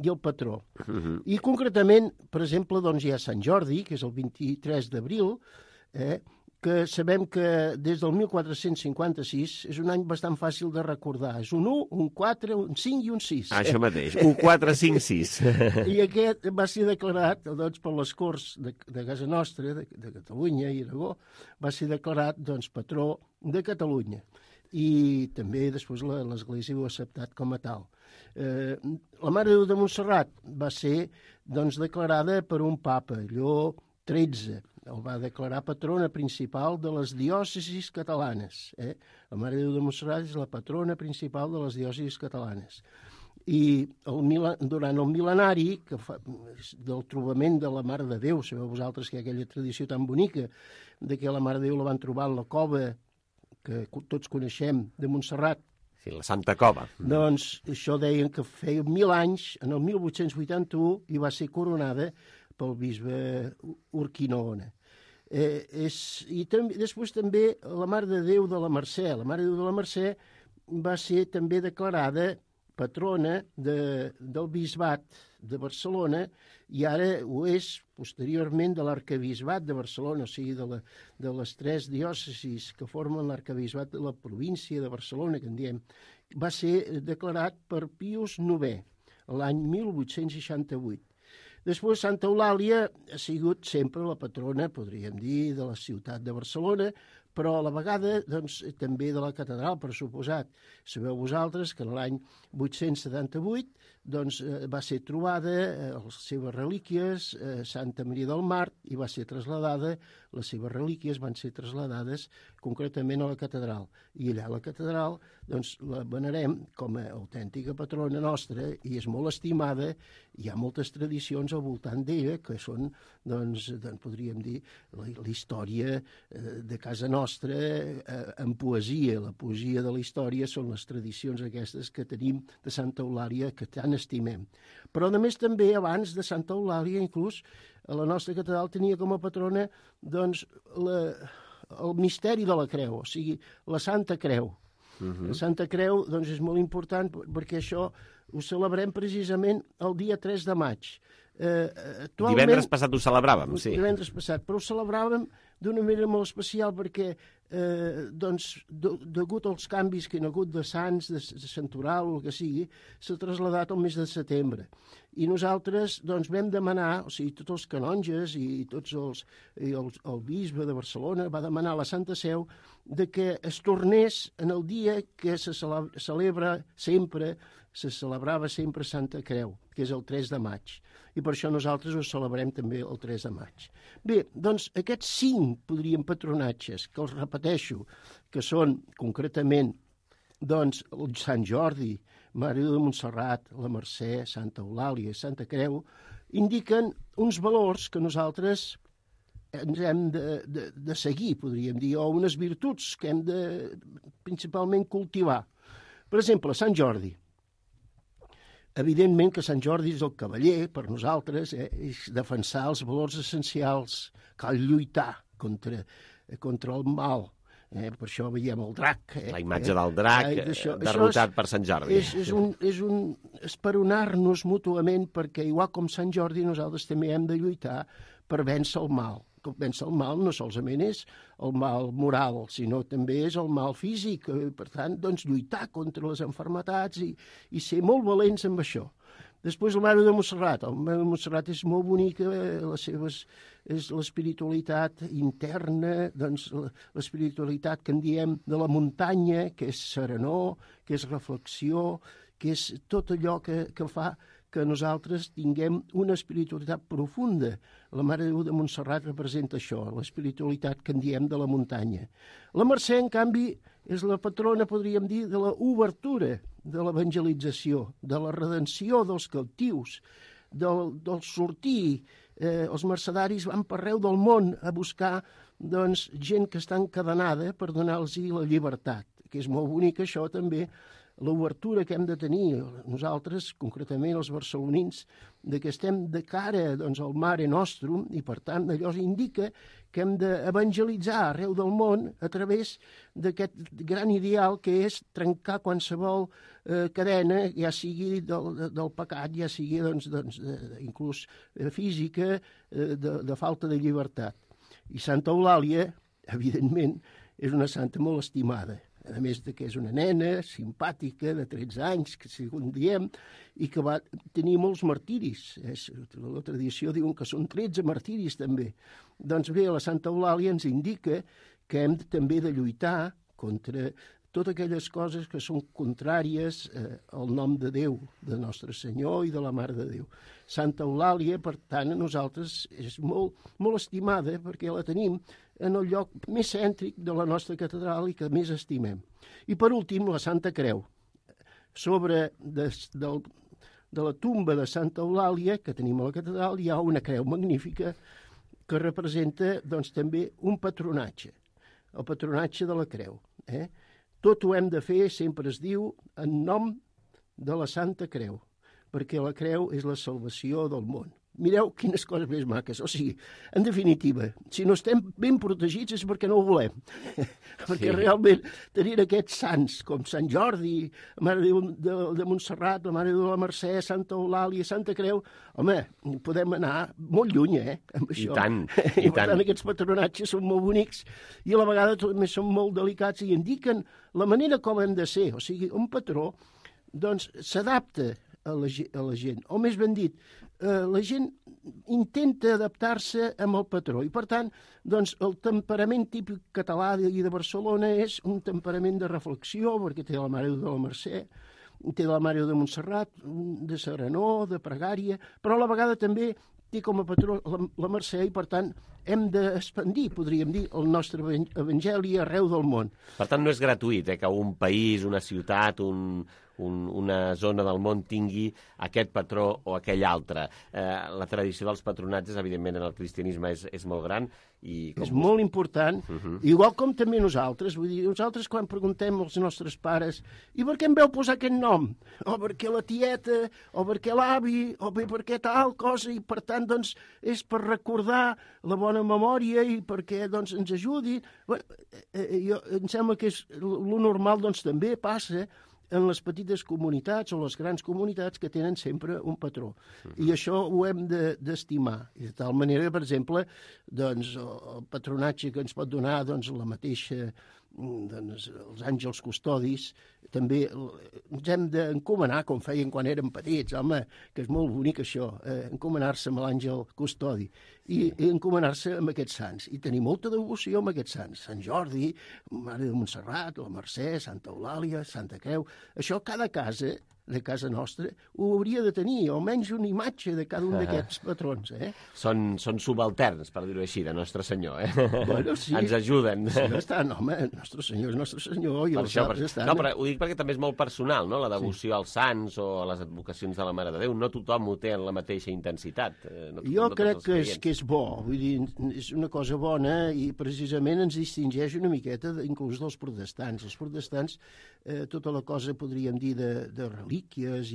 i el patró. I concretament, per exemple, doncs hi ha Sant Jordi, que és el 23 d'abril, que sabem que des del 1456 és un any bastant fàcil de recordar. És un 1, un 4, un 5 i un 6. Això mateix, un 4, 5, 6. I aquest va ser declarat doncs, per les Corts de casa nostra, de Catalunya i Aragó, va ser declarat doncs, patró de Catalunya. I també després l'Església ho ha acceptat com a tal. La Mare de Déu de Montserrat va ser doncs, declarada per un papa, Lleó XIII. El va declarar patrona principal de les diòcesis catalanes. La Mare de Déu de Montserrat és la patrona principal de les diòcesis catalanes. I durant el mil·lenari del trobament de la Mare de Déu, sabeu vosaltres que hi ha aquella tradició tan bonica de que la Mare de Déu la van trobar en la cova que tots coneixem, de Montserrat. Sí, la Santa Cova. Doncs això deien que feia 1.000 anys, en el 1881, i va ser coronada pel bisbe Urquinaona. I després també la Mare de Déu de la Mercè. La Mare de Déu de la Mercè va ser també declarada patrona del bisbat de Barcelona i ara ho és posteriorment de l'arquebisbat de Barcelona, o sigui, de les 3 diòcesis que formen l'arquebisbat de la província de Barcelona, que en diem. Va ser declarat per Pius IX, l'any 1868. Després, Santa Eulàlia ha sigut sempre la patrona, podríem dir, de la ciutat de Barcelona, però a la vegada doncs, també de la catedral, per suposat. Sabeu vosaltres que l'any 878 doncs, va ser trobada les seves relíquies a Santa Maria del Mar i va ser traslladada, les seves relíquies van ser traslladades concretament a la catedral. I allà a la catedral doncs, la venerem com a autèntica patrona nostra i és molt estimada. Hi ha moltes tradicions al voltant d'ella que són, doncs, podríem dir, la història de casa nostra en poesia. La poesia de la història són les tradicions aquestes que tenim de Santa Eulàlia que tant estimem. Però a més també abans de Santa Eulàlia inclús a la nostra catedral tenia com a patrona doncs, el misteri de la creu, o sigui, la Santa Creu. La Santa Creu doncs, és molt important perquè això ho celebrem precisament el dia 3 de maig. Divendres passat ho celebràvem, sí. Divendres passat, però ho celebràvem d'una manera molt especial perquè, degut als canvis que hi ha hagut de sants, de santoral o el que sigui, s'ha traslladat al mes de setembre. I nosaltres doncs, vam demanar, o sigui, tots els canonges i el bisbe de Barcelona va demanar a la Santa Seu de que es tornés en el dia que se celebrava sempre Santa Creu, que és el 3 de maig. I per això nosaltres ho celebrem també el 3 de maig. Bé, doncs aquests 5 podríem patronatges, que els repeteixo, que són concretament doncs, el Sant Jordi, Mare de Montserrat, la Mercè, Santa Eulàlia i Santa Creu, indiquen uns valors que nosaltres ens hem de seguir, podríem dir, o unes virtuts que hem de principalment cultivar. Per exemple, Sant Jordi. Evidentment que Sant Jordi és el cavaller, per nosaltres, és defensar els valors essencials, cal lluitar contra el mal. Per això veiem el drac. La imatge del drac derrotat per Sant Jordi. És un esperonar-nos mútuament perquè, igual com Sant Jordi, nosaltres també hem de lluitar per vèncer el mal. Vèncer el mal no solament és el mal moral, sinó també és el mal físic. Per tant, doncs, lluitar contra les malalties i ser molt valents amb això. Després la Mare de Montserrat. La Mare de Montserrat és molt bonica, és l'espiritualitat interna, doncs, l'espiritualitat que en diem de la muntanya, que és serenor, que és reflexió, que és tot allò que fa que nosaltres tinguem una espiritualitat profunda. La Mare de Déu de Montserrat representa això, l'espiritualitat que en diem de la muntanya. La Mercè, en canvi, és la patrona, podríem dir, de la obertura, de l'evangelització, de la redenció dels cautius, del sortir. Els mercedaris van per arreu del món a buscar gent que està encadenada per donar-los la llibertat, que és molt bonic això també, l'obertura que hem de tenir nosaltres, concretament els barcelonins, que estem de cara al Mare Nostrum i, per tant, allò indica que hem d'evangelitzar arreu del món a través d'aquest gran ideal que és trencar qualsevol cadena, ja sigui del pecat, ja sigui inclús física, de falta de llibertat. I Santa Eulàlia, evidentment, és una santa molt estimada, a més que és una nena simpàtica de 13 anys, que segons diem, i que va tenir molts martiris. La tradició diuen que són 13 martiris també. Doncs bé, la Santa Eulàlia ens indica que hem també de lluitar contra totes aquelles coses que són contràries al nom de Déu, de Nostre Senyor i de la Mare de Déu. Santa Eulàlia, per tant, a nosaltres és molt, molt estimada perquè la tenim en el lloc més cèntric de la nostra catedral i que més estimem. I per últim, la Santa Creu. Sobre de la tumba de Santa Eulàlia, que tenim a la catedral, hi ha una creu magnífica que representa també un patronatge, el patronatge de la creu. Tot ho hem de fer, sempre es diu, en nom de la Santa Creu, perquè la creu és la salvació del món. Mireu quines coses més maques. O sigui, en definitiva, si no estem ben protegits és perquè no ho volem. Perquè realment tenir aquests sants com Sant Jordi, la Mare de Montserrat, la Mare de la Mercè, Santa Eulàlia, Santa Creu, home, podem anar molt lluny, amb això. I tant, i tant. Per tant, aquests patronatges són molt bonics i a la vegada també són molt delicats i indiquen la manera com hem de ser. O sigui, un patró, s'adapta a la gent, o més ben dit, la gent intenta adaptar-se amb el patró i, per tant, el temperament típic català i de Barcelona és un temperament de reflexió, perquè té la Mare de la Mercè, té la Mare de Montserrat, de serenor, de pregària, però a la vegada també té com a patró la Mercè i, per tant, hem d'expandir, podríem dir, el nostre evangeli arreu del món. Per tant, no és gratuït que un país, una ciutat, una zona del món tingui aquest patró o aquell altre. La tradició dels patronatges, evidentment, en el cristianisme és molt gran. És molt important, igual com també nosaltres. Vull dir, nosaltres quan preguntem als nostres pares i per què em veu posar aquest nom? O perquè la tieta, o perquè l'avi, o bé perquè tal cosa, i per tant, és per recordar la bona memòria i perquè ens ajudi. Em sembla que lo normal també passa en les petites comunitats o les grans comunitats que tenen sempre un patró. I això ho hem d'estimar. I de tal manera, per exemple, el patronatge que ens pot donar la mateixa, els àngels custodis, també ens hem d'encomanar, com feien quan érem petits, home, que és molt bonic això, encomanar-se amb l'àngel custodi i encomanar-se amb aquests sants. I tenir molta devoció amb aquests sants. Sant Jordi, Mare de Montserrat, la Mercè, Santa Eulàlia, Santa Creu. Això cada casa de casa nostra ho hauria de tenir, almenys una imatge de cada un d'aquests patrons. Són subalterns, per dir-ho així, de Nostre Senyor. Bueno, sí. Ens ajuden. Sí, estan, home, Nostre Senyor és Nostre Senyor i els altres estan. No, però ho dic perquè també és molt personal, no?, la devoció als sants o a les advocacions de la Mare de Déu. No tothom ho té en la mateixa intensitat. Jo crec que és bo, vull dir, és una cosa bona i precisament ens distingeix una miqueta inclús dels protestants. Els protestants, tota la cosa, podríem dir, de relíquies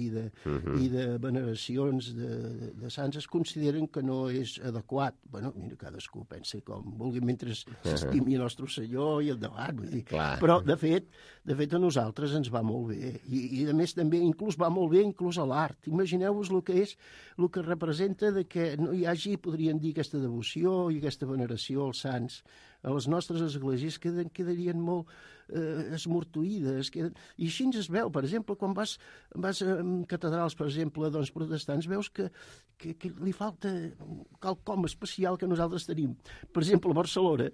i de veneracions de sants es consideren que no és adequat. Bueno, mira, cadascú pensa com vulgui mentre s'estimi el nostre Senyor i endavant, vull dir. Però, de fet, a nosaltres ens va molt bé. I a més, també, inclús va molt bé inclús a l'art. Imagineu-vos el que és, el que representa que no hi hagi, podríem dir, aquesta devoció i aquesta veneració als sants. A les nostres esglésies quedarien molt esmortuïdes. I així es veu, per exemple, quan vas a catedrals, per exemple, protestants, veus que li falta quelcom especial que nosaltres tenim. Per exemple, a Barcelona,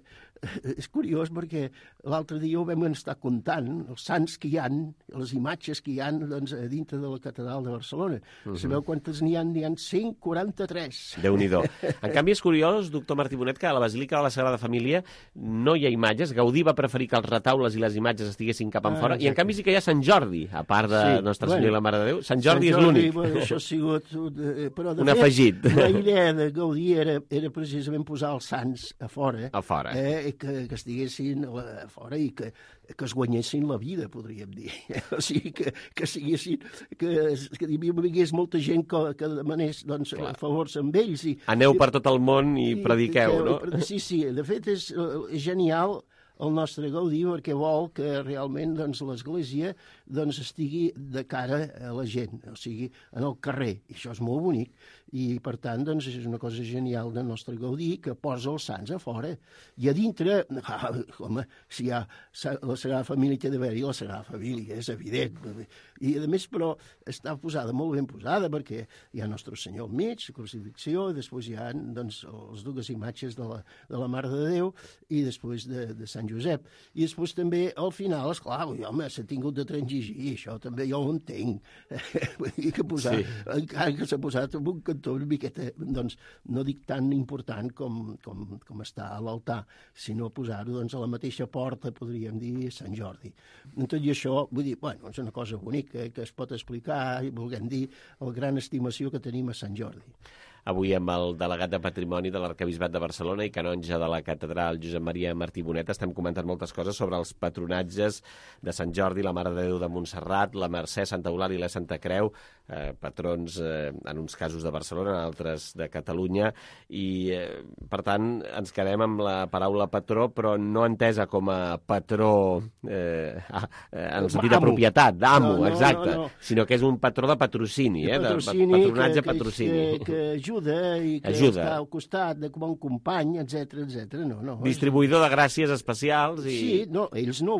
és curiós perquè l'altre dia ho vam estar comptant, els sants que hi ha, les imatges que hi ha a dintre de la catedral de Barcelona. Sabeu quantes n'hi ha? N'hi ha 143. Déu-n'hi-do. En canvi, és curiós, doctor Martí Bonet, que a la Basílica de la Sagrada Família no hi ha imatges. Gaudí va preferir que els retaules i les imatges estiguessin cap enfora, i en canvi sí que hi ha Sant Jordi, a part de Nostre Senyor i la Mare de Déu? Sant Jordi és l'únic. Bueno, això ha sigut... Però, de un afegit. La idea de Gaudí era precisament posar els sants a fora. A fora. Que estiguessin a fora i que es guanyessin la vida, podríem dir. O sigui, que siguessin... Que hi vingués molta gent que demanés favors amb ells. Aneu per tot el món i prediqueu, no? Sí, de fet és genial el nostre Gaudí perquè vol que realment l'Església estigui de cara a la gent, o sigui, en el carrer. I això és molt bonic. I, per tant, és una cosa genial del nostre Gaudí que posa els sants a fora. I a dintre, home, si hi ha la Sagrada Família té d'haver-hi la Sagrada Família, és evident. I, a més, però, està posada, molt ben posada, perquè hi ha Nostre Senyor al mig, la crucifixió, i després hi ha les dues imatges de la Mare de Déu i després de Sant Josep. I després també, al final, esclar, home, s'ha tingut de transigir, això també jo ho entenc. Vull dir que posar, encara que s'ha posat en un cantó una miqueta, no dic tan important com està a l'altar, sinó posar-ho a la mateixa porta, podríem dir, Sant Jordi. Tot i això, vull dir, bueno, és una cosa bonica que es pot explicar i volguem dir la gran estimació que tenim a Sant Jordi. Avui amb el delegat de Patrimoni de l'Arquebisbat de Barcelona i canonge de la catedral Josep Maria Martí Bonet estem comentant moltes coses sobre els patronatges de Sant Jordi, la Mare de Déu de Montserrat, la Mercè, Santa Eulàlia i la Santa Creu, patrons en uns casos de Barcelona, en altres de Catalunya, i per tant ens quedem amb la paraula patró, però no entesa com a patró en el sentit de propietat, d'amo, exacte, sinó que és un patró de patrocini, de patronatge patrocini. Que ajuda i que està al costat de com un company, etc. No. Distribuïdor de gràcies especials. Sí, no, ells no,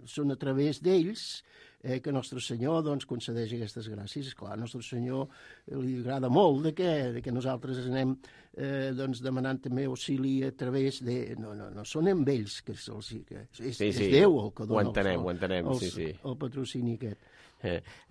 són a través d'ells que Nostre Senyor concedeix aquestes gràcies. Esclar, a Nostre Senyor li agrada molt que nosaltres anem demanant també auxili a través de... No són amb ells, que és Déu el que dona el patrocini aquest.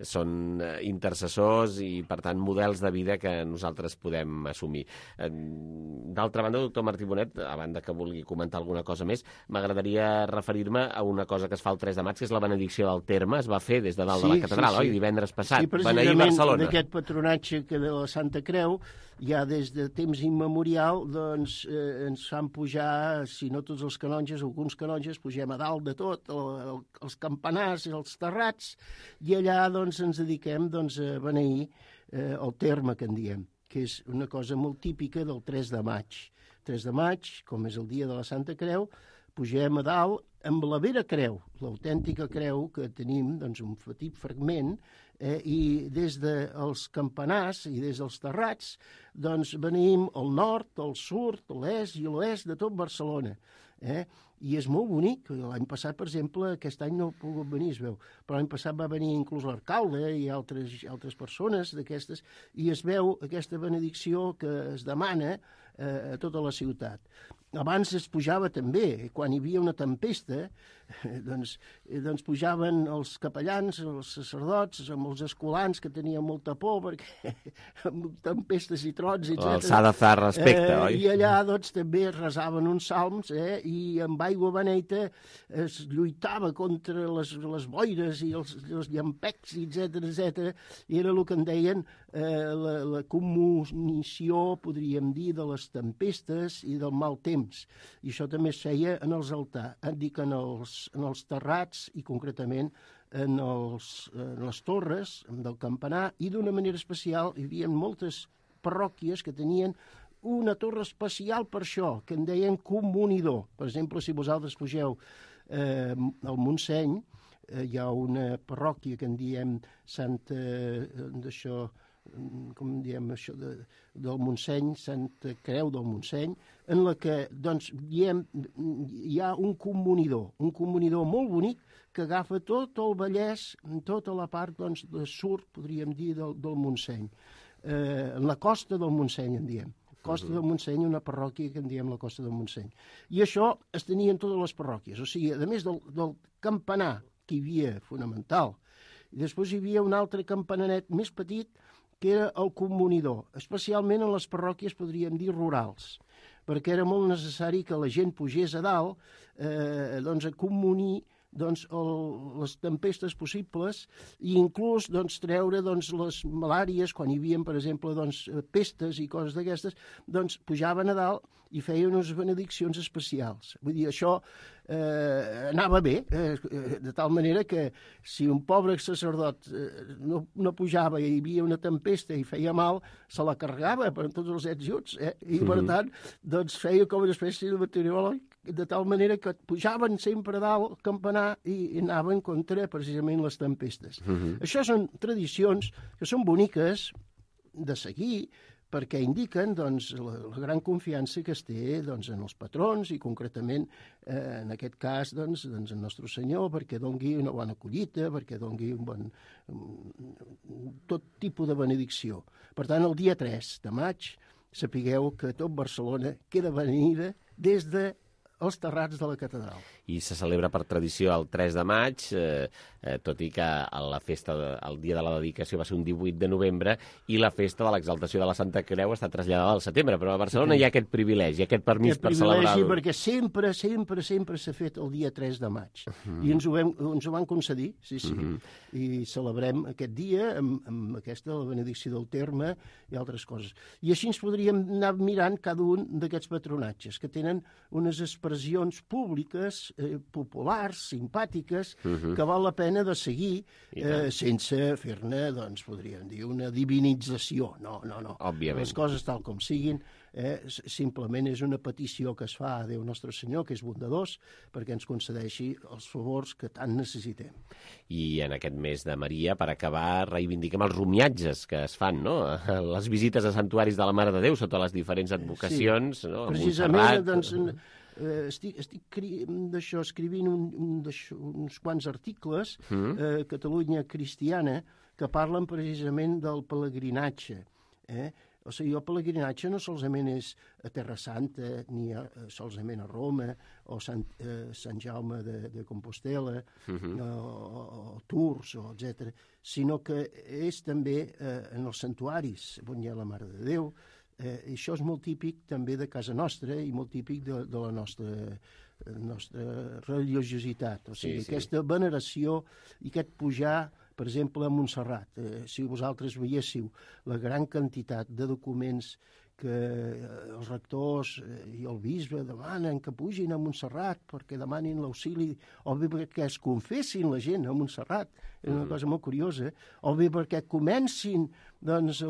Són intercessors i, per tant, models de vida que nosaltres podem assumir. D'altra banda, doctor Martí Bonet, a banda que vulgui comentar alguna cosa més, m'agradaria referir-me a una cosa que es fa el 3 de maig, que és la benedicció del terme. Es va fer des de dalt de la catedral, oi? Divendres passat. Sí, precisament d'aquest patronatge que de la Santa Creu, ja des de temps immemorial, ens fan pujar, si no tots els canonges, alguns canonges, pugem a dalt de tot, els campanars i els terrats, i allà ens dediquem a beneir el terme que en diem, que és una cosa molt típica del 3 de maig. 3 de maig, com és el dia de la Santa Creu, pugem a dalt amb la vera creu, l'autèntica creu que tenim, un petit fragment, i des dels campanars i des dels terrats venim al nord, al sud, a l'est i a l'oest de tot Barcelona. I és molt bonic. L'any passat, per exemple, aquest any no ha pogut venir, es veu, però l'any passat va venir inclús l'alcalde i altres persones d'aquestes, i es veu aquesta benedicció que es demana a tota la ciutat. Abans es pujava també, quan hi havia una tempesta, pujaven els capellans, els sacerdots, amb els escolans que tenien molta por, perquè amb tempestes i trons, etc. S'ha de fer respecte, oi? I allà també es resaven uns salms, i amb aigua beneita es lluitava contra les boires i els llampecs, etc. I era el que en deien la comunició, podríem dir, de les tempestes i del mal temps. I això també es feia en els altars, en els terrats i concretament en les torres del campanar, i d'una manera especial hi havia moltes parròquies que tenien una torre especial per això, que en deien comunidor. Per exemple, si vosaltres pugeu al Montseny, hi ha una parròquia que en diem Santa... d'això... com diem això, del Montseny, Santa Creu del Montseny, en la que hi ha un comunidor molt bonic que agafa tot el Vallès, tota la part de sud, podríem dir, del Montseny. En la costa del Montseny, en diem. Costa del Montseny, una parròquia que en diem la Costa del Montseny. I això es tenia en totes les parròquies. O sigui, a més del campanar que hi havia, fonamental, i després hi havia un altre campananet més petit, que era el comunidor, especialment en les parròquies, podríem dir, rurals, perquè era molt necessari que la gent pugés a dalt a comunir doncs, les tempestes possibles i inclús doncs, treure doncs, les malàries, quan hi havia, per exemple, doncs, pestes i coses d'aquestes, doncs pujaven a dalt i feien unes benediccions especials. Vull dir, això anava bé, de tal manera que si un pobre sacerdot no pujava i hi havia una tempesta i feia mal, se la carregava per tots els juts, i per tant doncs, feia com una espècie de meteoròleg, de tal manera que pujaven sempre a dalt al campanar i anaven contra precisament les tempestes. Això són tradicions que són boniques de seguir, perquè indiquen doncs, la gran confiança que es té doncs, en els patrons i concretament en aquest cas doncs, en Nostre Senyor, perquè dongui una bona collita, perquè dongui tot tipus de benedicció. Per tant, el dia 3 de maig sapigueu que tot Barcelona queda benida des dels terrats de la catedral. I se celebra per tradició el 3 de maig, tot i que la festa, el dia de la dedicació va ser un 18 de novembre i la festa de l'exaltació de la Santa Creu està traslladada al setembre, però a Barcelona hi ha aquest privilegi, aquest permís per celebrar-ho. Perquè sempre s'ha fet el dia 3 de maig. I ens ho van concedir, sí. I celebrem aquest dia amb aquesta benedicció del terme i altres coses. I així ens podríem anar mirant cada un d'aquests patronatges, que tenen unes expressions públiques, populars, simpàtiques, que val la pena de seguir sense fer-ne, doncs, podríem dir, una divinització. No. Òbviament. Les coses tal com siguin, simplement és una petició que es fa a Déu Nostre Senyor, que és bondadós, perquè ens concedeixi els favors que tant necessitem. I en aquest mes de Maria, per acabar, reivindiquem els romiatges que es fan, no? Les visites a santuaris de la Mare de Déu sota les diferents advocacions, no? Precisament, doncs, estic escrivint uns quants articles a Catalunya Cristiana que parlen precisament del pelegrinatge. O sigui, el pelegrinatge no solament és a Terra Santa, ni solament a Roma, o Sant Jaume de Compostela, o Tours, etc., sinó que és també en els santuaris on hi ha la Mare de Déu. Això és molt típic també de casa nostra i molt típic de la nostra religiositat. O sigui, aquesta veneració i aquest pujar, per exemple, a Montserrat. Si vosaltres veiéssiu la gran quantitat de documents que els rectors i el bisbe demanen que pugin a Montserrat perquè demanin l'auxili, o bé perquè es confessin la gent a Montserrat, és una cosa molt curiosa, o bé perquè comencin doncs,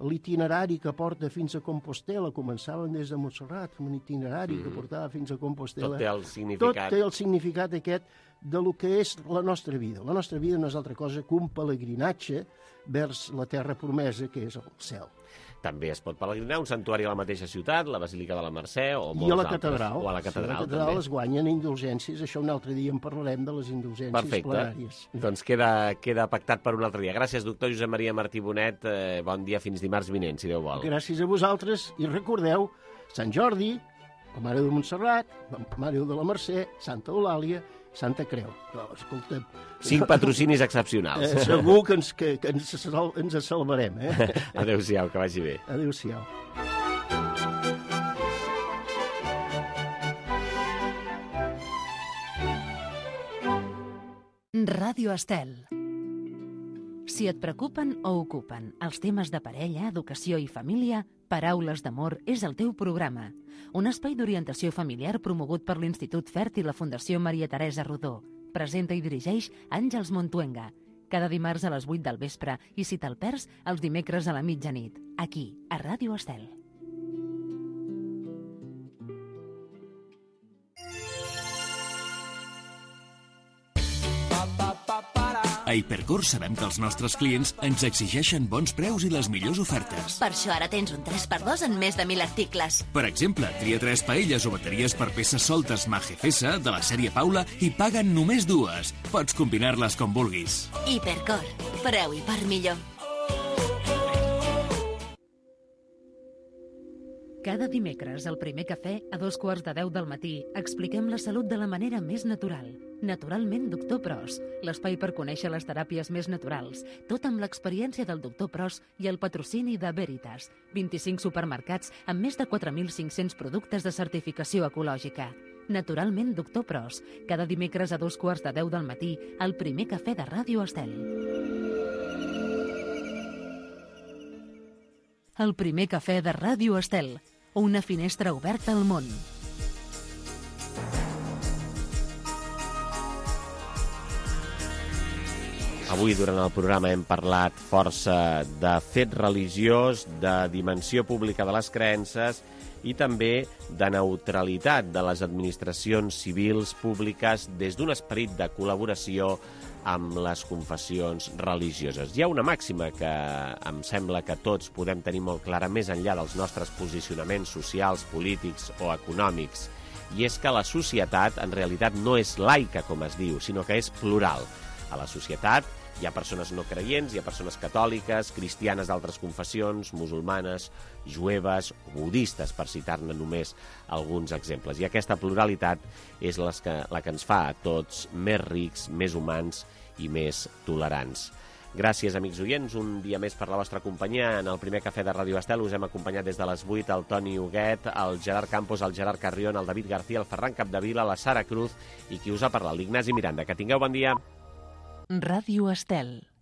l'itinerari que porta fins a Compostela. Començaven des de Montserrat, un itinerari que portava fins a Compostela. Tot té el significat. Tot té el significat aquest de lo que és la nostra vida. La nostra vida no és altra cosa que un pelegrinatge vers la terra promesa, que és el cel. També es pot pelegrinar a un santuari a la mateixa ciutat, la Basílica de la Mercè o molts altres. I a la altres. catedral. O a la catedral, a la catedral es guanyen indulgències. Això un altre dia en parlarem de les indulgències plenàries. Doncs queda pactat per un altre dia. Gràcies, doctor Josep Maria Martí Bonet. Bon dia, fins dimarts vinent, si Déu vol. Gràcies a vosaltres i recordeu Sant Jordi, la Mare de Montserrat, la Mare de la Mercè, Santa Eulàlia, Santa Creu. No, escolta'm... 5 patrocinis excepcionals. Segur que ens salvarem. Adéu-siau, que vagi bé. Adéu-siau. Ràdio Estel. Si et preocupen o ocupen els temes de parella, educació i família, Paraules d'Amor és el teu programa. Un espai d'orientació familiar promogut per l'Institut Fert i la Fundació Maria Teresa Rodó. Presenta i dirigeix Àngels Montuenga. Cada dimarts a les 8 del vespre i si te'l perds, els dimecres a la mitjanit. Aquí, a Ràdio Estel. A Hipercor sabem que els nostres clients ens exigeixen bons preus i les millors ofertes. Per això ara tens un 3x2 en més de 1.000 articles. Per exemple, tria 3 paelles o bateries per peces soltes Magefesa de la sèrie Paula i paguen només 2. Pots combinar-les com vulguis. Hipercor. Preu i part millor. Cada dimecres, al primer cafè, a 2:15 del matí, expliquem la salut de la manera més natural. Naturalment, Doctor Pros, l'espai per conèixer les teràpies més naturals, tot amb l'experiència del Doctor Pros i el patrocini de Veritas, 25 supermercats amb més de 4.500 productes de certificació ecològica. Naturalment, Doctor Pros, cada dimecres a 2:15 del matí, al primer cafè de Ràdio Estel. El primer cafè de Ràdio Estel, una finestra oberta al món. Avui, durant el programa, hem parlat força de fet religiós, de dimensió pública de les creences i també de neutralitat de les administracions civils públiques des d'un esperit de col·laboració amb les confessions religioses. Hi ha una màxima que em sembla que tots podem tenir molt clara més enllà dels nostres posicionaments socials, polítics o econòmics, i és que la societat en realitat no és laica, com es diu, sinó que és plural. A la societat hi ha persones no creients, hi ha persones catòliques, cristianes d'altres confessions, musulmanes, jueves, budistes, per citar-ne només alguns exemples. I aquesta pluralitat és la que ens fa a tots més rics, més humans i més tolerants. Gràcies, amics oients, un dia més per la vostra companyia. En el primer cafè de Ràdio Estel us hem acompanyat des de les 8 el Toni Huguet, el Gerard Campos, el Gerard Carrión, el David García, el Ferran Capdevila, la Sara Cruz i qui us ha parlat, l'Ignasi Miranda. Que tingueu bon dia. Ràdio Estel.